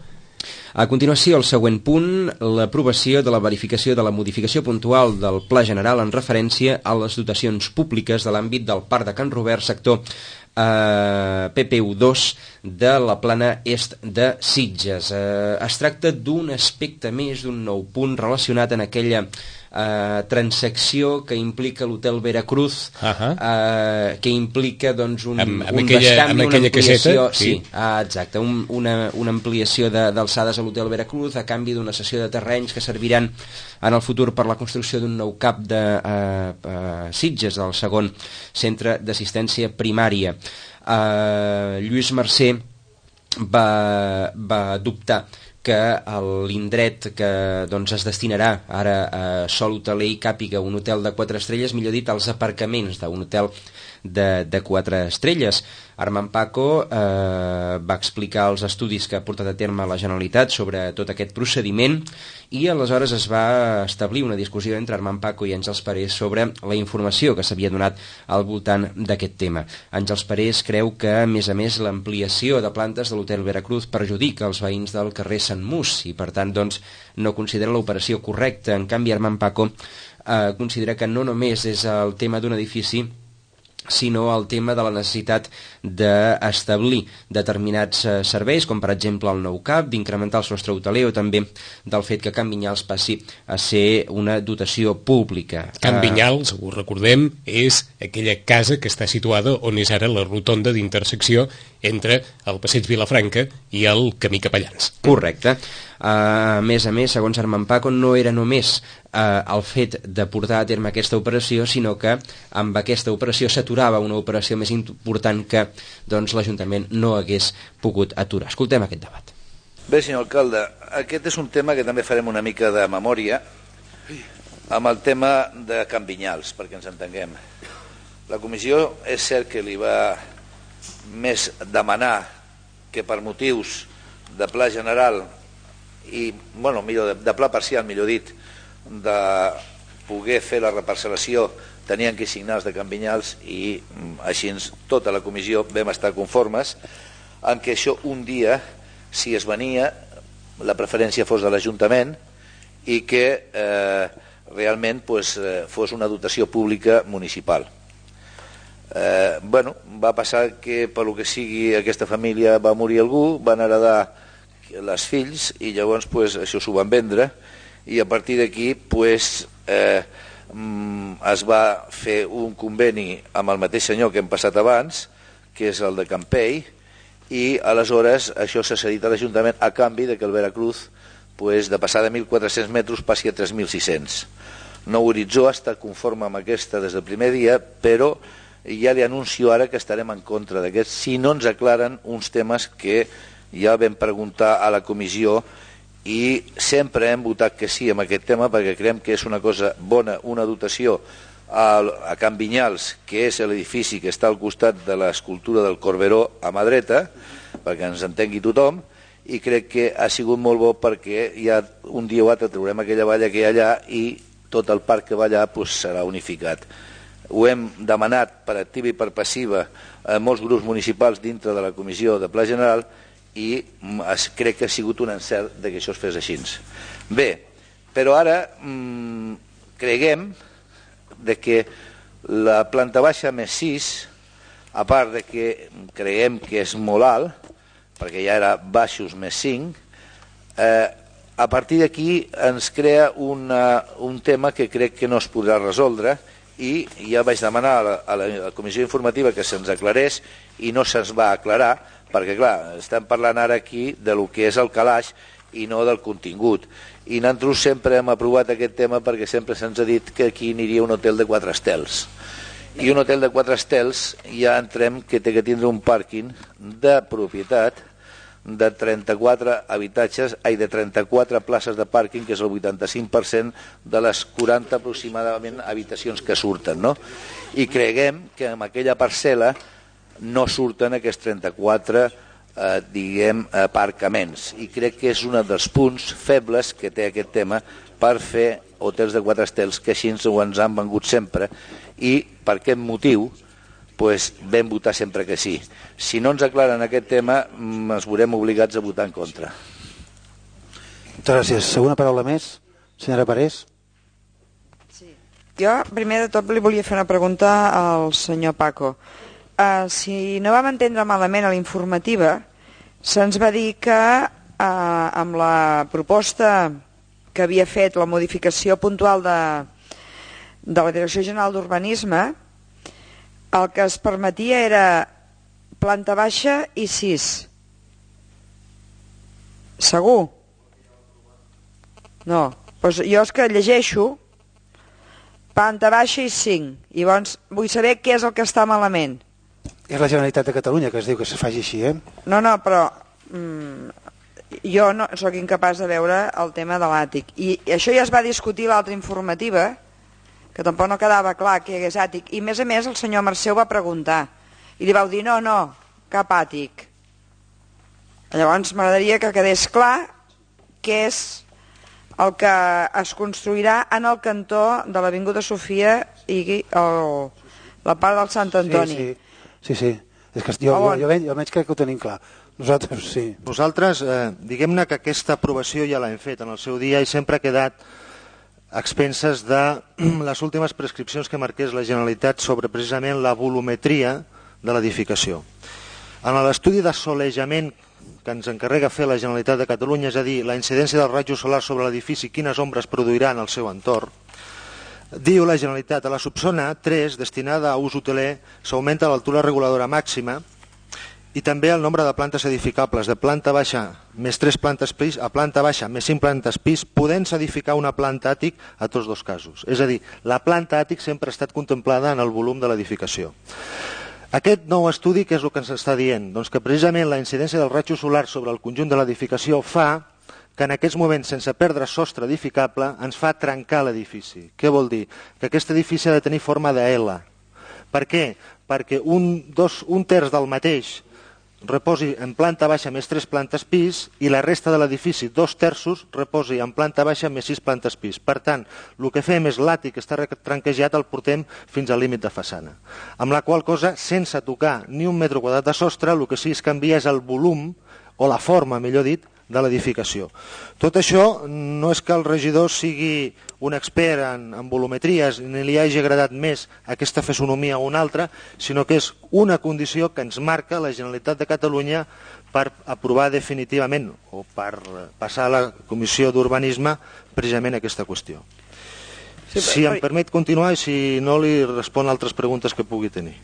A continuació, el següent punt, l'aprovació de la verificació de la modificació puntual del Pla General en referència a les dotacions públiques de l'àmbit del Parc de Can Robert, sector eh, P P U dos de la plana est de Sitges. Eh, es tracta d'un aspecte més, d'un nou punt relacionat en aquella eh, transacció que implica l'Hotel Veracruz, uh-huh. eh, que implica doncs, un, amb, amb un aquella, bescanvi, amb una ampliació, caseta, sí. sí, ah, exacte, un, una, una ampliació d'alçades a l'Hotel Veracruz a canvi d'una cessió de terrenys que serviran en el futur per la construcció d'un nou cap de eh, eh, Sitges, del segon centre d'assistència primària. Eh, Lluís Mercè va, va dubtar que l'indret que doncs, es destinarà ara a sol hoteler i càpiga un hotel de quatre estrelles, millor dit, als aparcaments d'un hotel de, de quatre estrelles. Armand Paco eh, va explicar els estudis que ha portat a terme la Generalitat sobre tot aquest procediment i aleshores es va establir una discussió entre Armand Paco i Àngels Parés sobre la informació que s'havia donat al voltant d'aquest tema. Àngels Parés creu que, a més a més, l'ampliació de plantes de l'Hotel Veracruz perjudica els veïns del carrer Sant Mus i, per tant, doncs, no considera l'operació correcta. En canvi, Armand Paco eh, considera que no només és el tema d'un edifici, sinó el tema de la necessitat d'establir determinats eh, serveis, com per exemple el nou cap, d'incrementar el sostre hoteler o també del fet que Can Vinyals passi a ser una dotació pública. Can Vinyals, ho recordem, és aquella casa que està situada on és ara la rotonda d'intersecció entre el passeig Vilafranca i el camí Capellans. Correcte. A més a més, segons Armand Paco, no era només eh, el fet de portar a terme aquesta operació, sinó que amb aquesta operació s'aturava una operació més important que doncs, l'Ajuntament no hagués pogut aturar. Escoltem aquest debat. Bé, senyor alcalde, aquest és un tema que també farem una mica de memòria amb el tema de Can Vinyals, perquè ens entenguem. La comissió és cert que li va més demanar que per motius de pla general i, bueno, millor, de, de pla parcial, millor dit, de poder fer la reparcel·lació, tenien que signar els de Can Vinyals i així tota la comissió vam estar conformes en què això un dia, si es venia, la preferència fos de l'Ajuntament i que eh, realment pues, eh, fos una dotació pública municipal. Eh, bueno, va passar que per lo que sigui aquesta família va morir algú, van heredar les fills i llavors pues, això s'ho van vendre i a partir d'aquí pues, eh, es va fer un conveni amb el mateix senyor que hem passat abans, que és el de Campell, i aleshores això s'ha cedit a l'Ajuntament a canvi de que el Veracruz pues, de passar de mil quatre-cents metres passi a tres mil sis-cents. Nou Horitzó està conforme amb aquesta des del primer dia, però ja li anuncio ara que estarem en contra d'aquest si no ens aclaren uns temes que ja vam preguntar a la comissió i sempre hem votat que sí amb aquest tema perquè creiem que és una cosa bona, una dotació a, a Can Vinyals, que és l'edifici que està al costat de l'escultura del Corberó a mà dreta, perquè ens entengui tothom, i crec que ha sigut molt bo perquè ja un dia o altre traurem aquella valla que hi ha allà i tot el parc que va allà pues, serà unificat. Ho hem demanat per activa i per passiva a molts grups municipals dintre de la Comissió de Pla General i es, crec que ha sigut un encert de que això es fes així. Bé, però ara mmm, creguem de que la planta baixa més sis, a part de que creiem que és molt alt, perquè ja era baixos més cinc, eh, a partir d'aquí ens crea una, un tema que crec que no es podrà resoldre i ja vaig demanar a la, a la comissió informativa que se'ns aclarés i no se'ns va aclarar, perquè clar, estem parlant ara aquí de lo que és el calaix i no del contingut. I nosaltres sempre hem aprovat aquest tema perquè sempre se'ns ha dit que aquí aniria un hotel de quatre estels. I un hotel de quatre estels ja entrem que té que tindre un pàrquing de propietat de trenta-quatre habitatges, ai, de trenta-quatre places de pàrquing, que és el vuitanta-cinc per cent de les quaranta aproximadament habitacions que surten, no? I creguem que en aquella parcel·la no surten aquests trenta-quatre eh, diguem, eh, aparcaments. I crec que és un dels punts febles que té aquest tema per fer hotels de quatre estels, que així ens han vengut sempre, i per aquest motiu pues, vam votar sempre que sí. Si no ens aclaren aquest tema, ens veurem obligats a votar en contra. Moltes gràcies. Segona paraula més, senyora Parés. Sí. Jo, primer de tot, li volia fer una pregunta al senyor Paco. Uh, si no vam entendre malament a la informativa, se'ns va dir que uh, amb la proposta que havia fet la modificació puntual de, de la Direcció General d'Urbanisme, el que es permetia era planta baixa i sis. Segur? No. Doncs jo és que llegeixo planta baixa i cinc. I llavors vull saber què és el que està malament. És la Generalitat de Catalunya que es diu que se faci així, eh? No, no, però mm, jo no sóc incapaç de veure el tema de l'àtic. I això ja es va discutir a l'altra informativa, que tampoc no quedava clar que hi hagués àtic. I a més a més el senyor Mercè va preguntar i li vau dir no, no, cap àtic. Llavors m'agradaria que quedés clar què és el que es construirà en el cantó de l'Avinguda Sofia i el, la part del Sant Antoni. Sí, sí, sí, sí. És que jo, jo, jo, veig, jo veig que ho tenim clar. Nosaltres sí. Nosaltres, eh, diguem-ne que aquesta aprovació ja l'hem fet en el seu dia i sempre ha quedat a expenses de les últimes prescripcions que marqués la Generalitat sobre precisament la volumetria de l'edificació. En l'estudi d'assolejament que ens encarrega fer la Generalitat de Catalunya, és a dir, la incidència del raig solar sobre l'edifici, quines ombres produirà en el seu entorn, diu la Generalitat, a la subzona tres, destinada a ús hoteler, s'augmenta l'altura reguladora màxima i també el nombre de plantes edificables de planta baixa més tres plantes pis a planta baixa més cinc plantes pis, podent-se edificar una planta àtic a tots dos casos. És a dir, la planta àtic sempre ha estat contemplada en el volum de l'edificació. Aquest nou estudi, què és el que ens està dient? Doncs que precisament la incidència del raig solar sobre el conjunt de l'edificació fa que en aquests moments, sense perdre sostre edificable, ens fa trencar l'edifici. Què vol dir? Que aquest edifici ha de tenir forma de L. Per què? Perquè un, dos, un terç del mateix reposi en planta baixa més tres plantes pis i la resta de l'edifici, dos terços, reposi en planta baixa més sis plantes pis. Per tant, el que fem és l'àtic que està tranquejat el portem fins al límit de façana. Amb la qual cosa, sense tocar ni un metre quadrat de sostre, el que sí es canvia és el volum, o la forma, millor dit, de l'edificació. Tot això no és que el regidor sigui un expert en, en volumetries ni li hagi agradat més aquesta fisonomia o una altra, sinó que és una condició que ens marca la Generalitat de Catalunya per aprovar definitivament o per passar a la Comissió d'Urbanisme precisament aquesta qüestió. Sí, però... Si em permet continuar i si no li respon altres preguntes que pugui tenir.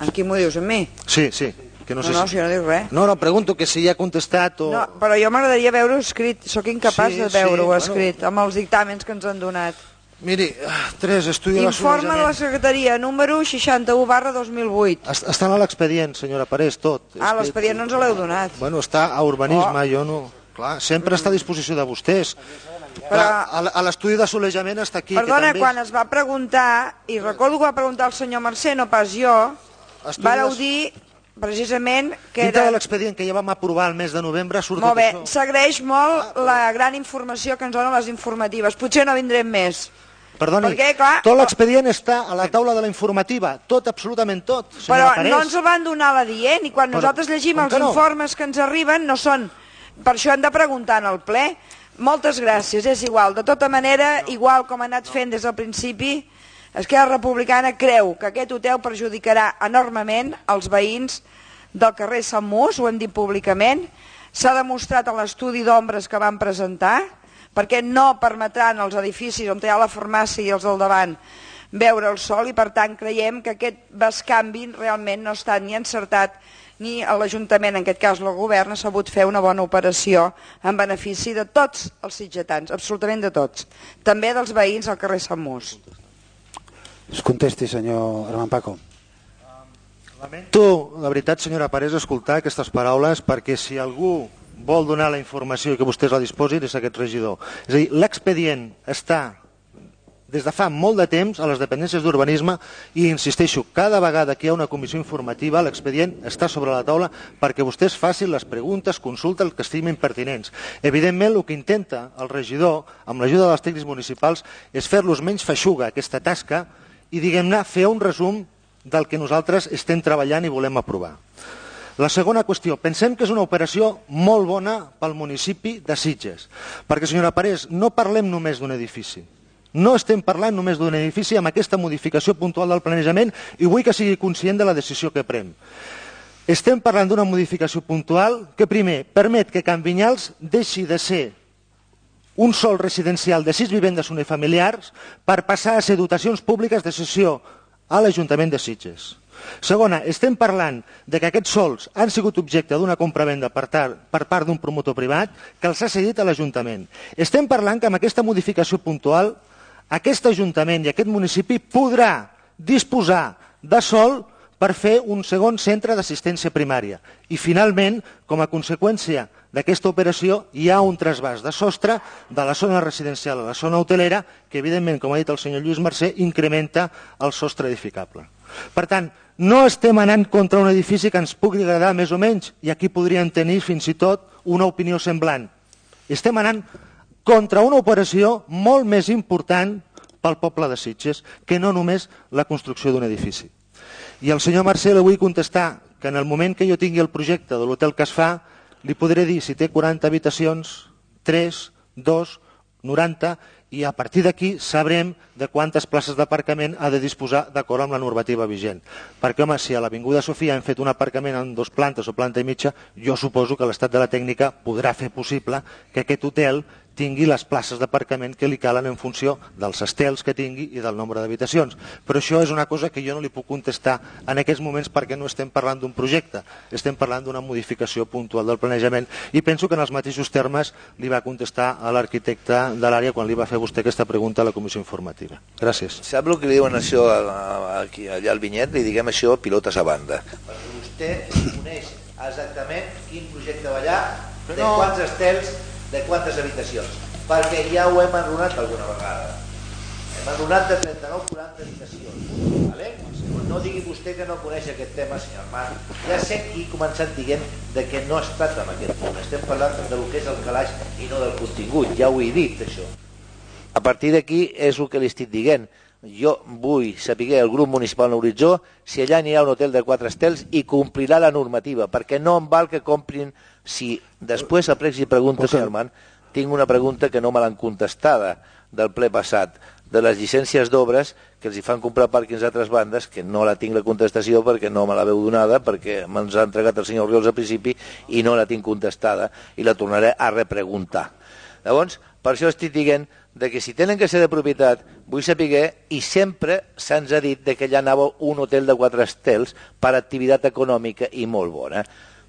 En qui m'ho dius, a mi? Sí, sí. Que no, no, sé no, si... si no dius res. No, no, pregunto que si ja ha contestat o... No, però jo m'agradaria veure-ho escrit, sóc incapaç Sí, de veure-ho sí, escrit, bueno. amb els dictàmens que ens han donat. Miri, tres, estudi de Informe de la secretaria, número seixanta-u barra dos mil vuit. Està a l'expedient, senyora Parés, tot. Ah, l'expedient no ens l'heu donat. Bueno, està a urbanisme, Oh. jo no... Clar, sempre està a disposició de vostès. Però- Clar, a a l'estudi d'assolejament està aquí. Perdona, que també quan es va preguntar, i recordo que va preguntar el senyor Mercè, no pas jo, Estudis- vareu dir precisament que Dintre era... de l'expedient que ja vam aprovar el mes de novembre surt Molt tot bé, això. s'agraeix molt la gran informació que ens donen les informatives. Potser no vindrem més. Perdoni, Perquè, clar, tot l'expedient està a la taula de la informativa, tot, absolutament tot, Però senyora Parés. no ens el van donar a la dient i quan Però, nosaltres llegim com els que no? informes que ens arriben no són... Per això hem de preguntar en el ple. Moltes gràcies, és igual. De tota manera, igual com ha anat fent des del principi, Esquerra Republicana creu que aquest hotel perjudicarà enormement els veïns del carrer Sant Mus, ho hem dit públicament, s'ha demostrat en l'estudi d'ombres que van presentar, perquè no permetran als edificis on hi ha la farmàcia i els del davant veure el sol i per tant creiem que aquest bescanvi realment no està ni encertat ni l'Ajuntament, en aquest cas el govern, ha sabut fer una bona operació en benefici de tots els sitgetans, absolutament de tots, també dels veïns al carrer Sant Mus. Es contesti, senyor Armand Paco. Lamento, la veritat, senyora Parés, escoltar aquestes paraules perquè si algú vol donar la informació i que vostès la disposin és aquest regidor. És a dir, l'expedient està des de fa molt de temps a les dependències d'urbanisme i insisteixo, cada vegada que hi ha una comissió informativa l'expedient està sobre la taula perquè vostès facin les preguntes, consultes, que estimin pertinents. Evidentment, el que intenta el regidor, amb l'ajuda dels tècnics municipals, és fer-los menys feixuga aquesta tasca i, diguem-ne, fer un resum del que nosaltres estem treballant i volem aprovar. La segona qüestió, pensem que és una operació molt bona pel municipi de Sitges, perquè, senyora Parés, no parlem només d'un edifici. No estem parlant només d'un edifici amb aquesta modificació puntual del planejament i vull que sigui conscient de la decisió que pren. Estem parlant d'una modificació puntual que, primer, permet que Can Vinyals deixi de ser un sol residencial de sis vivendes unifamiliars per passar a ser dotacions públiques de cessió a l'Ajuntament de Sitges. Segona, estem parlant de que aquests sols han sigut objecte d'una compravenda per, per part d'un promotor privat que els ha cedit a l'Ajuntament. Estem parlant que amb aquesta modificació puntual aquest Ajuntament i aquest municipi podrà disposar de sòl per fer un segon centre d'assistència primària. I finalment, com a conseqüència d'aquesta operació, hi ha un trasbàs de sostre de la zona residencial a la zona hotelera que, evidentment, com ha dit el senyor Lluís Mercè, incrementa el sostre edificable. Per tant, no estem anant contra un edifici que ens pugui agradar més o menys, i aquí podrien tenir fins i tot una opinió semblant. Estem anant contra una operació molt més important pel poble de Sitges que no només la construcció d'un edifici. I al senyor Mercè li vull contestar que en el moment que jo tingui el projecte de l'hotel que es fa, li podré dir si té quaranta habitacions, tres, dos, noranta, i a partir d'aquí sabrem de quantes places d'aparcament ha de disposar d'acord amb la normativa vigent. Perquè, home, si a l'Avinguda Sofia hem fet un aparcament en dos plantes o planta i mitja, jo suposo que l'estat de la tècnica podrà fer possible que aquest hotel tingui les places d'aparcament que li calen en funció dels estels que tingui i del nombre d'habitacions. Però això és una cosa que jo no li puc contestar en aquests moments perquè no estem parlant d'un projecte, estem parlant d'una modificació puntual del planejament i penso que en els mateixos termes li va contestar a l'arquitecte de l'àrea quan li va fer vostè aquesta pregunta a la comissió informativa. Gràcies. Sap el que li diuen això aquí, allà al vinyet? Li diguem això pilotes a banda. Perquè vostè coneix exactament quin projecte va allà, de quants estels, de quantes habitacions, perquè ja ho hem enrunat alguna vegada. Hem enrunat de trenta-nou a quaranta habitacions. Vale? No digui vostè que no coneix aquest tema, senyor Armand. Ja sé qui ha començat dient de que no ha estat en aquest punt. Estem parlant del que és el calaix i no del contingut. Ja ho he dit, això. A partir d'aquí és el que li estic dient. Jo vull saber el grup municipal en Horitzó si allà n'hi ha un hotel de quatre estels i complirà la normativa, perquè no em val que comprin. Si després a plecs i preguntes, senyor Armand, tinc una pregunta que no me l'han contestada del ple passat, de les llicències d'obres que els hi fan comprar pàrquings a altres bandes, que no la tinc la contestació perquè no me la veu donada, perquè me'ns ha entregat el senyor Oriols al principi i no la tinc contestada i la tornaré a repreguntar. Llavors, per això estic dient de que si tenen que ser de propietat, vull saber, i sempre se'ns ha dit de que allà anava un hotel de quatre estels per activitat econòmica i molt bona,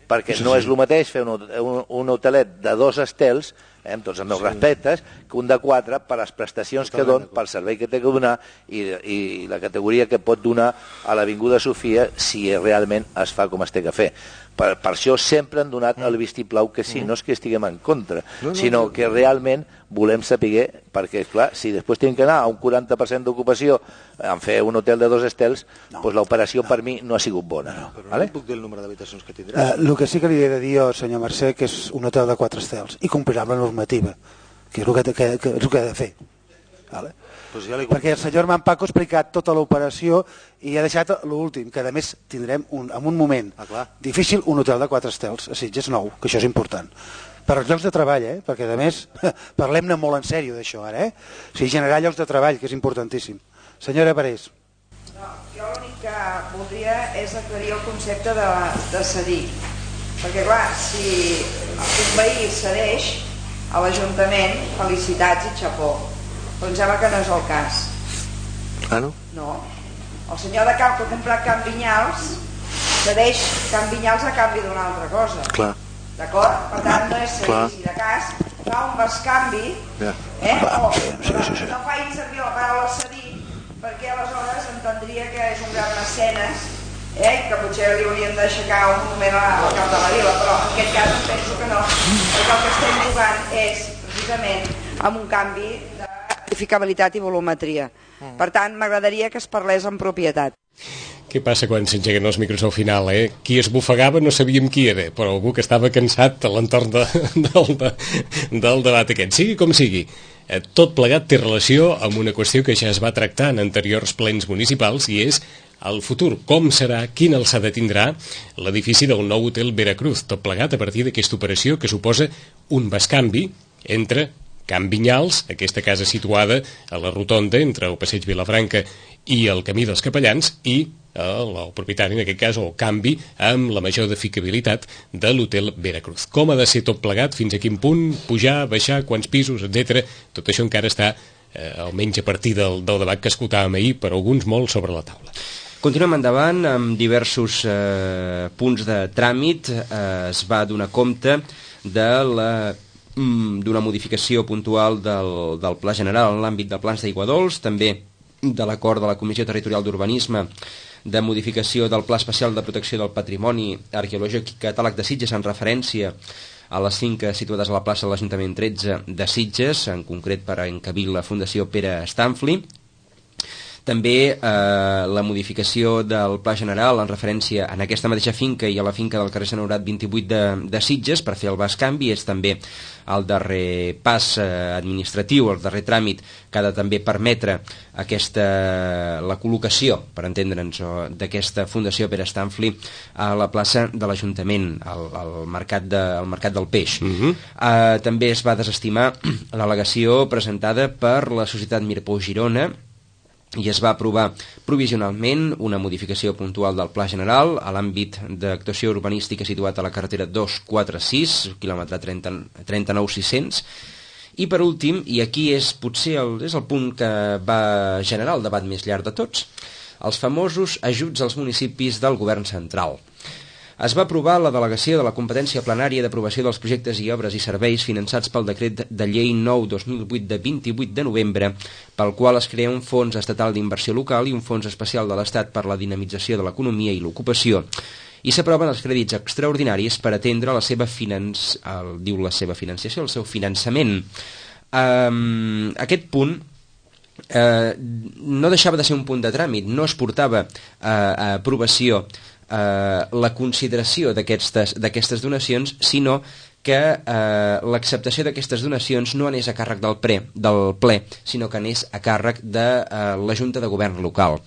perquè no és el mateix fer un, un, un hotelet de dos estels, eh, amb tots els meus sí. respectes, que un de quatre per les prestacions que don, pel servei que té que donar i, i la categoria que pot donar a l'Avinguda Sofia si realment es fa com es té que fer. Per, per això sempre han donat el vistiplau que sí, no és que estiguem en contra, no, no, sinó que realment volem saber, perquè clar, si després tinc que anar a un quaranta per cent d'ocupació en fer un hotel de dos estels, no, doncs l'operació no. per mi no ha sigut bona. No, però vale? No puc dir el número d'habitacions que tindrà. Uh, el que sí que li he de dir, senyor Mercè, que és un hotel de quatre estels i complirà amb la normativa, que és el que, que, que, és el que ha de fer. Vale? Pues ja perquè el senyor Armand Paco ha explicat tota l'operació i ha deixat l'últim, que a més tindrem un, en un moment ah, difícil un hotel de quatre estels a Sitges nou, que això és important. Per als llocs de treball, eh? Perquè a més parlem-ne molt en sèrio d'això ara, eh? O sigui, generar llocs de treball, que és importantíssim. Senyora Parés. No, jo l'únic que voldria és aclarir el concepte de, de cedir. Perquè clar, si un veí cedeix a l'Ajuntament, felicitats i xapó. Però em sembla que no és el cas. Ah, no? No. El senyor de Camp que ha comprat Can Vinyals cedeix Can Vinyals a canvi d'una altra cosa. Clar. D'acord? Per tant, no és cedir. Si de cas fa un bescanvi, yeah. eh? o sí, sí, sí, sí. no faig servir la paraula cedir, perquè aleshores entendria que és un gran mecenes, eh? que potser li hauríem d'aixecar un moment al cap de la vila, però en aquest cas em penso que no, perquè el que estem jugant és precisament amb un canvi de edificabilitat i volumetria. Per tant, m'agradaria que es parlés en propietat. Què passa quan s'engeguen els micros al final, eh? Qui es bufegava no sabíem qui era, però algú que estava cansat a l'entorn de, del, de, del debat aquest. Sigui com sigui, eh, tot plegat té relació amb una qüestió que ja es va tractar en anteriors plens municipals i és el futur. Com serà, quina alçada tindrà l'edifici del nou hotel Veracruz? Tot plegat a partir d'aquesta operació que suposa un bescanvi entre Can Vinyals, aquesta casa situada a la rotonda entre el passeig Vilafranca i el camí dels Capellans, i el, el propietari, en aquest cas, o canvi amb la major edificabilitat de l'hotel Veracruz. Com ha de ser tot plegat, fins a quin punt, pujar, baixar, quants pisos, etcètera. Tot això encara està, eh, almenys a partir del, del debat que escoltàvem ahir, per alguns molt sobre la taula. Continuem endavant amb diversos eh, punts de tràmit. Eh, es va donar compte de la d'una modificació puntual del, del Pla General en l'àmbit de plans d'aigua dolç, també de l'acord de la Comissió Territorial d'Urbanisme de modificació del Pla Especial de Protecció del Patrimoni Arqueològic i Catàleg de Sitges en referència a les finques situades a la plaça de l'Ajuntament tretze de Sitges, en concret per encabir la Fundació Pere Stanfli. També eh, la modificació del Pla General en referència en aquesta mateixa finca i a la finca del carrer Sant Honorat vint-i-vuit de, de Sitges per fer el bescanvi. És també el darrer pas eh, administratiu, el darrer tràmit que ha de també permetre aquesta, la col·locació, per entendre'ns, d'aquesta Fundació Pere Stanfli a la plaça de l'Ajuntament, al, al, mercat de, al Mercat del Peix. Uh-huh. eh, també es va desestimar l'al·legació presentada per la Societat Mirpou Girona i es va aprovar provisionalment una modificació puntual del Pla General a l'àmbit d'actuació urbanística situat a la carretera dos cents quaranta-sis, quilòmetre trenta-nou mil sis-cents, I per últim, i aquí és potser el, és el punt que va generar el debat més llarg de tots, els famosos ajuts als municipis del govern central. Es va aprovar la delegació de la competència plenària d'aprovació dels projectes i obres i serveis finançats pel decret de llei nou dos mil vuit de vint-i-vuit de novembre, pel qual es crea un fons estatal d'inversió local i un fons especial de l'Estat per la dinamització de l'economia i l'ocupació, i s'aproven els crèdits extraordinaris per atendre la seva, finanç... el, diu la seva financiació, el seu finançament. Um, aquest punt eh, no deixava de ser un punt de tràmit, no es portava a, a aprovació Eh, la consideració d'aquestes donacions, sinó que eh, l'acceptació d'aquestes donacions no anés a càrrec del, pre, del ple, sinó que anés a càrrec de eh, la Junta de Govern local.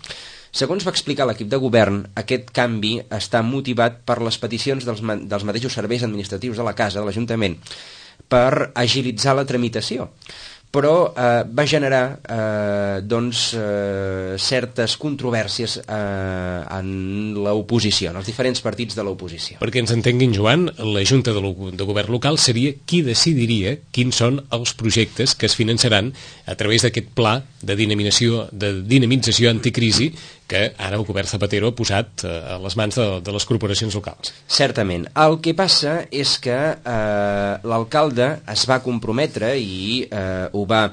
Segons va explicar l'equip de govern, aquest canvi està motivat per les peticions dels, dels mateixos serveis administratius de la Casa, de l'Ajuntament, per agilitzar la tramitació. Però eh, va generar eh, doncs, eh, certes controvèrsies eh, en l'oposició, en els diferents partits de l'oposició. Perquè ens entenguin, Joan, la Junta de, de Govern local seria qui decidiria quins són els projectes que es finançaran a través d'aquest pla de dinamització, de dinamització anticrisi que ara el govern Zapatero ha posat a les mans de, de les corporacions locals. Certament. El que passa és que eh, l'alcalde es va comprometre i eh, ho va...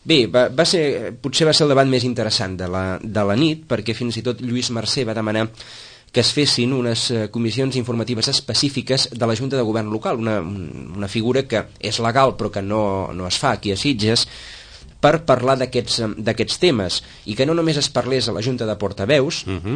Bé, va, va ser, potser va ser el debat més interessant de la, de la nit, perquè fins i tot Lluís Mercè va demanar que es fessin unes comissions informatives específiques de la Junta de Govern local, una, una figura que és legal però que no, no es fa aquí a Sitges, per parlar d'aquests temes, i que no només es parlés a la Junta de Portaveus uh-huh.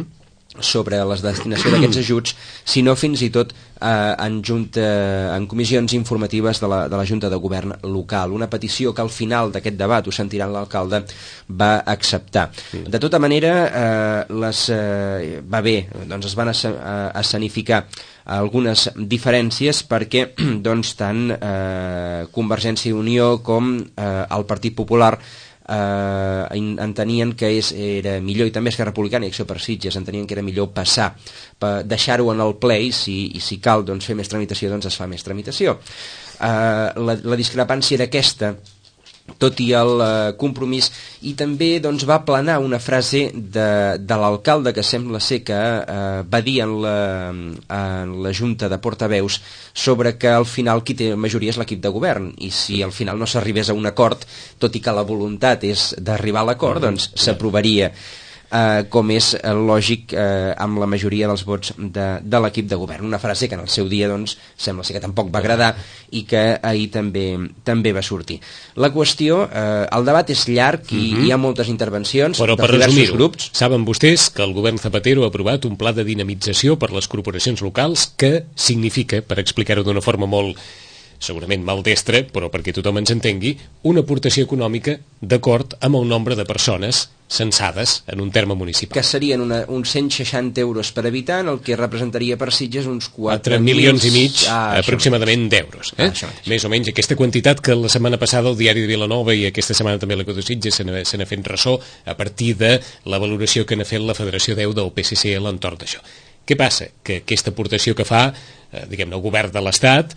sobre la destinació d'aquests ajuts, sinó fins i tot eh, en, junta, en comissions informatives de la, de la Junta de Govern local. Una petició que al final d'aquest debat, ho sentiran l'alcalde, va acceptar. Uh-huh. De tota manera, eh, les, eh, va bé, doncs es van escenificar algunes diferències perquè doncs, tant eh, Convergència i Unió com eh, el Partit Popular eh, entenien que és, era millor, i també Esquerra Republicana i Acció per Sitges entenien que era millor passar, deixar-ho en el ple, i si, i si cal doncs, fer més tramitació, doncs es fa més tramitació. Eh, la, la discrepància era aquesta, tot i el eh, compromís, i també doncs, va planar una frase de, de l'alcalde que sembla ser que eh, va dir en la, en la Junta de Portaveus sobre que al final qui té majoria és l'equip de govern, i si al final no s'arribés a un acord, tot i que la voluntat és d'arribar a l'acord, doncs s'aprovaria. Uh, com és uh, lògic uh, amb la majoria dels vots de, de l'equip de govern. Una frase que en el seu dia doncs, sembla ser que tampoc va agradar i que ahir també, també va sortir. La qüestió, uh, el debat és llarg i uh-huh. hi ha moltes intervencions. Però per resumir-ho, saben vostès que el govern Zapatero ha aprovat un pla de dinamització per les corporacions locals que significa, per explicar-ho d'una forma molt segurament maldestra, però perquè tothom ens entengui, una aportació econòmica d'acord amb el nombre de persones censades en un terme municipal. Que serien una, uns cent seixanta euros per habitant, el que representaria per Sitges uns quatre milions i mig ah, aproximadament d'euros. Eh? Ah, Més o menys aquesta quantitat que la setmana passada el Diari de Vilanova i aquesta setmana també l'Eco de Sitges se n'ha fet ressò a partir de la valoració que n'ha fet la Federació deu del P S C a l'entorn d'això. Què passa? Que aquesta aportació que fa eh, diguem-ne el govern de l'Estat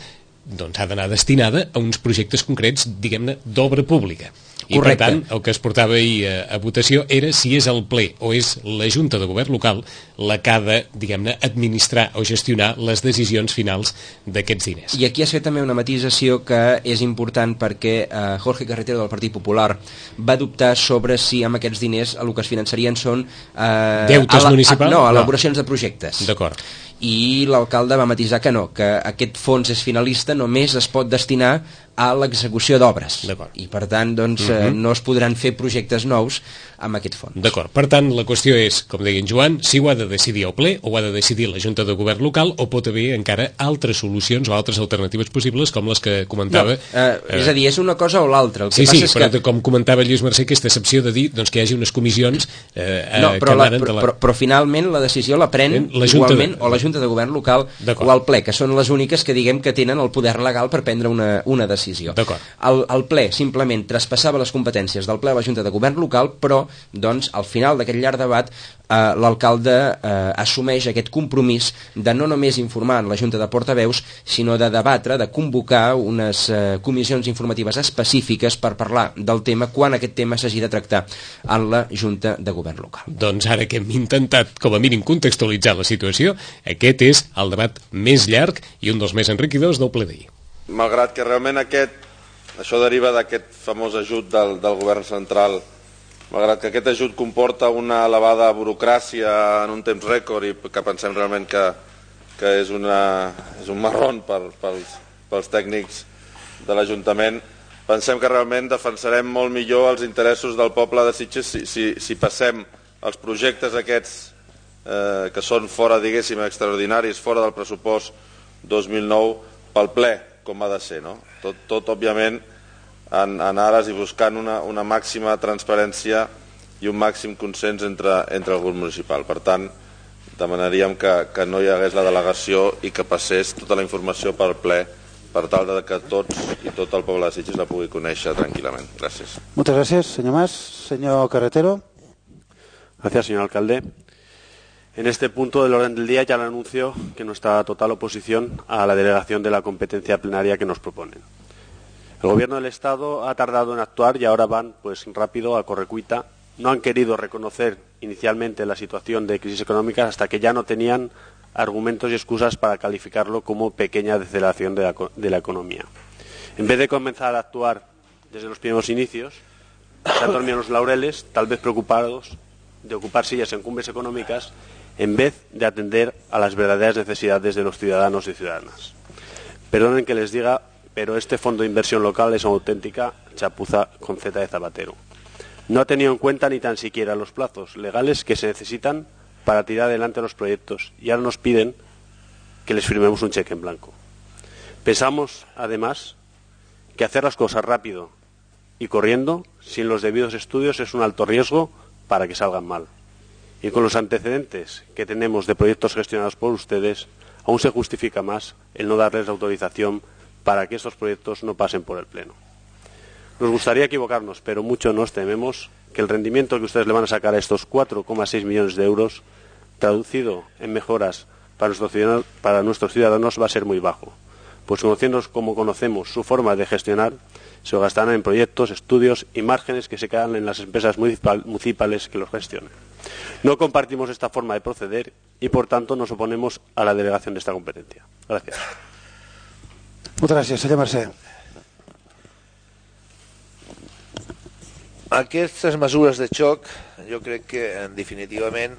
doncs ha d'anar destinada a uns projectes concrets, diguem-ne, d'obra pública. I Correcte. Per tant, el que es portava ahir a, a votació era si és el ple o és la Junta de Govern local la que ha de, diguem-ne, administrar o gestionar les decisions finals d'aquests diners. I aquí es fet també una matisació que és important perquè eh, Jorge Carretero del Partit Popular va dubtar sobre si amb aquests diners el que es finançarien són eh, deutes municipals? No, elaboracions no. de projectes. D'acord. I l'alcalde va matisar que no, que aquest fons és finalista, només es pot destinar a l'execució d'obres. I per tant, doncs, uh-huh. eh, no es podran fer projectes nous amb aquest fons. D'acord. Per tant, la qüestió és, com deia en Joan, si ho ha de decidir el ple o ho ha de decidir la Junta de Govern local o pot haver encara altres solucions o altres alternatives possibles com les que comentava... No, eh, eh, és a dir, és una cosa o l'altra. Sí, sí, però que... com comentava Lluís Mercè, aquesta excepció de dir doncs, que hi hagi unes comissions eh, no, però que emanen la, de la... Però, però finalment la decisió la pren la igualment de... o la Junta de Govern local o el ple, que són les úniques que diguem que tenen el poder legal per prendre una, una decisió. El, el ple simplement traspassava les competències del ple a la Junta de Govern local, però doncs, al final d'aquest llarg debat eh, l'alcalde eh, assumeix aquest compromís de no només informar la Junta de Portaveus, sinó de debatre, de convocar unes eh, comissions informatives específiques per parlar del tema quan aquest tema s'hagi de tractar en la Junta de Govern local. Doncs ara que hem intentat, com a mínim, contextualitzar la situació, aquest és el debat més llarg i un dels més enriquidors del ple d'ahir. Malgrat que realment aquest, això deriva d'aquest famós ajut del, del govern central, malgrat que aquest ajut comporta una elevada burocràcia en un temps rècord i que pensem realment que, que és, una, és un marrón per, pels, pels tècnics de l'Ajuntament, pensem que realment defensarem molt millor els interessos del poble de Sitges si, si, si passem els projectes aquests eh, que són fora, diguéssim, extraordinaris, fora del pressupost dos mil nou pel ple, com ha de ser, no? Tot, tot òbviament, en, en ares i buscant una, una màxima transparència i un màxim consens entre, entre el grup municipal. Per tant, demanaríem que, que no hi hagués la delegació i que passés tota la informació pel ple per tal de que tots i tot el poble de Sitges la pugui conèixer tranquil·lament. Gràcies. Moltes gràcies, senyor Mas. Senyor Carretero. Gracias, señor alcalde. En este punto del orden del día ya le anuncio que nuestra total oposición a la delegación de la competencia plenaria que nos proponen. El Gobierno del Estado ha tardado en actuar y ahora van pues rápido, a correcuita. No han querido reconocer inicialmente la situación de crisis económica hasta que ya no tenían argumentos y excusas para calificarlo como pequeña deceleración de la, de la economía. En vez de comenzar a actuar desde los primeros inicios, se han dormido en los laureles, tal vez preocupados de ocupar sillas en cumbres económicas en vez de atender a las verdaderas necesidades de los ciudadanos y ciudadanas. Perdonen que les diga, pero este fondo de inversión local es una auténtica chapuza con Z de zapatero. No ha tenido en cuenta ni tan siquiera los plazos legales que se necesitan para tirar adelante los proyectos y ahora nos piden que les firmemos un cheque en blanco. Pensamos, además, que hacer las cosas rápido y corriendo, sin los debidos estudios, es un alto riesgo para que salgan mal. Y con los antecedentes que tenemos de proyectos gestionados por ustedes, aún se justifica más el no darles la autorización para que estos proyectos no pasen por el Pleno. Nos gustaría equivocarnos, pero mucho nos tememos que el rendimiento que ustedes le van a sacar a estos cuatro coma seis millones de euros, traducido en mejoras para nuestros ciudadanos, para nuestros ciudadanos, va a ser muy bajo. Pues conociéndonos como conocemos su forma de gestionar, se lo gastarán en proyectos, estudios y márgenes que se quedan en las empresas municipales que los gestionen. No compartimos esta forma de proceder y, por tanto, nos oponemos a la delegación de esta competencia. Gracias. Muchas gracias, senyor Mercè. Aquestes mesures de xoc, jo crec que, definitivament,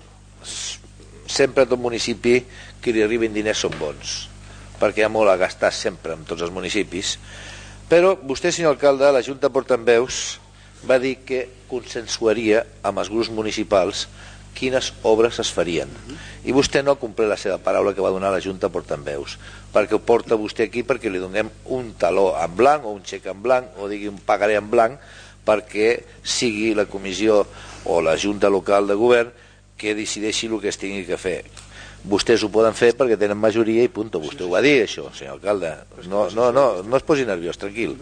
sempre a tot municipi que li arribin diners són bons, perquè hi ha molt a gastar sempre en tots els municipis. Però vostè, senyor alcalde, la Junta de Portaveus va dir que consensuaria amb els grups municipals quines obres es farien. I vostè no ha complert la seva paraula que va donar la Junta de Portaveus, perquè ho porta vostè aquí perquè li donem un taló en blanc o un xec en blanc o digui un pagaré en blanc perquè sigui la comissió o la Junta local de govern que decideixi el que es tingui que fer. Vostès ho poden fer perquè tenen majoria i punt. Vostè ho va dir, això, senyor alcalde. No, no, no, no es posi nerviós, tranquil.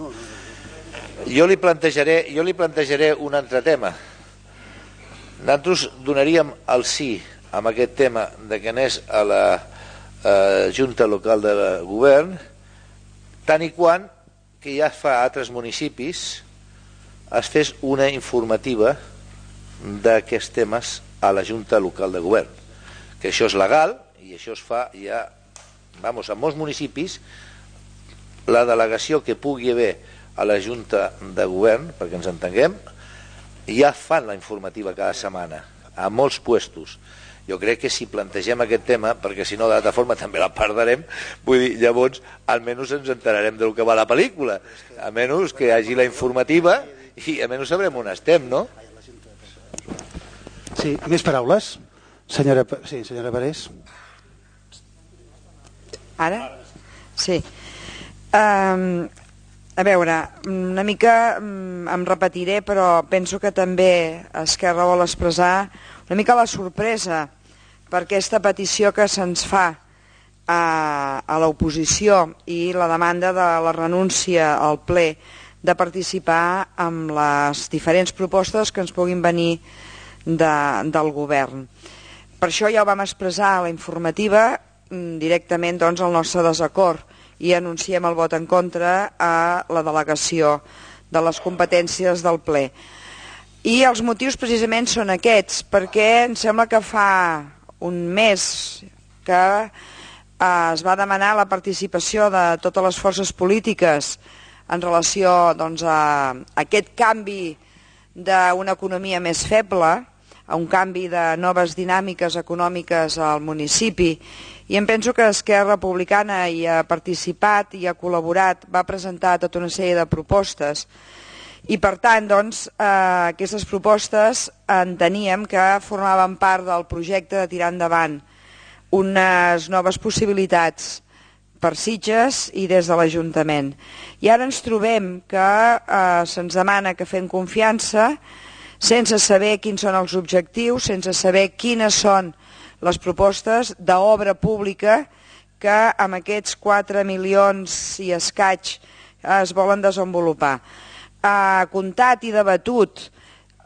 Jo li plantejaré, jo li plantejaré un altre tema. Nosaltres donaríem el sí amb aquest tema de que anés a la eh, Junta Local de Govern, tant i quan que ja fa altres municipis es fes una informativa d'aquests temes a la Junta Local de Govern, que això és legal i això es fa ja, vamos, en molts municipis la delegació que pugui haver a la Junta de Govern, perquè ens entenguem, ja fan la informativa cada setmana, a molts puestos. Jo crec que si plantegem aquest tema, perquè si no de l'altra forma també la perdrem, vull dir, llavors almenys ens enterarem del que va la pel·lícula, a menys que hi hagi la informativa i almenys sabrem on estem, no? Sí, més paraules? Senyora, sí, senyora Parés. Ara? Sí. Um, a veure, una mica um, em repetiré, però penso que també Esquerra vol expressar una mica la sorpresa per aquesta petició que se'ns fa a, a l'oposició i la demanda de la renúncia al ple de participar en les diferents propostes que ens puguin venir de, del govern. per això ja ho vam expressar a la informativa directament doncs, el nostre desacord i anunciem el vot en contra a la delegació de les competències del ple. I els motius precisament són aquests, perquè em sembla que fa un mes que eh, es va demanar la participació de totes les forces polítiques en relació doncs, a aquest canvi d'una economia més feble, a un canvi de noves dinàmiques econòmiques al municipi, i em penso que Esquerra Republicana hi ha participat, hi ha col·laborat, va presentar tota una sèrie de propostes, i per tant doncs, eh, aquestes propostes enteníem que formaven part del projecte de tirar endavant unes noves possibilitats per Sitges i des de l'Ajuntament. I ara ens trobem que eh, se'ns demana que fem confiança sense saber quins són els objectius, sense saber quines són les propostes d'obra pública que amb aquests quatre milions i escaig es volen desenvolupar. Ha comptat i debatut,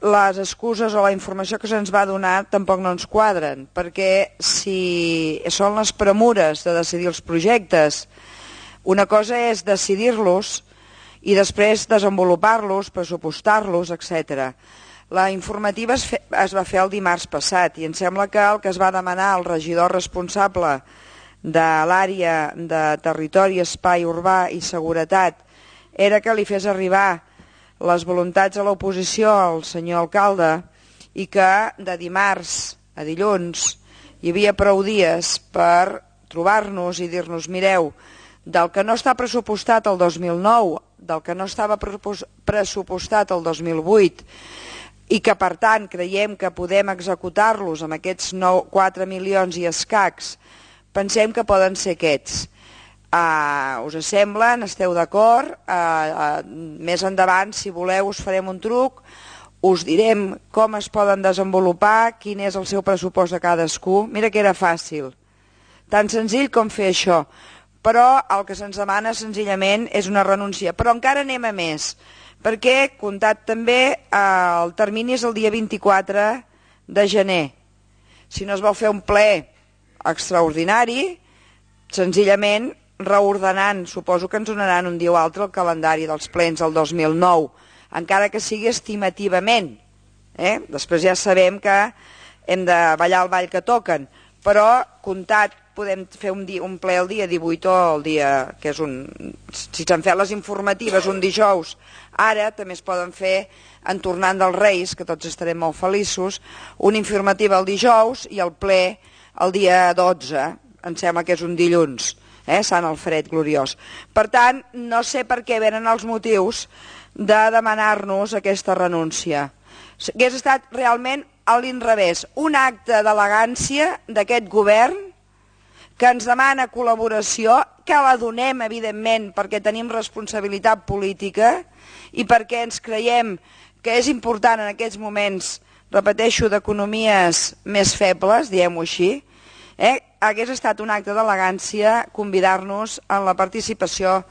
les excuses o la informació que se'ns va donar tampoc no ens quadren, perquè si són les premures de decidir els projectes, una cosa és decidir-los i després desenvolupar-los, pressupostar-los, etcètera. La informativa es, fe, es va fer el dimarts passat i em sembla que el que es va demanar al regidor responsable de l'àrea de territori, espai urbà i seguretat era que li fes arribar les voluntats a l'oposició al senyor alcalde i que de dimarts a dilluns hi havia prou dies per trobar-nos i dir-nos, mireu, del que no està pressupostat el dos mil nou, del que no estava pressupostat el dos mil vuit i que per tant creiem que podem executar-los amb aquests quatre milions i escacs, pensem que poden ser aquests. Uh, us semblen? Esteu d'acord? Uh, uh, més endavant, si voleu, us farem un truc, us direm com es poden desenvolupar, quin és el seu pressupost de cadascú. Mira que era fàcil, tan senzill com fer això, però el que se'ns demana senzillament és una renúncia. Però encara anem a més, perquè, comptat també, uh, el termini és el dia vint-i-quatre de gener. Si no es vol fer un ple extraordinari, senzillament reordenant, suposo que ens donaran un dia o altre el calendari dels plens del dos mil nou, encara que sigui estimativament. Eh? Després ja sabem que hem de ballar el ball que toquen, però comptat podem fer un, dia, un ple el dia divuit o el dia que és un... Si s'han fet les informatives un dijous, ara també es poden fer en tornant dels Reis, que tots estarem molt feliços, una informativa el dijous i el ple el dia dotze, em sembla que és un dilluns. Eh, Sant Alfred gloriós. Per tant, no sé per què venen els motius de demanar-nos aquesta renúncia. Hauria estat realment a l'inrevés, un acte d'elegància d'aquest govern que ens demana col·laboració, que la donem, evidentment, perquè tenim responsabilitat política i perquè ens creiem que és important en aquests moments, repeteixo, d'economies més febles, diguem-ho així, eh? Hagués estat un acte d'elegància convidar-nos en la participació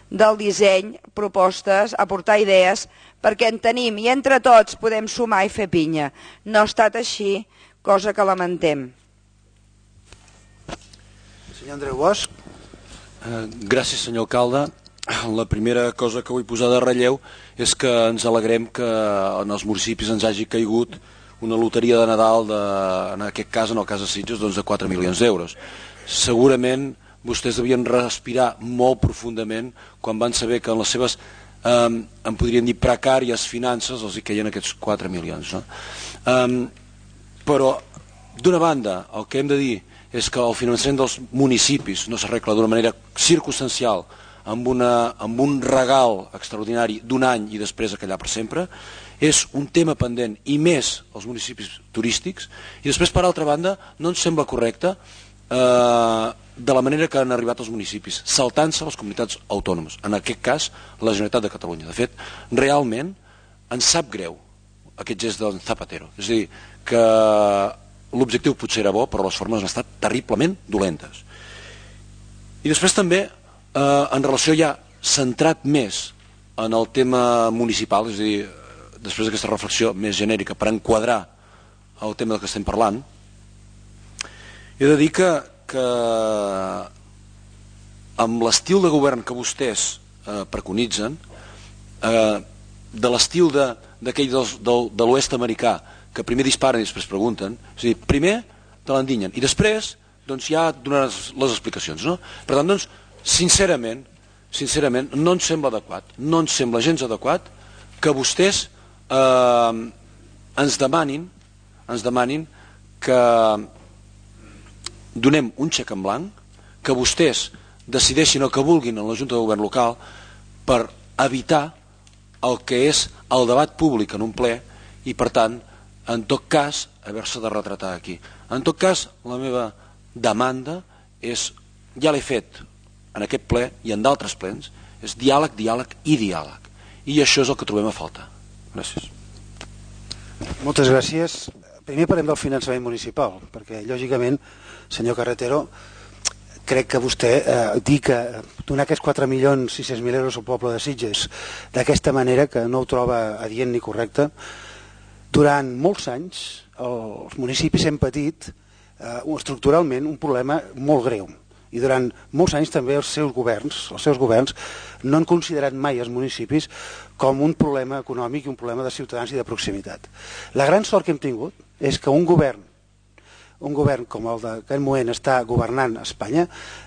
del disseny, propostes, aportar idees, perquè en tenim i entre tots podem sumar i fer pinya. No ha estat així, cosa que lamentem. Senyor Andreu Bosch. Eh, gràcies, senyor alcalde. La primera cosa que vull posar de relleu és que ens alegrem que en els municipis ens hagi caigut una loteria de Nadal, de, en aquest cas, en el cas de Sitges, doncs de quatre milions d'euros. Segurament vostès devien respirar molt profundament quan van saber que en les seves, eh, en podríem dir, precàries finances els hi queien aquests quatre milions. No? Eh, però, d'una banda, el que hem de dir és que el finançament dels municipis no s'arregla d'una manera circumstancial amb, una, amb un regal extraordinari d'un any i després a callar per sempre. És un tema pendent, i més als municipis turístics, i després, per altra banda, no ens sembla correcte eh, de la manera que han arribat els municipis, saltant-se les comunitats autònomes, en aquest cas la Generalitat de Catalunya. De fet, realment ens sap greu aquest gest del Zapatero, és a dir, que l'objectiu potser era bo, però les formes han estat terriblement dolentes. I després també, eh, en relació ja centrat més en el tema municipal, és a dir, després d'aquesta reflexió més genèrica per enquadrar el tema del que estem parlant, He de dir que, que amb l'estil de govern que vostès eh, preconitzen, eh, de l'estil d'aquell de, de, de l'oest americà, que primer disparen i després pregunten, és a dir, primer te l'endinyen i després doncs, ja donaràs les explicacions. No? Per tant, doncs, sincerament, sincerament, no ens sembla adequat, no ens sembla gens adequat que vostès eh, ens demanin, ens demanin que donem un xec en blanc, que vostès decideixin el que vulguin en la Junta de Govern local per evitar el que és el debat públic en un ple i, per tant, en tot cas, haver-se de retratar aquí. En tot cas, la meva demanda és, ja l'he fet en aquest ple i en d'altres plens, és diàleg, diàleg i diàleg. I això és el que trobem a faltar. Gràcies. Moltes gràcies. Primer parlem del finançament municipal, perquè, lògicament, senyor Carretero, crec que vostè eh, dir que donar aquests quatre milions sis-cents mil euros al poble de Sitges d'aquesta manera, que no ho troba adient ni correcte, durant molts anys els municipis hem patit eh, estructuralment un problema molt greu. I durant molts anys també els seus governs, els seus governs no han considerat mai els municipis com un problema econòmic i un problema de ciutadans i de proximitat. La gran sort que hem tingut és que un govern un govern com el d'aquest moment està governant a Espanya,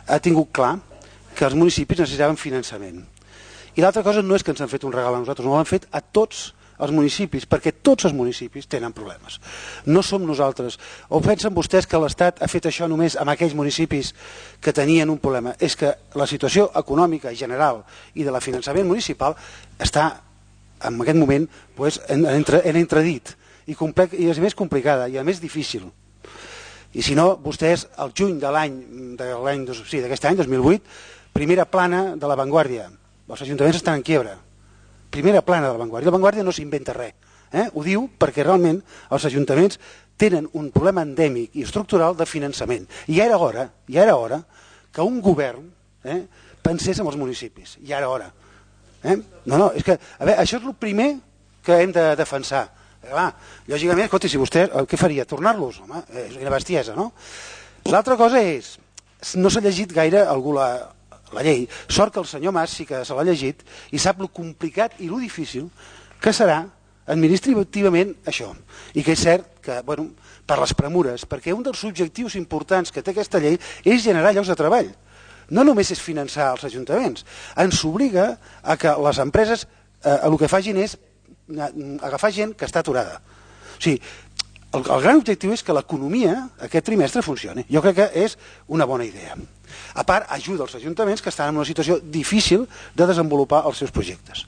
ha tingut clar que els municipis necessitaven finançament. I l'altra cosa no és que ens han fet un regal a nosaltres, no l'han fet a tots els municipis, perquè tots els municipis tenen problemes. No som nosaltres. O pensen vostès que l'Estat ha fet això només amb aquells municipis que tenien un problema? És que la situació econòmica general i de la finançament municipal està, en aquest moment, pues, en, en, en entredit i, complex, i és més complicada i a més difícil. I si no, vostès, el juny de l'any sí, d'aquest any, dos mil vuit, primera plana de La Vanguardia. Els ajuntaments estan en quiebra. Primera plana de La Vanguardia. La Vanguardia no s'inventa res. Eh? Ho diu perquè realment els ajuntaments tenen un problema endèmic i estructural de finançament. I ja era hora, ja era hora que un govern eh, pensés en els municipis. Ja era hora. Eh? No, no, és que, a veure, això és el primer que hem de defensar. Clar, lògicament, escolta, si vostè, què faria? Tornar-los? Home, és una bestiesa, no? L'altra cosa és, no s'ha llegit gaire algú la, la llei. Sort que el senyor Mas sí que se l'ha llegit i sap lo complicat i lo difícil que serà administrativament això. I que és cert que, bueno, per les premures, perquè un dels objectius importants que té aquesta llei és generar llocs de treball. No només és finançar els ajuntaments, ens obliga a que les empreses eh, el que facin és agafar gent que està aturada. O sigui, el, el gran objectiu és que l'economia aquest trimestre funcioni. Jo crec que és una bona idea. A part, ajuda els ajuntaments que estan en una situació difícil de desenvolupar els seus projectes.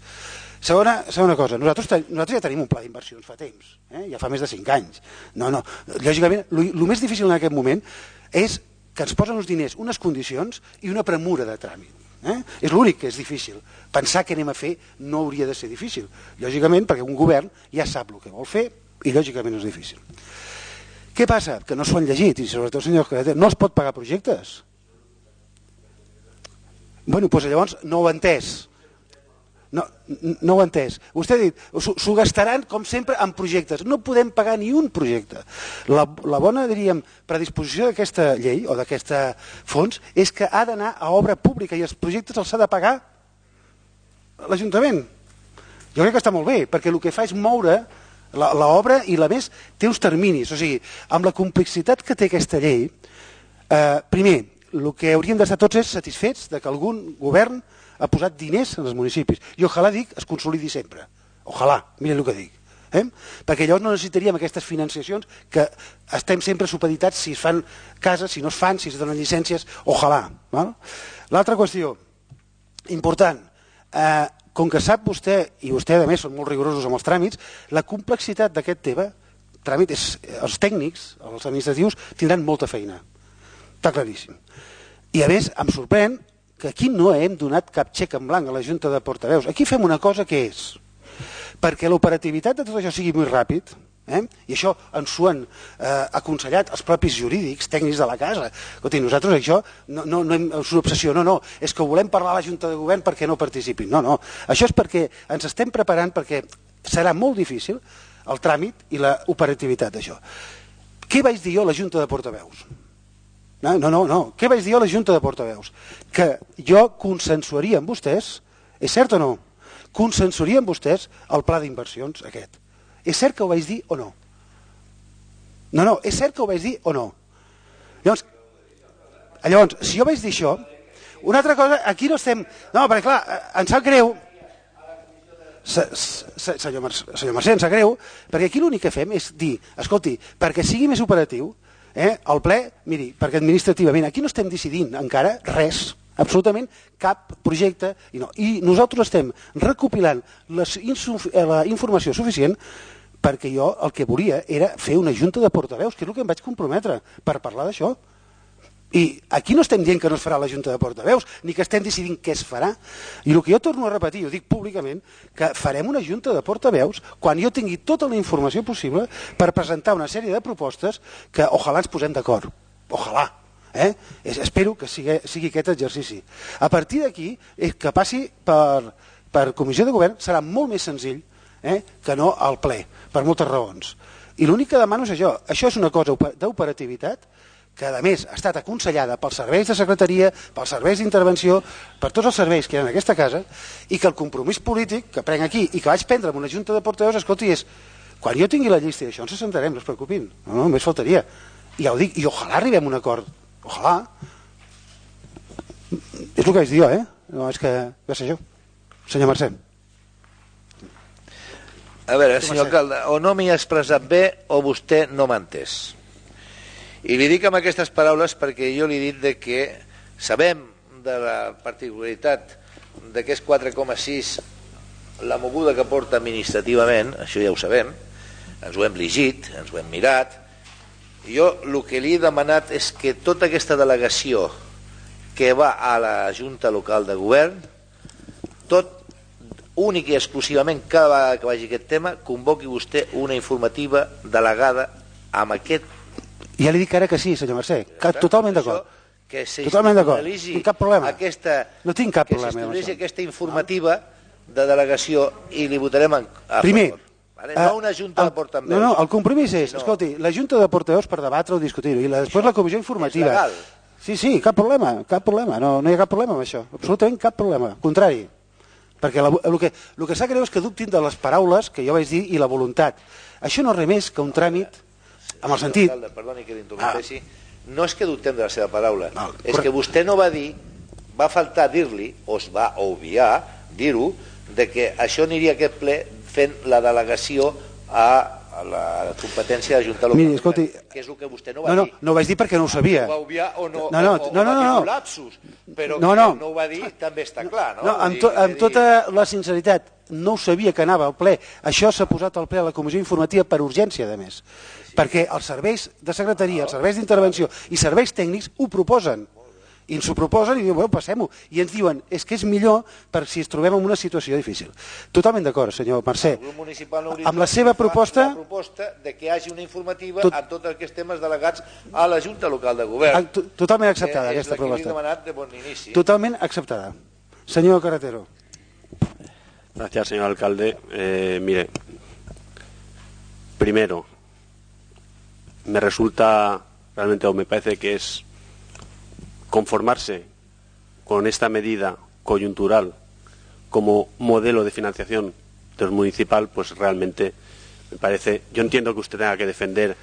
Segona, segona cosa, nosaltres, nosaltres ja tenim un pla d'inversions fa temps, eh? Ja fa més de cinc anys. No, no, lògicament, el més difícil en aquest moment és que ens posen uns diners, unes condicions i una premura de tràmit. Eh? És l'únic que és difícil. Pensar què anem a fer no hauria de ser difícil. Lògicament, perquè un govern ja sap el que vol fer i lògicament és difícil. Què passa? Que no s'ho han llegit i sobretot, senyor Carretero, no es pot pagar projectes. Bueno, doncs llavors no ho ha entès. No, no ho ha entès. Vostè ha dit, s'ho gastaran, com sempre, en projectes. No podem pagar ni un projecte. La, la bona, diríem, predisposició d'aquesta llei o d'aquest fons és que ha d'anar a obra pública i els projectes els ha de pagar l'Ajuntament. Jo crec que està molt bé, perquè el que fa és moure l'obra i, a més, té uns terminis. O sigui, amb la complexitat que té aquesta llei, eh, primer, el que hauríem d'estar tots és satisfets de que algun govern ha posat diners en els municipis. I ojalà dic, es consolidi sempre. Ojalà, mira el que dic. Eh? Perquè llavors no necessitaríem aquestes financiacions que estem sempre supeditats si es fan cases, si no es fan, si es donen llicències, ojalà. L'altra qüestió, important, eh, com que sap vostè, i vostè a més són molt rigorosos amb els tràmits, la complexitat d'aquest tema, tràmit és, els tècnics, els administratius, tindran molta feina. Està claríssim. I a més, em sorprèn que aquí no hem donat cap xec en blanc a la Junta de Portaveus. Aquí fem una cosa que és, perquè l'operativitat de tot això sigui molt ràpid, eh? I això ens ho han eh, aconsellat els propis jurídics, tècnics de la casa. Escolti, nosaltres això no, no, no és una obsessió, no, no, és que volem parlar a la Junta de Govern perquè no participin. No, no, això és perquè ens estem preparant perquè serà molt difícil el tràmit i la operativitat d'això. Què vaig dir jo a la Junta de Portaveus? No, no, no, no. Què vaig dir a la Junta de Portaveus? Que jo consensuaria amb vostès, és cert o no? Consensuaria amb vostès el pla d'inversions aquest. És cert que ho vaig dir o no? No, no, és cert que ho vaig dir o no? Llavors, llavors si jo vaig dir això, una altra cosa, aquí no estem... No, perquè clar, em sap greu... Senyor Mercè, em sap greu, perquè aquí l'únic que fem és dir, escolti, perquè sigui més operatiu, eh, el ple, miri, perquè administrativament, aquí no estem decidint encara res, absolutament cap projecte, i, no. I nosaltres estem recopilant les, la informació suficient perquè jo el que volia era fer una junta de portaveus, que és el que em vaig comprometre per parlar d'això. I aquí no estem dient que no es farà la Junta de Portaveus, ni que estem decidint què es farà. I el que jo torno a repetir, ho dic públicament, que farem una Junta de Portaveus quan jo tingui tota la informació possible per presentar una sèrie de propostes que ojalà ens posem d'acord. Ojalà. Eh? Espero que sigui, sigui aquest exercici. A partir d'aquí, que passi per, per comissió de govern serà molt més senzill eh, que no al ple, per moltes raons. I l'únic que demano és això. Això és una cosa d'operativitat que a més ha estat aconsellada pels serveis de secretaria, pels serveis d'intervenció, per tots els serveis que hi ha en aquesta casa, i que el compromís polític que prenc aquí i que vaig prendre en una junta de portaveus, escolti, és quan jo tingui la llista i això ens assentarem, no es preocupin, no, no, només faltaria. I ja ho dic, i ojalà arribem a un acord, ojalà. És el que vaig dir jo, eh? No, és que ja sé jo. Senyor Mercè. A veure, senyor alcalde, o no m'hi ha expressat bé o vostè no m'ha entès. I li dic amb aquestes paraules perquè jo li he dit de que sabem de la particularitat d'aquests quatre coma sis, la moguda que porta administrativament, això ja ho sabem, ens ho hem llegit, ens ho hem mirat. Jo el que li he demanat és que tota aquesta delegació que va a la Junta Local de Govern, tot únic i exclusivament cada vegada que vagi aquest tema, convoqui vostè una informativa delegada amb aquest. Ja li dic ara que sí, senyor Mercè, totalment d'acord. Que totalment d'acord, no tinc cap problema. Aquesta, no tinc cap que problema. Que aquesta informativa de delegació i li votarem a Primer, favor. Vale? No una junta el, de portaveus. No, no, el compromís és, no. Escolti, la junta de portaveus per debatre o discutir-ho, i la, després la comissió informativa. És legal. Sí, sí, cap problema, cap problema, no, no hi ha cap problema amb això, absolutament cap problema, contrari. Perquè la, el que, el que s'ha greu és que dubtin de les paraules que jo vaig dir i la voluntat. Això no és res més que un tràmit amb el sentit... Alcalde, perdoni que l'interrompessi, ah. no és que dubtem de la seva paraula, no, és que vostè no va dir, va faltar dir-li, o es va obviar dir-ho, de que això aniria a aquest ple fent la delegació a, a la competència de Junta Local. Miri, escolti... Que és el que vostè no va no, no, dir. No ho vaig dir perquè no ho sabia. No ho va obviar o no, no, no, o, o no, no, va dir no. un lapsus, però no, no. no. no ho va dir també està clar, no? No, amb, to, amb tota la sinceritat, no ho sabia que anava al ple. Això s'ha posat al ple a la comissió informativa per urgència, a més. Sí. Perquè els serveis de secretaria, els serveis d'intervenció i serveis tècnics ho proposen. I ens ho proposen i diuen, bueno, passem-ho. I ens diuen, és que és millor per si ens trobem en una situació difícil. Totalment d'acord, senyor Mercè. Amb la seva proposta... La proposta de que hi hagi una informativa tot... en tots aquests temes delegats a la Junta Local de Govern. Totalment acceptada, aquesta proposta. És la que li he demanat de bon inici. Totalment acceptada. Senyor Carretero. Gracias, señor alcalde. Eh, mire, primero, me resulta realmente, o me parece que es conformarse con esta medida coyuntural como modelo de financiación del municipal, pues realmente me parece, yo entiendo que usted tenga que defender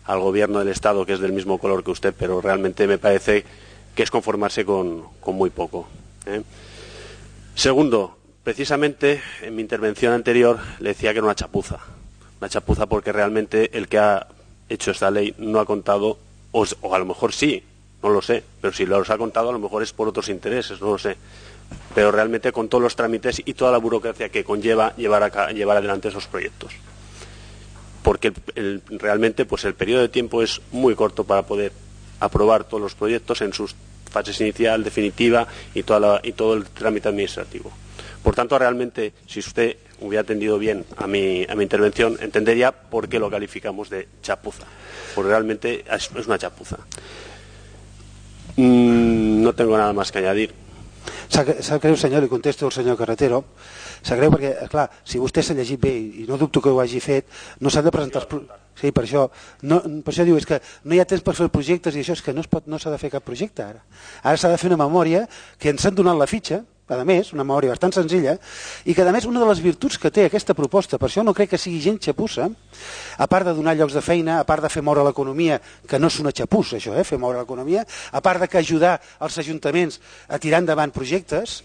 al gobierno del Estado, que es del mismo color que usted, pero realmente me parece que es conformarse con, con muy poco. ¿eh? Segundo, precisamente en mi intervención anterior le decía que era una chapuza, una chapuza porque realmente el que ha hecho esta ley no ha contado, o, o a lo mejor sí, no lo sé, pero si los ha contado a lo mejor es por otros intereses, no lo sé, pero realmente con todos los trámites y toda la burocracia que conlleva llevar, a, llevar adelante esos proyectos. Porque el, el, realmente pues el periodo de tiempo es muy corto para poder aprobar todos los proyectos en sus fases inicial, definitiva y, toda la, y todo el trámite administrativo. Por tanto, realmente, si usted hubiera atendido bien a mi, a mi intervención, entendería por qué lo calificamos de chapuza, porque realmente es una chapuza. Mm, no tengo nada más que añadir. Sap greu, senyor, li contesto al senyor Carretero. Sap greu perquè, clar, si vostè s'ha llegit bé i no dubto que ho hagi fet, no s'han de presentar els... Pro... Sí, per això, no, per això diu, és que no hi ha temps per fer projectes i això és que no s'ha no de fer cap projecte ara. Ara s'ha de fer una memòria que ens han donat la fitxa, a més, una memòria bastant senzilla, i que a més una de les virtuts que té aquesta proposta, per això no crec que sigui gent xapussa, a part de donar llocs de feina, a part de fer moure l'economia, que no és una xapussa això, eh, fer moure l'economia, a part de que ajudar els ajuntaments a tirar endavant projectes,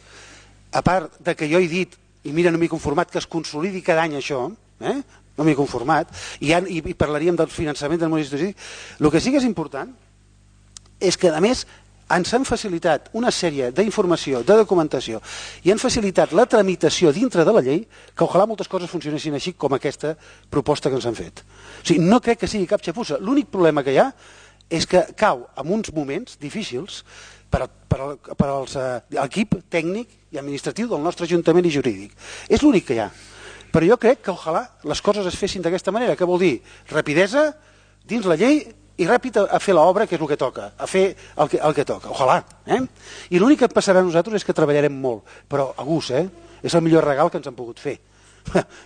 a part de que jo he dit, i mira, no m'he conformat, que es consolidi cada any això, eh? no m'he conformat, i, ja, i, i parlaríem del finançament del municipi. El que sí que és important és que, a més, ens han facilitat una sèrie d'informació, de documentació, i han facilitat la tramitació dintre de la llei, que ojalà moltes coses funcionessin així com aquesta proposta que ens han fet. O sigui, no crec que sigui cap xapussa. L'únic problema que hi ha és que cau en uns moments difícils per, per, per als, eh, l'equip tècnic i administratiu del nostre ajuntament i jurídic. És l'únic que hi ha. Però jo crec que ojalà les coses es fessin d'aquesta manera, que vol dir rapidesa dins la llei i ràpid a, a fer l'obra, que és el que toca, a fer el que, el que toca, ojalà. Eh? I l'únic que passarà a nosaltres és que treballarem molt, però a gust, eh? És el millor regal que ens han pogut fer.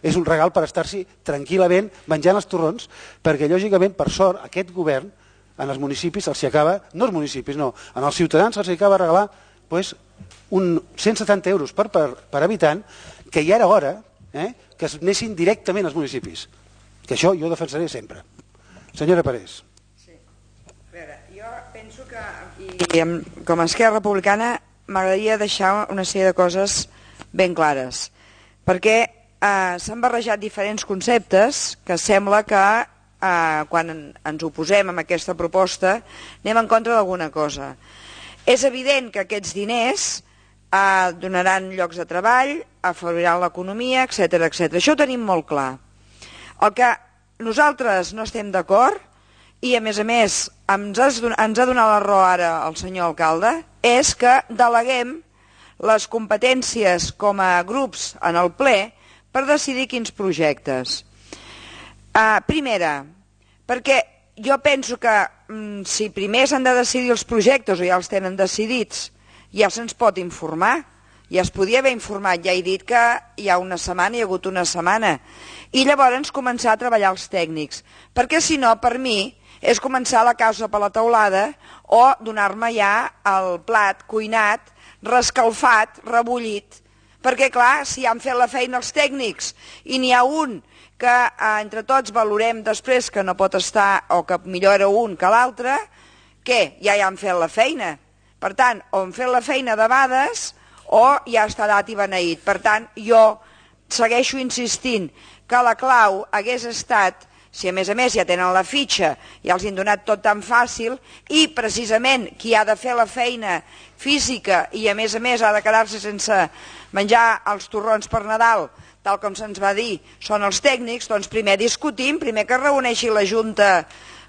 És un regal per estar-s'hi tranquil·lament menjant els torrons, perquè lògicament, per sort, aquest govern en els municipis els acaba, no els municipis, no, en els ciutadans els acaba de regalar pues, un cent setanta euros per, per, per habitant, que ja era hora eh, que es anessin directament als municipis. Que això jo defensaré sempre. Senyora Parés. Sí. A veure, jo penso que, i com a Esquerra Republicana, m'agradaria deixar una sèrie de coses ben clares. Perquè eh, s'han barrejat diferents conceptes que sembla que eh, quan ens oposem a aquesta proposta anem en contra d'alguna cosa. És evident que aquests diners eh, donaran llocs de treball, afavoriran l'economia, etcètera, etcètera. Això ho tenim molt clar. El que nosaltres no estem d'acord, i a més a més ens, has, ens ha donat la raó ara el senyor alcalde, és que deleguem les competències com a grups en el ple per decidir quins projectes. Uh, primera, perquè jo penso que mm, si primer s'han de decidir els projectes o ja els tenen decidits, ja se'ns pot informar, ja es podia haver informat, ja he dit que hi ha una setmana, hi ha hagut una setmana, i llavors començar a treballar els tècnics, perquè si no, per mi, és començar la causa per la teulada o donar-me ja el plat cuinat, rescalfat, rebullit, perquè clar, si han fet la feina els tècnics i n'hi ha un que eh, entre tots valorem després que no pot estar o que millor era un que l'altre, què? Ja hi han fet la feina. Per tant, o han fet la feina debades o ja està dat i beneït. Per tant, jo segueixo insistint que la clau hagués estat, si a més a més ja tenen la fitxa, ja els han donat tot tan fàcil, i precisament qui ha de fer la feina física i a més a més ha de quedar-se sense menjar els torrons per Nadal, tal com se'ns va dir, són els tècnics, doncs primer discutim, primer que reuneixi la Junta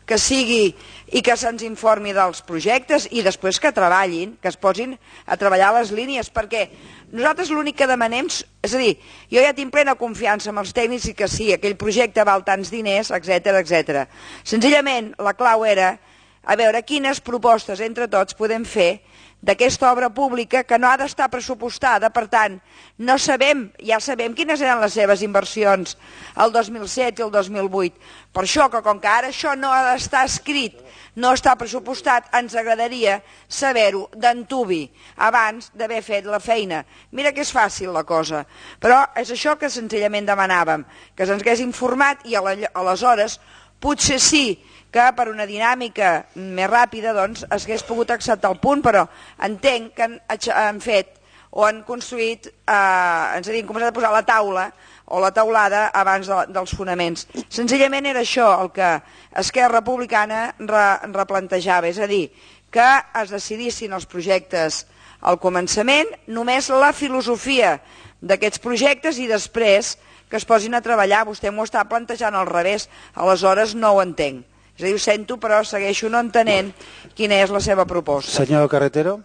que sigui i que se'ns informi dels projectes i després que treballin, que es posin a treballar les línies, perquè nosaltres l'únic que demanem, és a dir, jo ja tinc plena confiança en els tècnics i que sí, aquell projecte val tants diners, etcètera, etcètera. Senzillament, la clau era a veure quines propostes entre tots podem fer d'aquesta obra pública que no ha d'estar pressupostada, per tant, no sabem, ja sabem quines eren les seves inversions el dos mil set i el dos mil vuit. Per això que com que ara això no ha d'estar escrit, no està pressupostat, ens agradaria saber-ho d'antubi abans d'haver fet la feina. Mira que és fàcil la cosa, però és això que senzillament demanàvem, que se'ns hagués informat i aleshores potser sí que per una dinàmica més ràpida doncs, es hagués pogut acceptar el punt, però entenc que han, han fet o han construït, eh, ens havien començat a posar la taula o la taulada abans de, dels fonaments. Senzillament era això el que Esquerra Republicana re, replantejava, és a dir, que es decidissin els projectes al començament, només la filosofia d'aquests projectes i després que es posin a treballar. Vostè m'ho està plantejant al revés, aleshores no ho entenc. És a dir, ho sento, però segueixo no entenent quina és la seva proposta. Señor Carretero.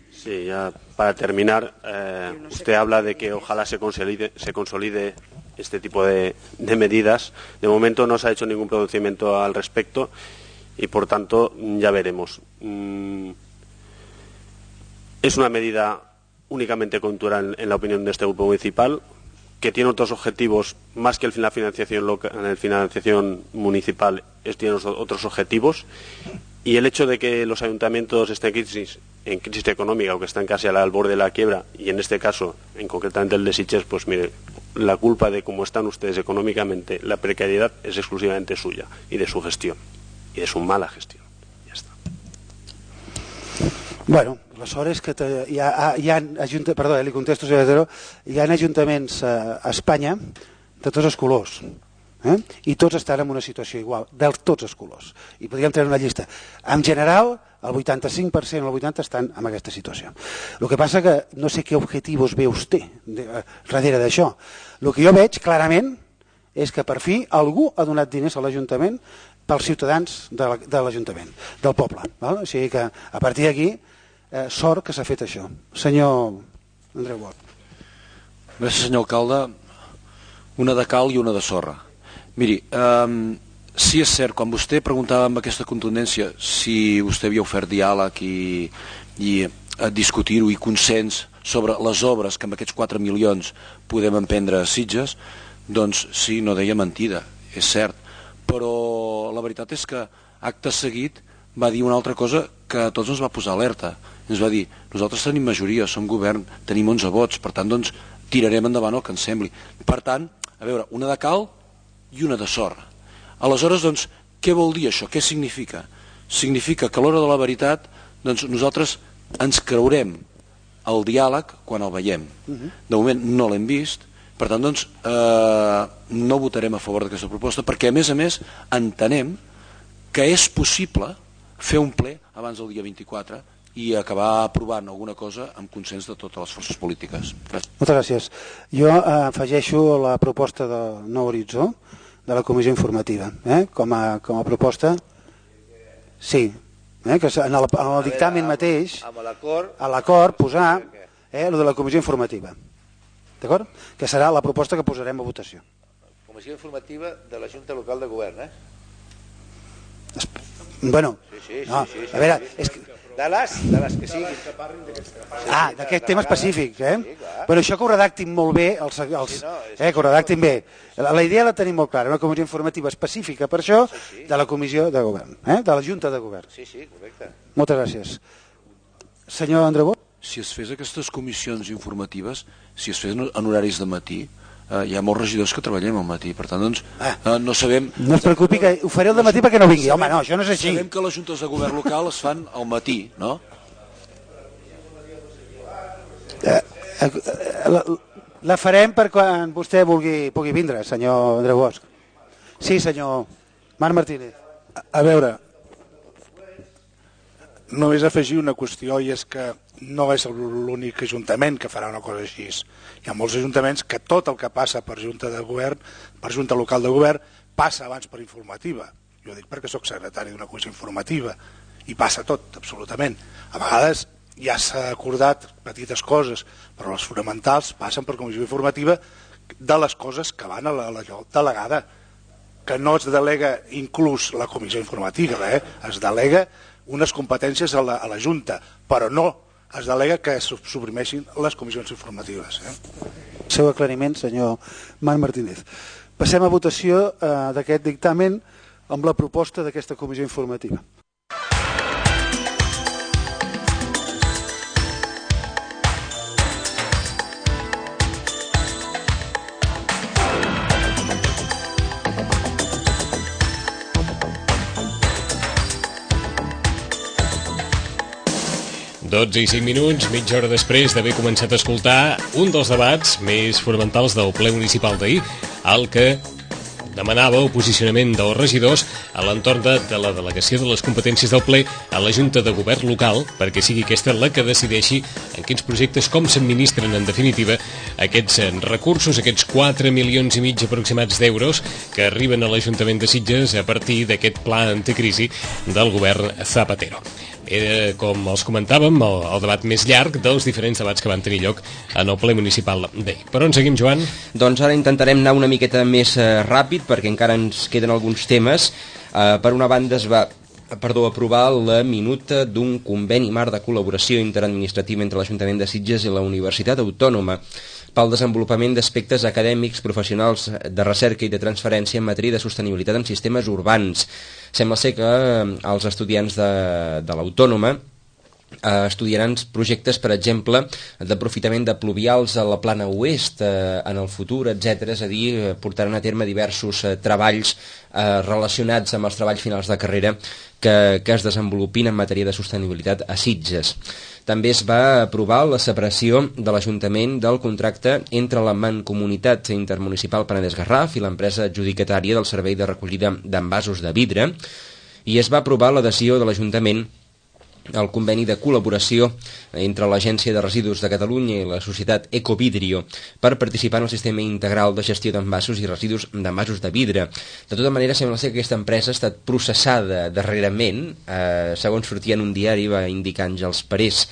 Sí, ya para terminar, eh, no sé usted qué... habla de que ojalá se consolide, se consolide este tipo de, de medidas. De momento no se ha hecho ningún pronunciamiento al respecto y, por tanto, ya veremos. Mm, es una medida únicamente coyuntural en, en la opinión de este grupo municipal, que tiene otros objetivos más que el, la financiación loca, en la financiación municipal, es, tiene otros objetivos, y el hecho de que los ayuntamientos estén en crisis, en crisis económica o que están casi al borde de la quiebra, y en este caso, en concretamente el de Sitges, pues mire, la culpa de cómo están ustedes económicamente, la precariedad es exclusivamente suya y de su gestión, y de su mala gestión. Ja està. Bueno, aleshores que te, hi, ha, hi ha ajunta, perdó, eh, li contesto, senyor Tero, hi ha ajuntaments a, a Espanya de tots els colors, eh? I tots estan en una situació igual, de tots els colors, i podríem treure una llista. En general, el vuitanta-cinc per cent o el vuitanta per cent estan en aquesta situació. El que passa que no sé què objectius ve vostè de, darrere d'això. El que jo veig clarament és que per fi algú ha donat diners a l'Ajuntament pels ciutadans de l'Ajuntament, del poble. Val? O sigui que a partir d'aquí, eh, sort que s'ha fet això. Senyor Andreu Bosch. Gràcies, senyor alcalde. Una de cal i una de sorra. Miri, eh, sí és cert, quan vostè preguntava amb aquesta contundència si vostè havia ofert diàleg i, i discutir-ho i consens sobre les obres que amb aquests quatre milions podem emprendre a Sitges, doncs sí, no deia mentida, és cert, però la veritat és que acte seguit va dir una altra cosa que a tots ens va posar alerta. Ens va dir, nosaltres tenim majoria, som govern, tenim onze vots, per tant, doncs, tirarem endavant el que ens sembli. Per tant, a veure, una de cal i una de sorra. Aleshores, doncs, què vol dir això? Què significa? Significa que a l'hora de la veritat, doncs, nosaltres ens creurem el diàleg quan el veiem. De moment no l'hem vist, per tant, doncs, eh, no votarem a favor d'aquesta proposta, perquè, a més a més, entenem que és possible fer un ple abans del dia vint-i-quatre i acabar aprovant alguna cosa amb consens de totes les forces polítiques. Gràcies. Moltes gràcies. Jo eh, afegeixo la proposta de Nou Horitzó, de la comissió informativa, eh? com, a, com a proposta. Sí, eh? que en el, en el dictamen mateix, a l'acord, posar eh, el de la comissió informativa. D'acord? Que serà la proposta que posarem a votació. Comissió informativa de la Junta Local de Govern, eh? Bueno, sí, sí, sí, no, sí, sí, a veure, sí, és que... de les, de les que siguin. Ah, d'aquest tema específic, eh? Però això que ho redactin molt bé, els, els, eh, que ho redactin bé. La, la idea la tenim molt clara, una comissió informativa específica per això de la comissió de govern, eh? de la Junta de Govern. Sí, sí, correcte. Moltes gràcies. Senyor Andreu Bosch? Si es fes aquestes comissions informatives, si es fes en horaris de matí, eh, hi ha molts regidors que treballem al matí, per tant, doncs, eh, no sabem... No es preocupi, que ho faré al matí perquè no vingui. Home, no, això no és així. Sabem que les juntes de govern local es fan al matí, no? Eh, eh, la, la farem per quan vostè vulgui, pugui vindre, senyor Andreu Bosch. Sí, senyor Marc Martínez. A, a veure, només afegir una qüestió, i és que no és l'únic ajuntament que farà una cosa així. Hi ha molts ajuntaments que tot el que passa per junta de govern, per junta local de govern, passa abans per informativa. Jo dic perquè sóc secretari d'una comissió informativa i passa tot, absolutament. A vegades ja s'ha acordat petites coses, però les fonamentals passen per comissió informativa de les coses que van a la, la delegada, que no es delega inclús la comissió informativa, eh? Es delega unes competències a la, a la Junta, però no es delega que es suprimeixin les comissions informatives. Eh? Seu aclariment, senyor Marc Martínez. Passem a votació eh, d'aquest dictamen amb la proposta d'aquesta comissió informativa. dotze i cinc minuts, mitja hora després d'haver començat a escoltar un dels debats més fonamentals del ple municipal d'ahir, el que demanava el posicionament dels regidors a l'entorn de, de la delegació de les competències del ple a la Junta de Govern local, perquè sigui aquesta la que decideixi en quins projectes, com s'administren en definitiva aquests recursos, aquests quatre milions i mig aproximats d'euros que arriben a l'Ajuntament de Sitges a partir d'aquest pla anticrisi del govern Zapatero. Era, com els comentàvem, el, el debat més llarg dels diferents debats que van tenir lloc en el ple municipal d'ahir. Per on seguim, Joan? Doncs ara intentarem anar una miqueta més eh, ràpid, perquè encara ens queden alguns temes. Eh, per una banda es va perdó, aprovar la minuta d'un conveni marc de col·laboració interadministrativa entre l'Ajuntament de Sitges i la Universitat Autònoma pel desenvolupament d'aspectes acadèmics, professionals, de recerca i de transferència en matèria de sostenibilitat en sistemes urbans. Sembla ser que els estudiants de, de l'Autònoma eh, estudiaran projectes, per exemple, d'aprofitament de pluvials a la plana oest eh, en el futur, etcètera. És a dir, portaran a terme diversos eh, treballs eh, relacionats amb els treballs finals de carrera que, que es desenvolupin en matèria de sostenibilitat a Sitges. També es va aprovar la separació de l'Ajuntament del contracte entre la Mancomunitat Intermunicipal Penedès-Garraf i l'empresa adjudicatària del servei de recollida d'envasos de vidre, i es va aprovar l'adhesió de l'Ajuntament al conveni de col·laboració entre l'Agència de Residus de Catalunya i la societat Ecovidrio per participar en el sistema integral de gestió d'envasos i residus d'envasos de vidre. De tota manera, sembla ser que aquesta empresa ha estat processada darrerament, eh, segons sortia en un diari, va indicar Àngels Parés,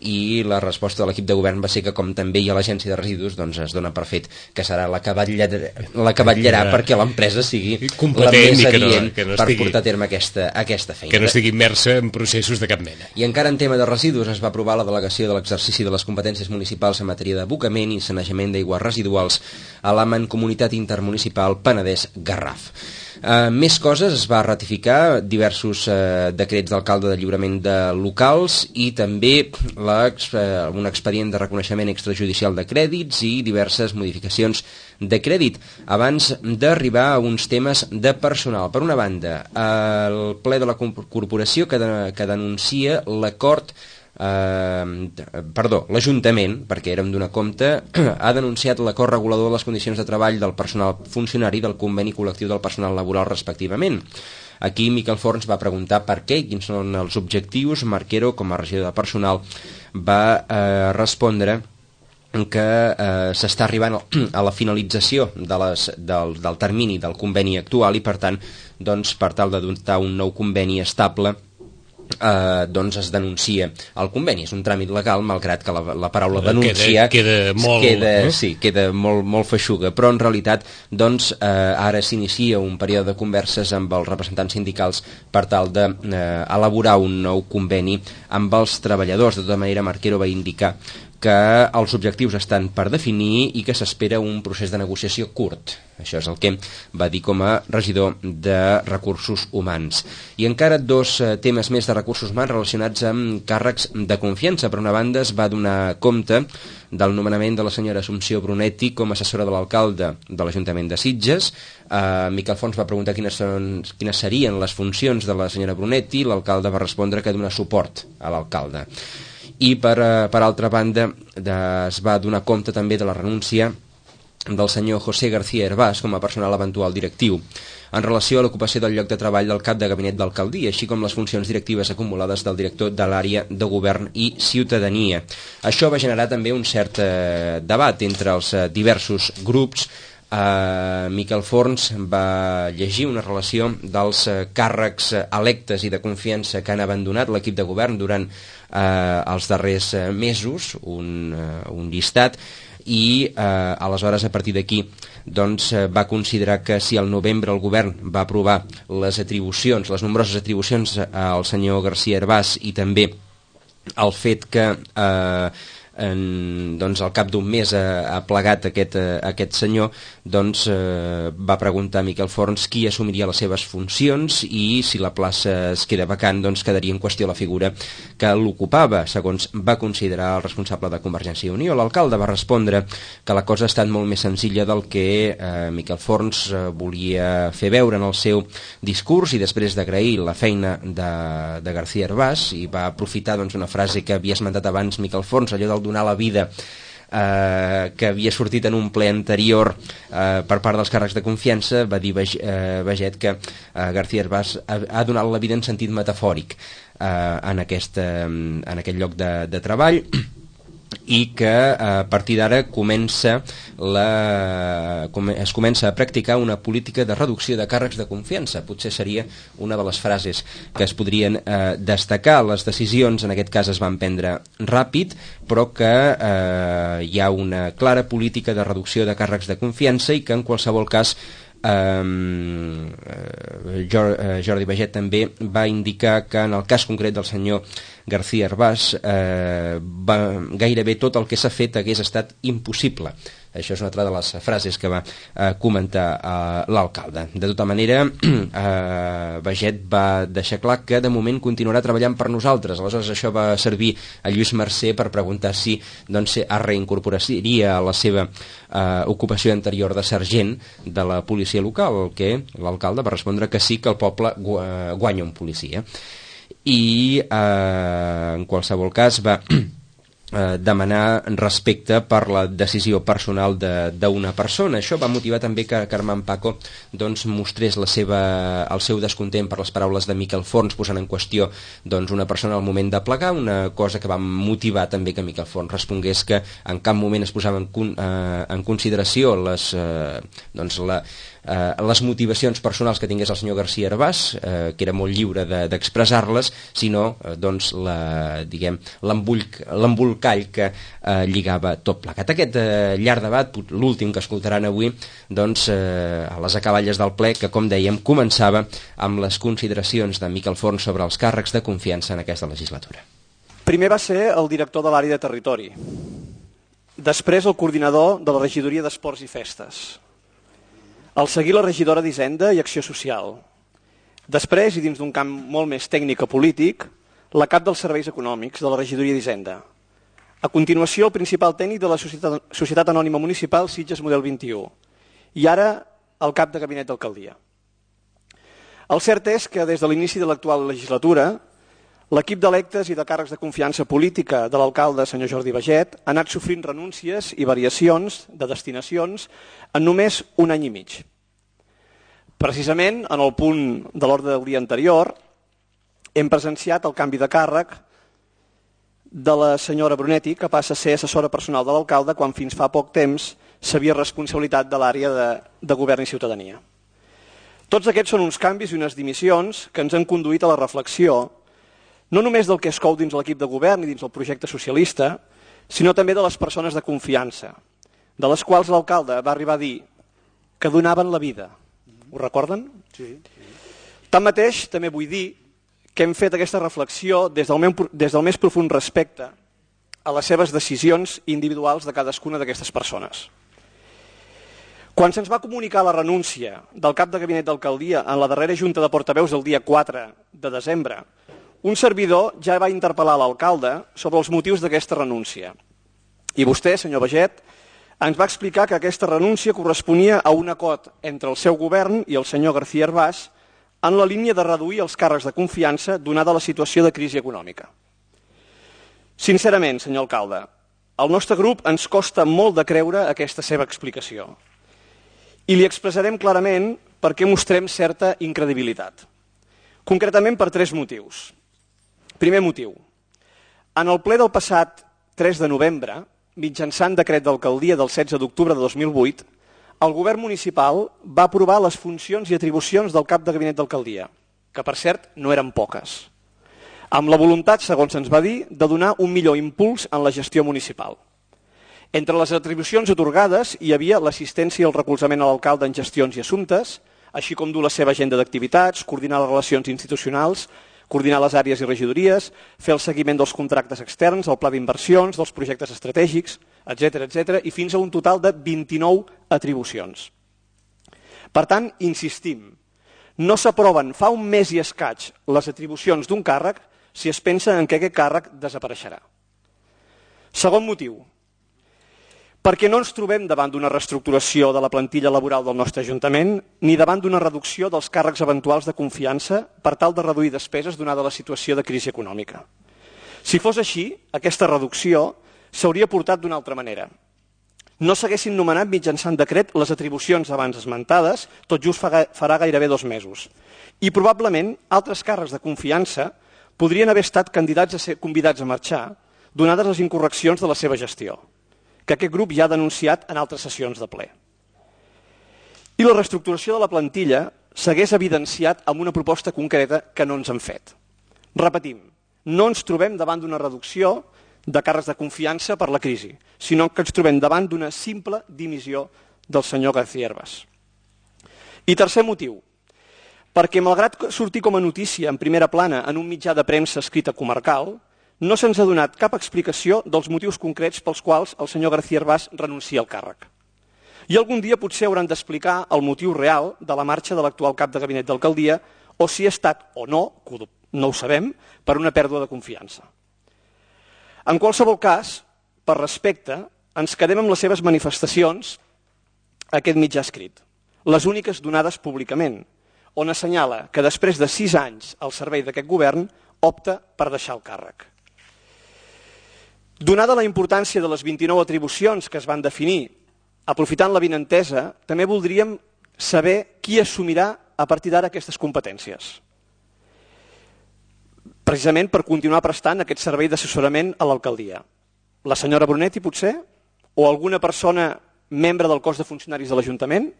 i la resposta de l'equip de govern va ser que, com també hi ha l'Agència de Residus, doncs es dona per fet que serà la que vetllarà, la que vetllarà perquè l'empresa sigui la més adient no, no estigui, per portar a terme aquesta, aquesta feina. Que no estigui immersa en processos de cap mena. I encara en tema de residus es va aprovar la delegació de l'exercici de les competències municipals en matèria d'abocament i sanejament d'aigües residuals a la Mancomunitat Intermunicipal Penedès-Garraf. Uh, més coses, es va ratificar diversos uh, decrets d'alcalde de lliurament de locals i també la, uh, un expedient de reconeixement extrajudicial de crèdits i diverses modificacions de crèdit. Abans d'arribar a uns temes de personal, per una banda, el ple de la corporació que, de, que denuncia l'acord Uh, perdó, l'Ajuntament, perquè érem d'una compte, ha denunciat l'acord regulador de les condicions de treball del personal funcionari del conveni col·lectiu del personal laboral respectivament. Aquí Miquel Forns va preguntar per què i quins són els objectius. Marquero, com a regidor de personal, va uh, respondre que eh, s'està arribant a la finalització de les, del, del termini del conveni actual i per tant, doncs, per tal de dotar un nou conveni estable, Eh, doncs es denuncia el conveni. És un tràmit legal, malgrat que la, la paraula denuncia queda, queda molt, queda, eh? sí, queda molt, molt feixuga, però en realitat doncs, eh, ara s'inicia un període de converses amb els representants sindicals per tal d'elaborar eh, un nou conveni amb els treballadors. De tota manera, Marquero va indicar que els objectius estan per definir i que s'espera un procés de negociació curt. Això és el que va dir com a regidor de Recursos Humans. I encara dos eh, temes més de recursos humans relacionats amb càrrecs de confiança. Per una banda, es va donar compte del nomenament de la senyora Assumpció Brunetti com a assessora de l'alcalde de l'Ajuntament de Sitges. Eh, Miquel Fons va preguntar quines, són, quines serien les funcions de la senyora Brunetti. L'alcalde va respondre que donar suport a l'alcalde. I per, per altra banda de, es va donar compte també de la renúncia del senyor José García Hervás com a personal eventual directiu en relació a l'ocupació del lloc de treball del cap de gabinet d'alcaldia, així com les funcions directives acumulades del director de l'àrea de govern i ciutadania. Això va generar també un cert eh, debat entre els eh, diversos grups. Uh, Miquel Forns va llegir una relació dels uh, càrrecs uh, electes i de confiança que han abandonat l'equip de govern durant uh, els darrers uh, mesos, un, uh, un llistat, i uh, aleshores a partir d'aquí doncs, uh, va considerar que si al novembre el govern va aprovar les atribucions, les nombroses atribucions uh, al senyor García Hervás i també el fet que uh, En, doncs al cap d'un mes ha, ha plegat aquest, eh, aquest senyor, doncs eh, va preguntar a Miquel Forns qui assumiria les seves funcions i si la plaça es queda vacant, doncs quedaria en qüestió la figura que l'ocupava, segons va considerar el responsable de Convergència i Unió. L'alcalde va respondre que la cosa ha estat molt més senzilla del que eh, Miquel Forns eh, volia fer veure en el seu discurs, i després d'agrair la feina de, de García Hervás, i va aprofitar doncs, una frase que havia esmentat abans Miquel Forns, allò del donar la vida, eh, que havia sortit en un ple anterior eh, per part dels càrrecs de confiança. Va dir Baget que eh, García Hervás ha, ha donat la vida en sentit metafòric eh, en, aquest, eh, en aquest lloc de, de treball, i que a partir d'ara comença la, es comença a practicar una política de reducció de càrrecs de confiança. Potser seria una de les frases que es podrien eh, destacar. Les decisions en aquest cas es van prendre ràpid, però que eh, hi ha una clara política de reducció de càrrecs de confiança i que en qualsevol cas eh, Jordi Baget també va indicar que en el cas concret del senyor García Herbàs eh, va, gairebé tot el que s'ha fet hagués estat impossible. Això és una altra de les frases que va eh, comentar eh, l'alcalde. De tota manera, eh, Baget va deixar clar que de moment continuarà treballant per nosaltres. Aleshores això va servir a Lluís Mercè per preguntar si doncs, es reincorporaria a la seva eh, ocupació anterior de sergent de la policia local, que l'alcalde va respondre que sí, que el poble guanya un policia. I eh, en qualsevol cas va eh, demanar respecte per la decisió personal d'una persona. Això va motivar també que Carmen Paco doncs, mostrés la seva, el seu descontent per les paraules de Miquel Forns, posant en qüestió doncs, una persona al moment de plegar, una cosa que va motivar també que Miquel Forns respongués que en cap moment es posava en, eh, en consideració les, eh, doncs, la Uh, les motivacions personals que tingués el senyor García Herbàs, uh, que era molt lliure d'expressar-les, de, sinó uh, doncs la, diguem, l'embolcall que uh, lligava tot plegat. Aquest uh, llarg debat, l'últim que escoltaran avui, doncs, uh, a les acaballes del ple, que com dèiem començava amb les consideracions de Miquel Forns sobre els càrrecs de confiança en aquesta legislatura. Primer va ser el director de l'àrea de territori, després el coordinador de la regidoria d'Esports i Festes, al seguir la regidora d'Hisenda i Acció Social. Després, i dins d'un camp molt més tècnic o polític, la cap dels serveis econòmics de la regidoria d'Hisenda. A continuació, el principal tècnic de la Societat, Societat Anònima Municipal Sitges Model vint-i-u. I ara, el cap de gabinet d'alcaldia. El cert és que des de l'inici de l'actual legislatura, l'equip d'electes i de càrrecs de confiança política de l'alcalde, senyor Jordi Baget, ha anat sofrint renúncies i variacions de destinacions en només un any i mig. Precisament, en el punt de l'ordre del dia anterior, hem presenciat el canvi de càrrec de la senyora Brunetti, que passa a ser assessora personal de l'alcalde quan fins fa poc temps s'havia responsabilitat de l'àrea de, de govern i ciutadania. Tots aquests són uns canvis i unes dimissions que ens han conduït a la reflexió no només del que es cou dins l'equip de govern i dins el projecte socialista, sinó també de les persones de confiança, de les quals l'alcalde va arribar a dir que donaven la vida. Ho recorden? Sí. Tanmateix, també vull dir que hem fet aquesta reflexió des del, meu, des del més profund respecte a les seves decisions individuals de cadascuna d'aquestes persones. Quan se'ns va comunicar la renúncia del cap de gabinet d'alcaldia en la darrera junta de portaveus del dia quatre de desembre, un servidor ja va interpel·lar l'alcalde sobre els motius d'aquesta renúncia. I vostè, senyor Baget, ens va explicar que aquesta renúncia corresponia a un acord entre el seu govern i el senyor García Herbàs en la línia de reduir els càrrecs de confiança donada la situació de crisi econòmica. Sincerament, senyor alcalde, al nostre grup ens costa molt de creure aquesta seva explicació. I li expressarem clarament per què mostrem certa incredibilitat. Concretament per tres motius. Primer motiu. En el ple del passat tres de novembre, mitjançant decret d'alcaldia del setze d'octubre de dos mil vuit, el govern municipal va aprovar les funcions i atribucions del cap de gabinet d'alcaldia, que per cert no eren poques, amb la voluntat, segons ens va dir, de donar un millor impuls en la gestió municipal. Entre les atribucions atorgades hi havia l'assistència i el recolzament a l'alcalde en gestions i assumptes, així com dur la seva agenda d'activitats, coordinar les relacions institucionals, coordinar les àrees i regidories, fer el seguiment dels contractes externs, el pla d'inversions, dels projectes estratègics, etcètera, etcètera, i fins a un total de vint-i-nou atribucions. Per tant, insistim, no s'aproven fa un mes i escaig les atribucions d'un càrrec si es pensa en què aquest càrrec desapareixerà. Segon motiu, perquè no ens trobem davant d'una reestructuració de la plantilla laboral del nostre Ajuntament ni davant d'una reducció dels càrrecs eventuals de confiança per tal de reduir despeses donada la situació de crisi econòmica. Si fos així, aquesta reducció s'hauria portat d'una altra manera. No s'haguessin nomenat mitjançant decret les atribucions abans esmentades, tot just farà gairebé dos mesos. I probablement altres càrrecs de confiança podrien haver estat candidats a ser convidats a marxar, donades les incorreccions de la seva gestió, que aquest grup ja ha denunciat en altres sessions de ple. I la reestructuració de la plantilla s'hagués evidenciat amb una proposta concreta que no ens han fet. Repetim, no ens trobem davant d'una reducció de càrrecs de confiança per la crisi, sinó que ens trobem davant d'una simple dimissió del senyor García Herbàs. I tercer motiu, perquè malgrat sortir com a notícia en primera plana en un mitjà de premsa escrita comarcal, no se'ns ha donat cap explicació dels motius concrets pels quals el senyor García Herbàs renuncia al càrrec. I algun dia potser hauran d'explicar el motiu real de la marxa de l'actual cap de gabinet d'alcaldia o si ha estat o no, no ho sabem, per una pèrdua de confiança. En qualsevol cas, per respecte, ens quedem amb les seves manifestacions a aquest mitjà escrit, les úniques donades públicament, on assenyala que després de sis anys al servei d'aquest govern opta per deixar el càrrec. Donada la importància de les vint-i-nou atribucions que es van definir, aprofitant la vinentesa, també voldríem saber qui assumirà a partir d'ara aquestes competències. Precisament per continuar prestant aquest servei d'assessorament a l'alcaldia. La senyora Brunetti, potser? O alguna persona membre del cos de funcionaris de l'Ajuntament?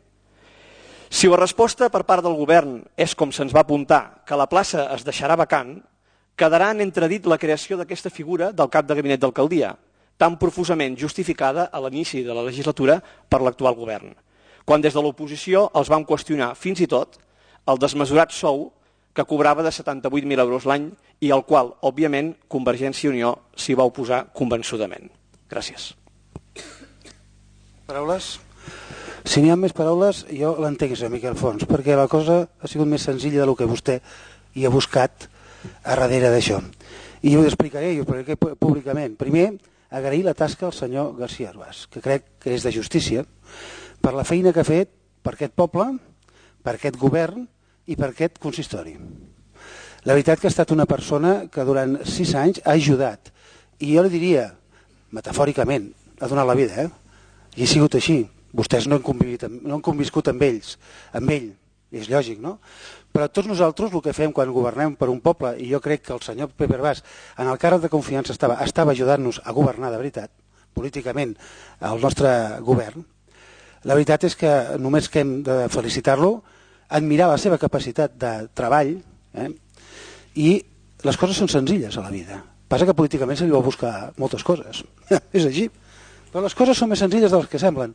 Si la resposta per part del govern és com se'ns va apuntar, que la plaça es deixarà vacant, quedarà en entredit la creació d'aquesta figura del cap de gabinet d'alcaldia, tan profusament justificada a l'inici de la legislatura per l'actual govern, quan des de l'oposició els van qüestionar fins i tot el desmesurat sou que cobrava de setanta-vuit mil euros l'any i al qual, òbviament, Convergència i Unió s'hi va oposar convençudament. Gràcies. Paraules? Si n'hi ha més paraules, jo l'entenc, senyor Miquel Fons, perquè la cosa ha sigut més senzilla del que vostè hi ha buscat a darrere d'això. I ho explicaré, i ho explicaré públicament. Primer, agrair la tasca al senyor García Herbàs, que crec que és de justícia, per la feina que ha fet per aquest poble, per aquest govern i per aquest consistori. La veritat que ha estat una persona que durant sis anys ha ajudat, i jo li diria, metafòricament, ha donat la vida, eh? I ha sigut així. Vostès no han, convivit, no han conviscut amb ells, amb ell, és lògic, no? Però tots nosaltres el que fem quan governem per un poble, i jo crec que el senyor Pepe Herbàs en el càrrec de confiança estava, estava ajudant-nos a governar de veritat, políticament, el nostre govern, la veritat és que només que hem de felicitar-lo, admirar la seva capacitat de treball, eh? I les coses són senzilles a la vida. Passa que políticament se li vol buscar moltes coses. És així. Però les coses són més senzilles de les que semblen.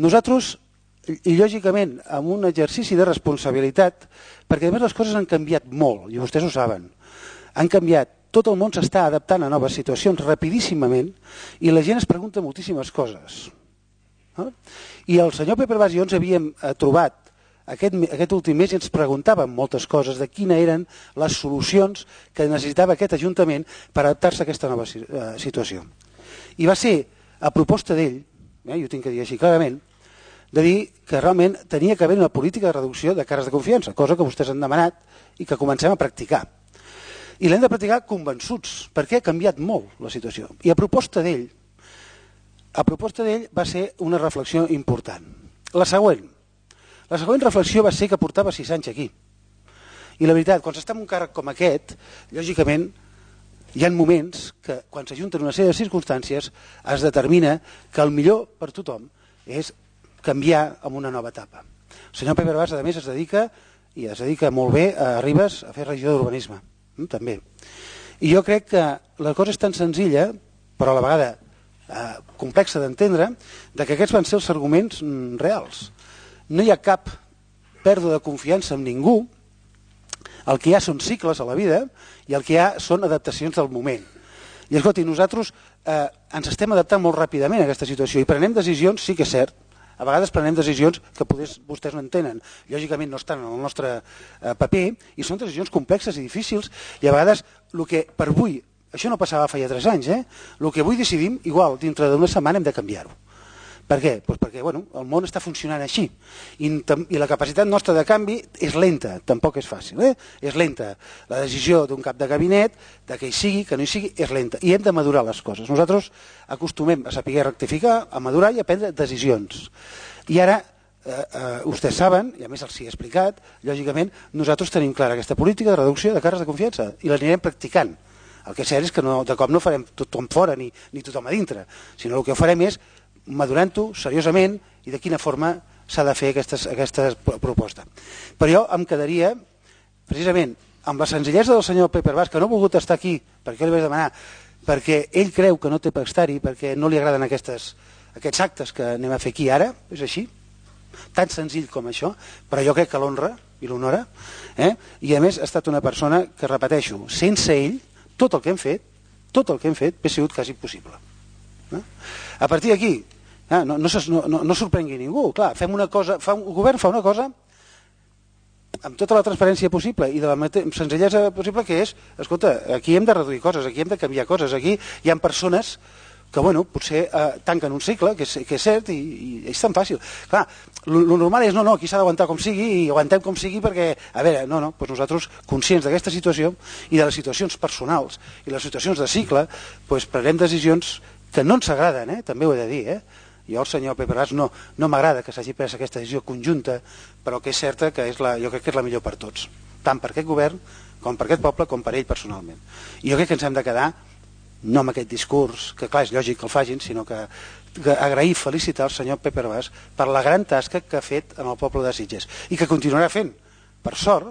Nosaltres, i lògicament, amb un exercici de responsabilitat, perquè a més les coses han canviat molt, i vostès ho saben, han canviat, tot el món s'està adaptant a noves situacions rapidíssimament i la gent es pregunta moltíssimes coses. No? I el senyor Pepe Herbàs i jo ens havíem trobat aquest, aquest últim mes i ens preguntàvem moltes coses de quines eren les solucions que necessitava aquest Ajuntament per adaptar-se a aquesta nova situació. I va ser a proposta d'ell, eh, jo tinc que dir així clarament, de dir que realment tenia que haver una política de reducció de càrrecs de confiança, cosa que vostès han demanat i que comencem a practicar. I l'hem de practicar convençuts, perquè ha canviat molt la situació. I a proposta d'ell, a proposta d'ell va ser una reflexió important. La següent. La següent reflexió va ser que portava sis anys aquí. I la veritat, quan s'està en un càrrec com aquest, lògicament, hi ha moments que, quan s'ajunten una sèrie de circumstàncies, es determina que el millor per tothom és canviar en una nova etapa. El senyor Pepe Herbàs, a més, es dedica, i es dedica molt bé a Ribes, a fer regidor d'urbanisme, també. I jo crec que la cosa és tan senzilla, però a la vegada eh, complexa d'entendre, de que aquests van ser els arguments mm, reals. No hi ha cap pèrdua de confiança en ningú, el que hi ha són cicles a la vida i el que hi ha són adaptacions del moment. I escolti, nosaltres eh, ens estem adaptant molt ràpidament a aquesta situació i prenem decisions, sí que és cert, a vegades prenem decisions que poders, vostès no entenen, lògicament no estan en el nostre eh, paper i són decisions complexes i difícils i a vegades el que per avui, això no passava fa ja tres anys, eh? El que avui decidim, igual, dintre d'una setmana hem de canviar-ho. Per què? Pues perquè bueno, el món està funcionant així I, i la capacitat nostra de canvi és lenta, tampoc és fàcil, eh? És lenta. La decisió d'un cap de gabinet, de que hi sigui, que no hi sigui, és lenta i hem de madurar les coses. Nosaltres acostumem a saber rectificar, a madurar i a prendre decisions. I ara, eh, eh, vostès saben, i a més els hi he explicat, lògicament nosaltres tenim clara aquesta política de reducció de càrrecs de confiança i l'anirem practicant. El que és cert és que no, de cop no farem tothom fora ni, ni tothom a dintre, sinó el que farem és madurant-ho seriosament i de quina forma s'ha de fer aquestes, aquesta proposta. Però jo em quedaria, precisament, amb la senzillesa del senyor Pepe Herbàs, que no ha volgut estar aquí, perquè jo li vaig demanar, perquè ell creu que no té per estar-hi, perquè no li agraden aquestes, aquests actes que anem a fer aquí ara, és així, tan senzill com això, però jo crec que l'honra i l'honora, eh? I a més ha estat una persona que, repeteixo, sense ell, tot el que hem fet, tot el que hem fet, hauria sigut quasi impossible. Eh? A partir d'aquí, eh? no, no, no, no, no sorprengui ningú, clar, fem una cosa, fa un, el govern fa una cosa amb tota la transparència possible i de la senzillesa possible, que és, escolta, aquí hem de reduir coses, aquí hem de canviar coses, aquí hi ha persones que, bueno, potser eh, tanquen un cicle, que és, que és cert, i, i és tan fàcil. Clar, el normal és, no, no, aquí s'ha d'aguantar com sigui, i aguantem com sigui perquè, a veure, no, no, doncs nosaltres, conscients d'aquesta situació i de les situacions personals i les situacions de cicle, doncs prenem decisions que no ens agraden, eh? També ho he de dir, eh? Jo, el senyor Pepe Ras, no, no m'agrada que s'hagi pres aquesta decisió conjunta, però que és certa que és la, jo crec que és la millor per tots, tant per aquest govern, com per aquest poble, com per ell personalment. I jo crec que ens hem de quedar, no amb aquest discurs, que clar, és lògic que el facin, sinó que, que agrair i felicitar el senyor Pepe Ras per la gran tasca que ha fet en el poble de Sitges, i que continuarà fent. Per sort,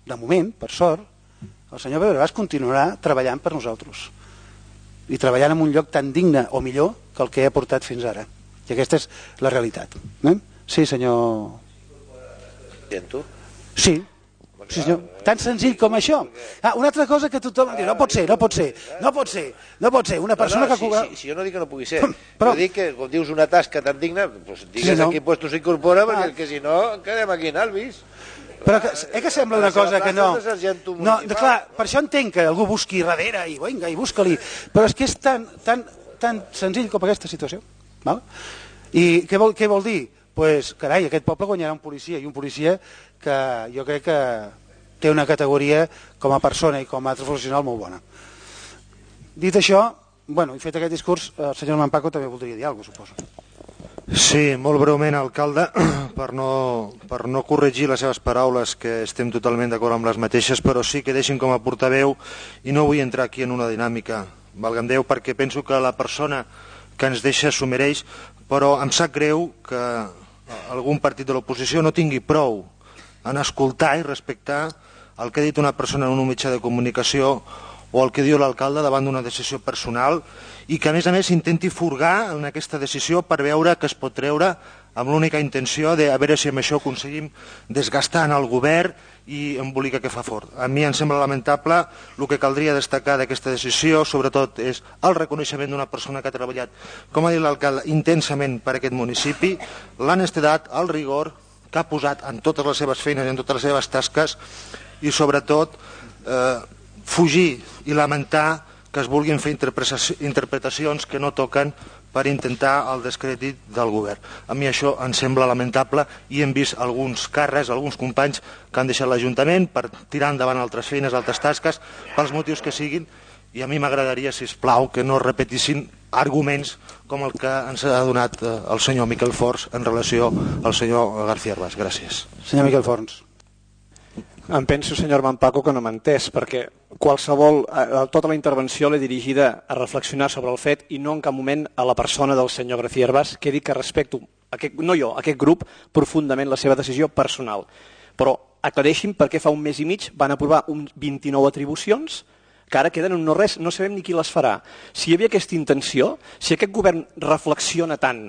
de moment, per sort, el senyor Pepe Ras continuarà treballant per nosaltres, i treballant en un lloc tan digne o millor que el que ha portat fins ara. I aquesta és la realitat. Eh? Sí, senyor... Sí, sí senyor. Tan senzill com això. Ah, una altra cosa que tothom diu, no pot ser, no pot ser, no pot ser, no pot ser, una persona no, no, que... Si, si, si jo no dic que no pugui ser, però... jo dic que, com dius, una tasca tan digna, doncs digues sí, no? A quin puesto s'incorpora, perquè ah. que si no, quedem aquí en Alvis. Però que, eh que sembla una cosa que no... No, clar, per això entenc que algú busqui darrere i vinga, i busca-li, però és que és tan, tan, tan senzill com aquesta situació. Val? I què vol, què vol dir? Pues, carai, aquest poble guanyarà un policia, i un policia que jo crec que té una categoria com a persona i com a professional molt bona. Dit això, bueno, i fet aquest discurs, el senyor Mampaco també voldria dir alguna cosa, suposo. Sí, molt breument, alcalde, per no, per no corregir les seves paraules, que estem totalment d'acord amb les mateixes, però sí que deixin com a portaveu, i no vull entrar aquí en una dinàmica, valga'm Déu, perquè penso que la persona que ens deixa s'ho mereix, però em sap greu que algun partit de l'oposició no tingui prou en escoltar i respectar el que ha dit una persona en un mitjà de comunicació o el que diu l'alcalde davant d'una decisió personal, i que a més a més intenti furgar en aquesta decisió per veure que es pot treure amb l'única intenció de a veure si amb això aconseguim desgastar en el govern i embolicar que fa fort. A mi em sembla lamentable. El que caldria destacar d'aquesta decisió, sobretot, és el reconeixement d'una persona que ha treballat, com ha dit l'alcalde, intensament per aquest municipi, l'honestedat, el rigor que ha posat en totes les seves feines i en totes les seves tasques, i sobretot eh, fugir i lamentar que es vulguin fer interpretacions que no toquen per intentar el descrèdit del govern. A mi això em sembla lamentable, i hem vist alguns càrrecs, alguns companys que han deixat l'Ajuntament per tirar endavant altres feines, altres tasques, pels motius que siguin, i a mi m'agradaria, sisplau, que no repetissin arguments com el que ens ha donat el senyor Miquel Forns en relació al senyor García Herbàs. Gràcies. Senyor Miquel Forns. Em penso, senyor Mampaco, que no m'ha entès, perquè qualsevol, tota la intervenció l'he dirigida a reflexionar sobre el fet i no en cap moment a la persona del senyor García Herbàs, que he dit que respecto, aquest, no jo, aquest grup, profundament la seva decisió personal. Però aclareixin per què fa un mes i mig van aprovar un vint-i-nou atribucions que ara queden en no res, no sabem ni qui les farà. Si hi havia aquesta intenció, si aquest govern reflexiona tant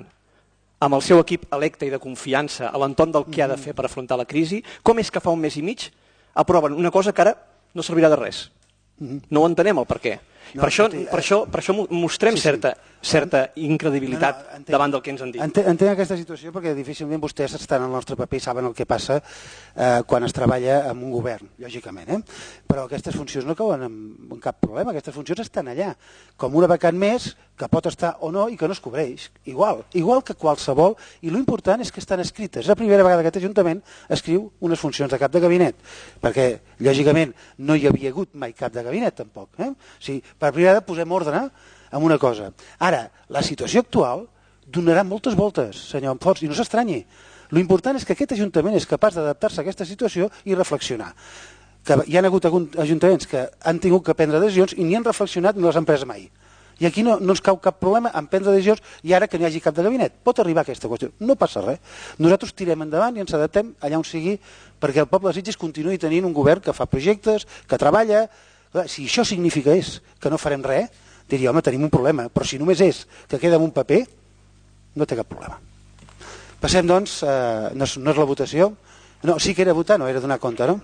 amb el seu equip electe i de confiança a l'entorn del que ha de fer per afrontar la crisi, com és que fa un mes i mig aproven una cosa que ara no servirà de res? No ho entenem el per què. No, per, això, per, això, per això mostrem sí, sí. certa, certa incredibilitat no, no, entenc, davant del que ens han dit. Entenc, entenc aquesta situació perquè difícilment vostès estan al nostre paper i saben el que passa eh, quan es treballa amb un govern, lògicament. Eh? Però aquestes funcions no cauen amb, amb cap problema, aquestes funcions estan allà, com una vacant més que pot estar o no i que no es cobreix. Igual, igual que qualsevol, i l'important és que estan escrites. És la primera vegada que aquest Ajuntament escriu unes funcions de cap de gabinet, perquè, lògicament, no hi havia hagut mai cap de gabinet, tampoc. Eh? O sigui, per primera vegada posem ordre en una cosa. Ara, la situació actual donarà moltes voltes, senyor Forns, i no s'estranyi. L'important és que aquest Ajuntament és capaç d'adaptar-se a aquesta situació i reflexionar. Que hi ha hagut ajuntaments que han tingut que prendre decisions i ni han reflexionat ni les han pres mai. I aquí no, no ens cau cap problema en prendre decisions i ara que no hi hagi cap de gabinet. Pot arribar aquesta qüestió, no passa res. Nosaltres tirem endavant i ens adaptem allà on sigui perquè el poble de Sitges continuï tenint un govern que fa projectes, que treballa. Si això significa és que no farem res, diria, home, tenim un problema, però si només és que queda en un paper, no té cap problema. Passem, doncs, eh, no, és, no és la votació. No, sí que era votar, no era donar compte, no?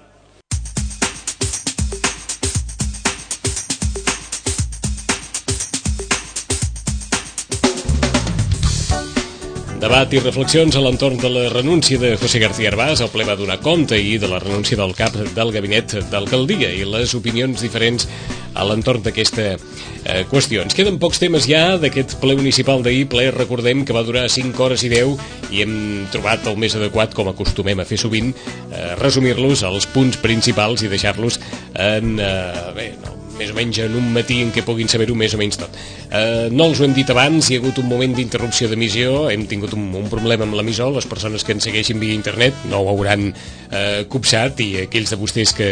Debat i reflexions a l'entorn de la renúncia de José García Arbás. El ple va donar compte ahir de la renúncia del cap del gabinet d'alcaldia i les opinions diferents a l'entorn d'aquesta eh, qüestió. Ens queden pocs temes ja d'aquest ple municipal d'ahir, ple, recordem que va durar cinc hores i deu i hem trobat el més adequat, com acostumem a fer sovint, eh, resumir-los als punts principals i deixar-los en... Eh, bé, no, més o menys en un matí en què puguin saber-ho més o menys tot. Eh, no els ho hem dit abans, hi ha hagut un moment d'interrupció d'emissió, hem tingut un, un problema amb l'emissor, les persones que ens segueixin via internet no ho hauran eh, copsat, i aquells de vostès que,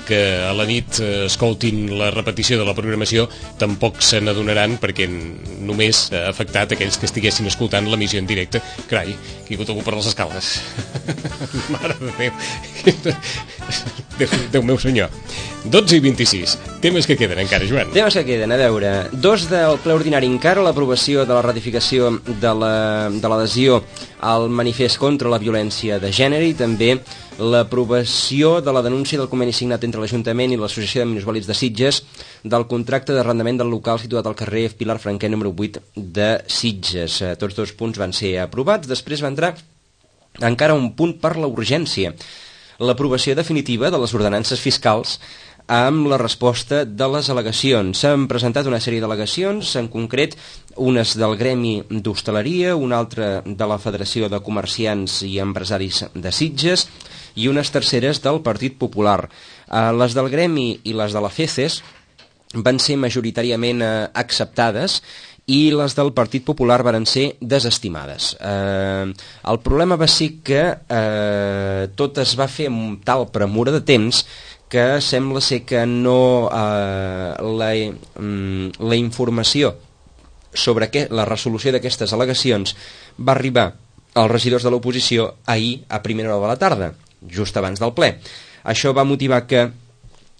que a la nit eh, escoltin la repetició de la programació tampoc se n'adonaran, perquè només ha afectat aquells que estiguessin escoltant l'emissió en directe. Carai, que hi ha hagut algú per les escales. Mare de Déu. Déu, Déu meu senyor. dotze i vint-i-sis. Temes que queden encara, Joan. Temes que queden, a veure. Dos del ple ordinari encara, l'aprovació de la ratificació de la, de l'adhesió al manifest contra la violència de gènere i també l'aprovació de la denúncia del conveni signat entre l'Ajuntament i l'Associació de Minusvàlids de Sitges del contracte d'arrendament del local situat al carrer Pilar Franquer número vuit de Sitges. Tots dos punts van ser aprovats. Després va entrar encara un punt per la urgència, l'aprovació definitiva de les ordenances fiscals amb la resposta de les al·legacions. S'han presentat una sèrie d'al·legacions, en concret unes del Gremi d'Hostaleria, una altra de la Federació de Comerciants i Empresaris de Sitges i unes terceres del Partit Popular. Eh, les del Gremi i les de la FECES van ser majoritàriament eh, acceptades i les del Partit Popular varen ser desestimades. Eh, el problema va ser que eh, tot es va fer amb tal premura de temps que sembla ser que no eh, la, mm, la informació sobre que, la resolució d'aquestes al·legacions va arribar als regidors de l'oposició ahir a primera hora de la tarda, just abans del ple. Això va motivar que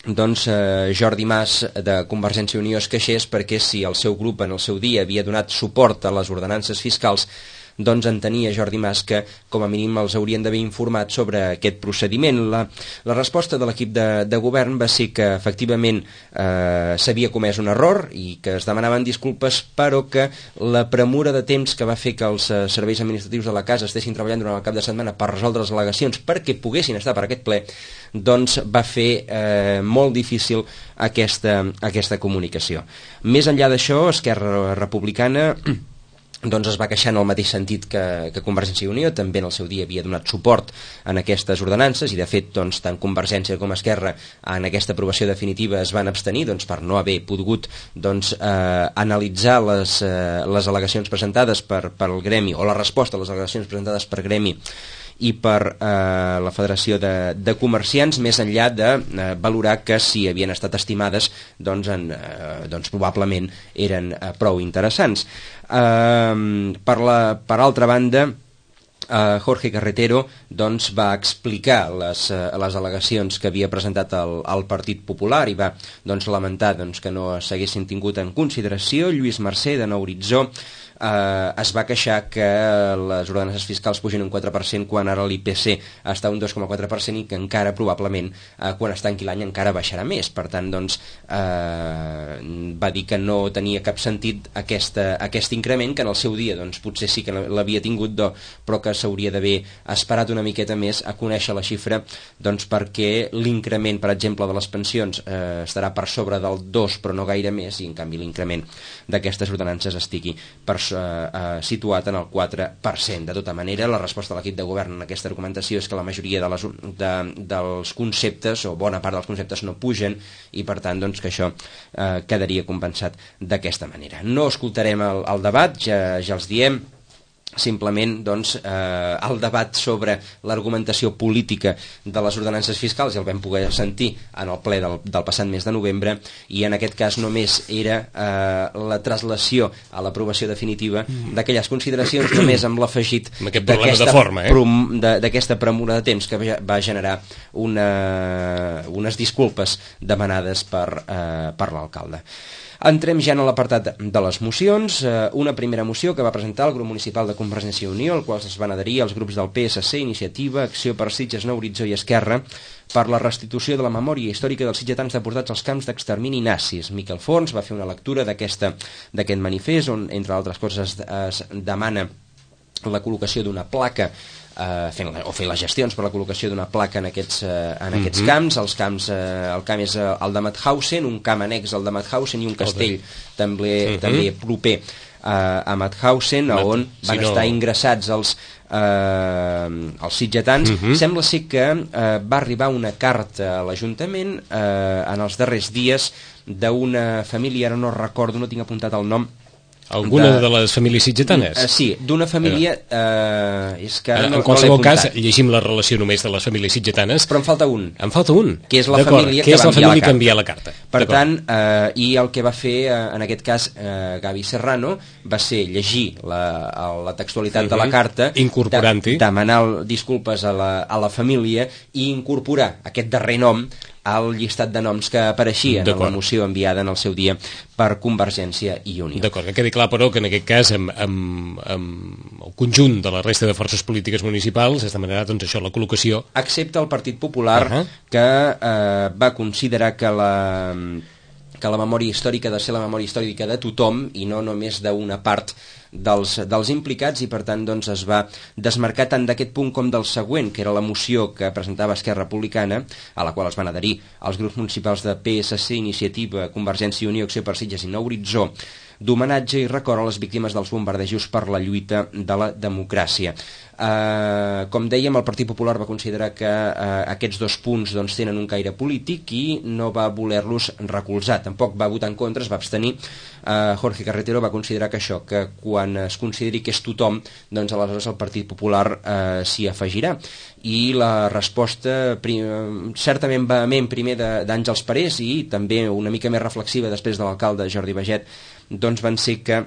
doncs eh, Jordi Mas de Convergència i Unió es queixés perquè si el seu grup en el seu dia havia donat suport a les ordenances fiscals, doncs entenia Jordi Mas que com a mínim els haurien d'haver informat sobre aquest procediment. La, la resposta de l'equip de, de govern va ser que efectivament eh, s'havia comès un error i que es demanaven disculpes, però que la premura de temps que va fer que els eh, serveis administratius de la casa estessin treballant durant el cap de setmana per resoldre les al·legacions perquè poguessin estar per aquest ple, doncs va fer eh, molt difícil aquesta, aquesta comunicació. Més enllà d'això, Esquerra Republicana doncs es va queixar en el mateix sentit que, que Convergència i Unió, també en el seu dia havia donat suport en aquestes ordenances i de fet doncs, tant Convergència com Esquerra en aquesta aprovació definitiva es van abstenir doncs, per no haver pogut doncs, eh, analitzar les, eh, les al·legacions presentades per, per el Gremi o la resposta a les al·legacions presentades per Gremi i per eh, la Federació de, de Comerciants, més enllà de eh, valorar que si havien estat estimades doncs, en, eh, doncs probablement eren eh, prou interessants. Eh, per, la, per altra banda, Uh, Jorge Carretero doncs, va explicar les, uh, les al·legacions que havia presentat el, el Partit Popular i va doncs, lamentar doncs, que no s'haguessin tingut en consideració. Lluís Mercè, de Nou Horitzó, uh, es va queixar que les ordenances fiscals pugin un quatre per cent quan ara l'I P C està un dos coma quatre per cent i que encara probablement uh, quan es tanqui l'any encara baixarà més. Per tant, doncs, uh, va dir que no tenia cap sentit aquesta, aquest increment, que en el seu dia doncs, potser sí que l'havia tingut, do, però que s'hauria d'haver esperat una miqueta més a conèixer la xifra doncs perquè l'increment, per exemple, de les pensions eh, estarà per sobre del dos però no gaire més i en canvi l'increment d'aquestes ordenances estigui per, eh, eh, situat en el quatre per cent. De tota manera, la resposta de l'equip de govern en aquesta argumentació és que la majoria de les, de, dels conceptes o bona part dels conceptes no pugen i per tant doncs, que això eh, quedaria compensat d'aquesta manera. No escoltarem el, el debat, ja, ja els diem. Simplement doncs, eh, el debat sobre l'argumentació política de les ordenances fiscals ja el vam poder sentir en el ple del, del passat mes de novembre i en aquest cas només era eh, la traslació a l'aprovació definitiva d'aquelles consideracions només amb l'afegit d'aquesta eh? premura de temps que va generar una, unes disculpes demanades per, eh, per l'alcalde. Entrem ja en l'apartat de les mocions. Una primera moció que va presentar el grup municipal de de Convergència i Unió, al qual es van adherir els grups del P S C, Iniciativa, Acció per Sitges, Nou Horitzó i Esquerra, per la restitució de la memòria històrica dels sitgetans deportats als camps d'extermini nazis. Miquel Forns va fer una lectura d'aquest manifest, on, entre altres coses, es demana la col·locació d'una placa Uh, fent, o fer les gestions per la col·locació d'una placa en aquests, uh, en aquests mm-hmm. camps. Els camps uh, el camp és uh, el de Mauthausen, un camp annex al de Mauthausen i un castell també, mm-hmm. també proper uh, a Mauthausen, Mat on van si no... estar ingressats els, uh, els sitgetans. Mm-hmm. Sembla ser que uh, va arribar una carta a l'Ajuntament uh, en els darrers dies d'una família, ara no recordo, no tinc apuntat el nom. Alguna de, de les famílies sitgetanes? Uh, sí, d'una família... Uh, és que en no, qualsevol no cas, llegim la relació només de les famílies sitgetanes. Però en falta un. En falta un? Que és la família, que, que, és va la família que envia la carta. Per tant, uh, i el que va fer, uh, en aquest cas, uh, Gavi Serrano, va ser llegir la, la textualitat uh-huh. de la carta, incorporant-hi, de, demanar disculpes a la, a la família i incorporar aquest darrer nom al llistat de noms que apareixien en la moció enviada en el seu dia per Convergència i Unió. D'acord, que quedi clar, però, que en aquest cas, amb, amb, amb el conjunt de la resta de forces polítiques municipals, es demanarà, doncs, això, la col·locació... Excepte el Partit Popular, uh-huh. que eh, va considerar que la... que la memòria històrica ha de ser la memòria històrica de tothom i no només d'una part dels, dels implicats, i per tant doncs, es va desmarcar tant d'aquest punt com del següent, que era la moció que presentava Esquerra Republicana, a la qual es van adherir els grups municipals de P S C, Iniciativa, Convergència i Unió, Acció per Sitges i Nou Horitzó, d'homenatge i record a les víctimes dels bombardejos per la lluita de la democràcia. Uh, com dèiem, el Partit Popular va considerar que uh, aquests dos punts doncs, tenen un caire polític i no va voler-los recolzar. Tampoc va votar en contra, es va abstenir. Uh, Jorge Carretero va considerar que això, que quan es consideri que és tothom, doncs aleshores el Partit Popular uh, s'hi afegirà. I la resposta prim, certament vehement primer d'Àngels Parés i també una mica més reflexiva després de l'alcalde Jordi Baget, doncs van ser que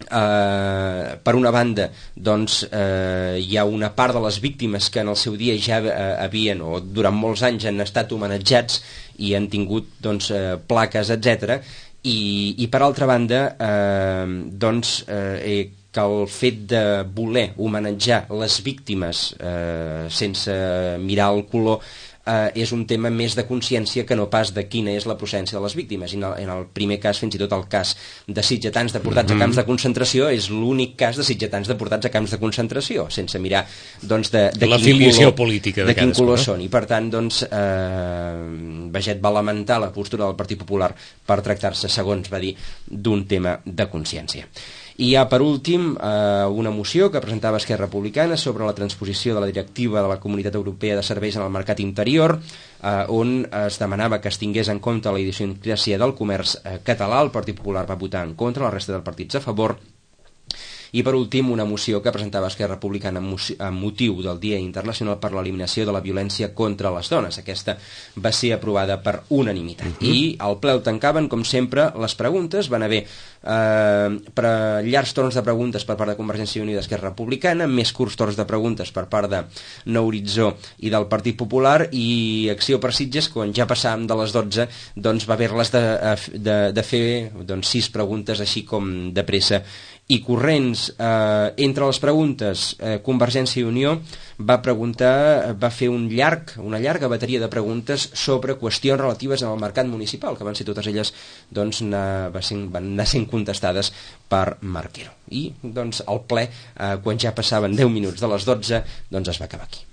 Uh, per una banda doncs, uh, hi ha una part de les víctimes que en el seu dia ja uh, havien o durant molts anys han estat homenatjats i han tingut doncs, uh, plaques, etcètera, i, i per altra banda uh, doncs, uh, eh, que el fet de voler homenatjar les víctimes uh, sense mirar el color Uh, és un tema més de consciència que no pas de quina és la procedència de les víctimes. I en el, en el primer cas, fins i tot el cas de sitgetans deportats mm-hmm. a camps de concentració és l'únic cas de sitgetans deportats a camps de concentració, sense mirar doncs, de, de la quin filiació color, política de, de quin color no? són. I per tant, doncs, eh, Baget va lamentar la postura del Partit Popular per tractar-se, segons va dir, d'un tema de consciència. I hi ha, per últim, eh, una moció que presentava Esquerra Republicana sobre la transposició de la directiva de la Comunitat Europea de Serveis en el mercat interior, eh, on es demanava que es tingués en compte la idiosincràsia del comerç eh, català. El Partit Popular va votar en contra, la resta dels partits a favor. I per últim una moció que presentava Esquerra Republicana amb motiu del Dia Internacional per l'Eliminació de la Violència contra les Dones. Aquesta va ser aprovada per unanimitat. Uh-huh. I al ple el tancaven, com sempre, les preguntes. Van haver eh, per llargs torns de preguntes per part de Convergència i Unió i d'Esquerra Republicana, més curts torns de preguntes per part de Nou Horitzó i del Partit Popular, i Acció per Sitges, quan ja passàvem de les dotze, doncs va haver-les de, de, de fer doncs, sis preguntes així com de pressa i corrents. Eh, entre les preguntes, eh, Convergència i Unió va preguntar, va fer un llarg, una llarga bateria de preguntes sobre qüestions relatives al mercat municipal, que van ser totes elles doncs, anar, van anar sent contestades per Marquero. I doncs, el ple, eh, quan ja passaven deu minuts de les dotze, doncs es va acabar aquí.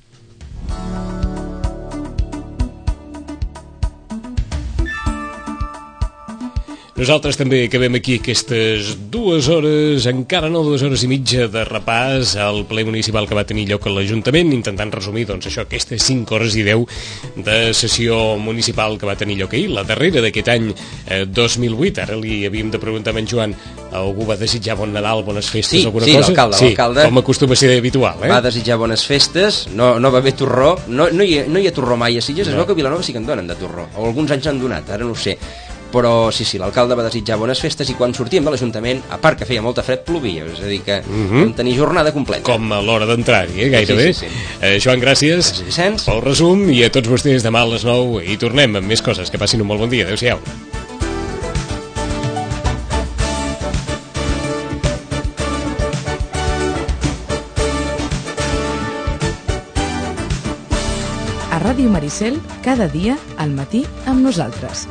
Nosaltres també acabem aquí aquestes dues hores, encara no dues hores i mitja de repàs al ple municipal que va tenir lloc a l'Ajuntament, intentant resumir doncs, això, aquestes cinc hores i deu de sessió municipal que va tenir lloc ahir, la darrera d'aquest any eh, dos mil vuit. Ara li havíem de preguntar a en Joan, algú va desitjar bon Nadal, bones festes, sí, alguna sí, cosa? L'alcalde, sí, l'alcalde com acostuma a ser habitual. Eh? Va desitjar bones festes, no, no va haver torró, no, no, hi ha, no hi ha torró mai a Sitges, no. Es veu que a Vilanova sí que en donen de torró, o alguns anys han donat, ara no ho sé. Però sí, sí, l'alcalde va desitjar bones festes i quan sortíem de l'Ajuntament, a part que feia molta fred, plovia, és a dir que uh-huh. vam tenir jornada completa. Com a l'hora d'entrar-hi, eh, gairebé. Sí, sí, sí. Eh, Joan, gràcies, gràcies pel resum, i a tots vostès demà a les nou i tornem amb més coses. Que passin un molt bon dia. Adéu-siau. Ràdio Maricel, cada dia al matí amb nosaltres.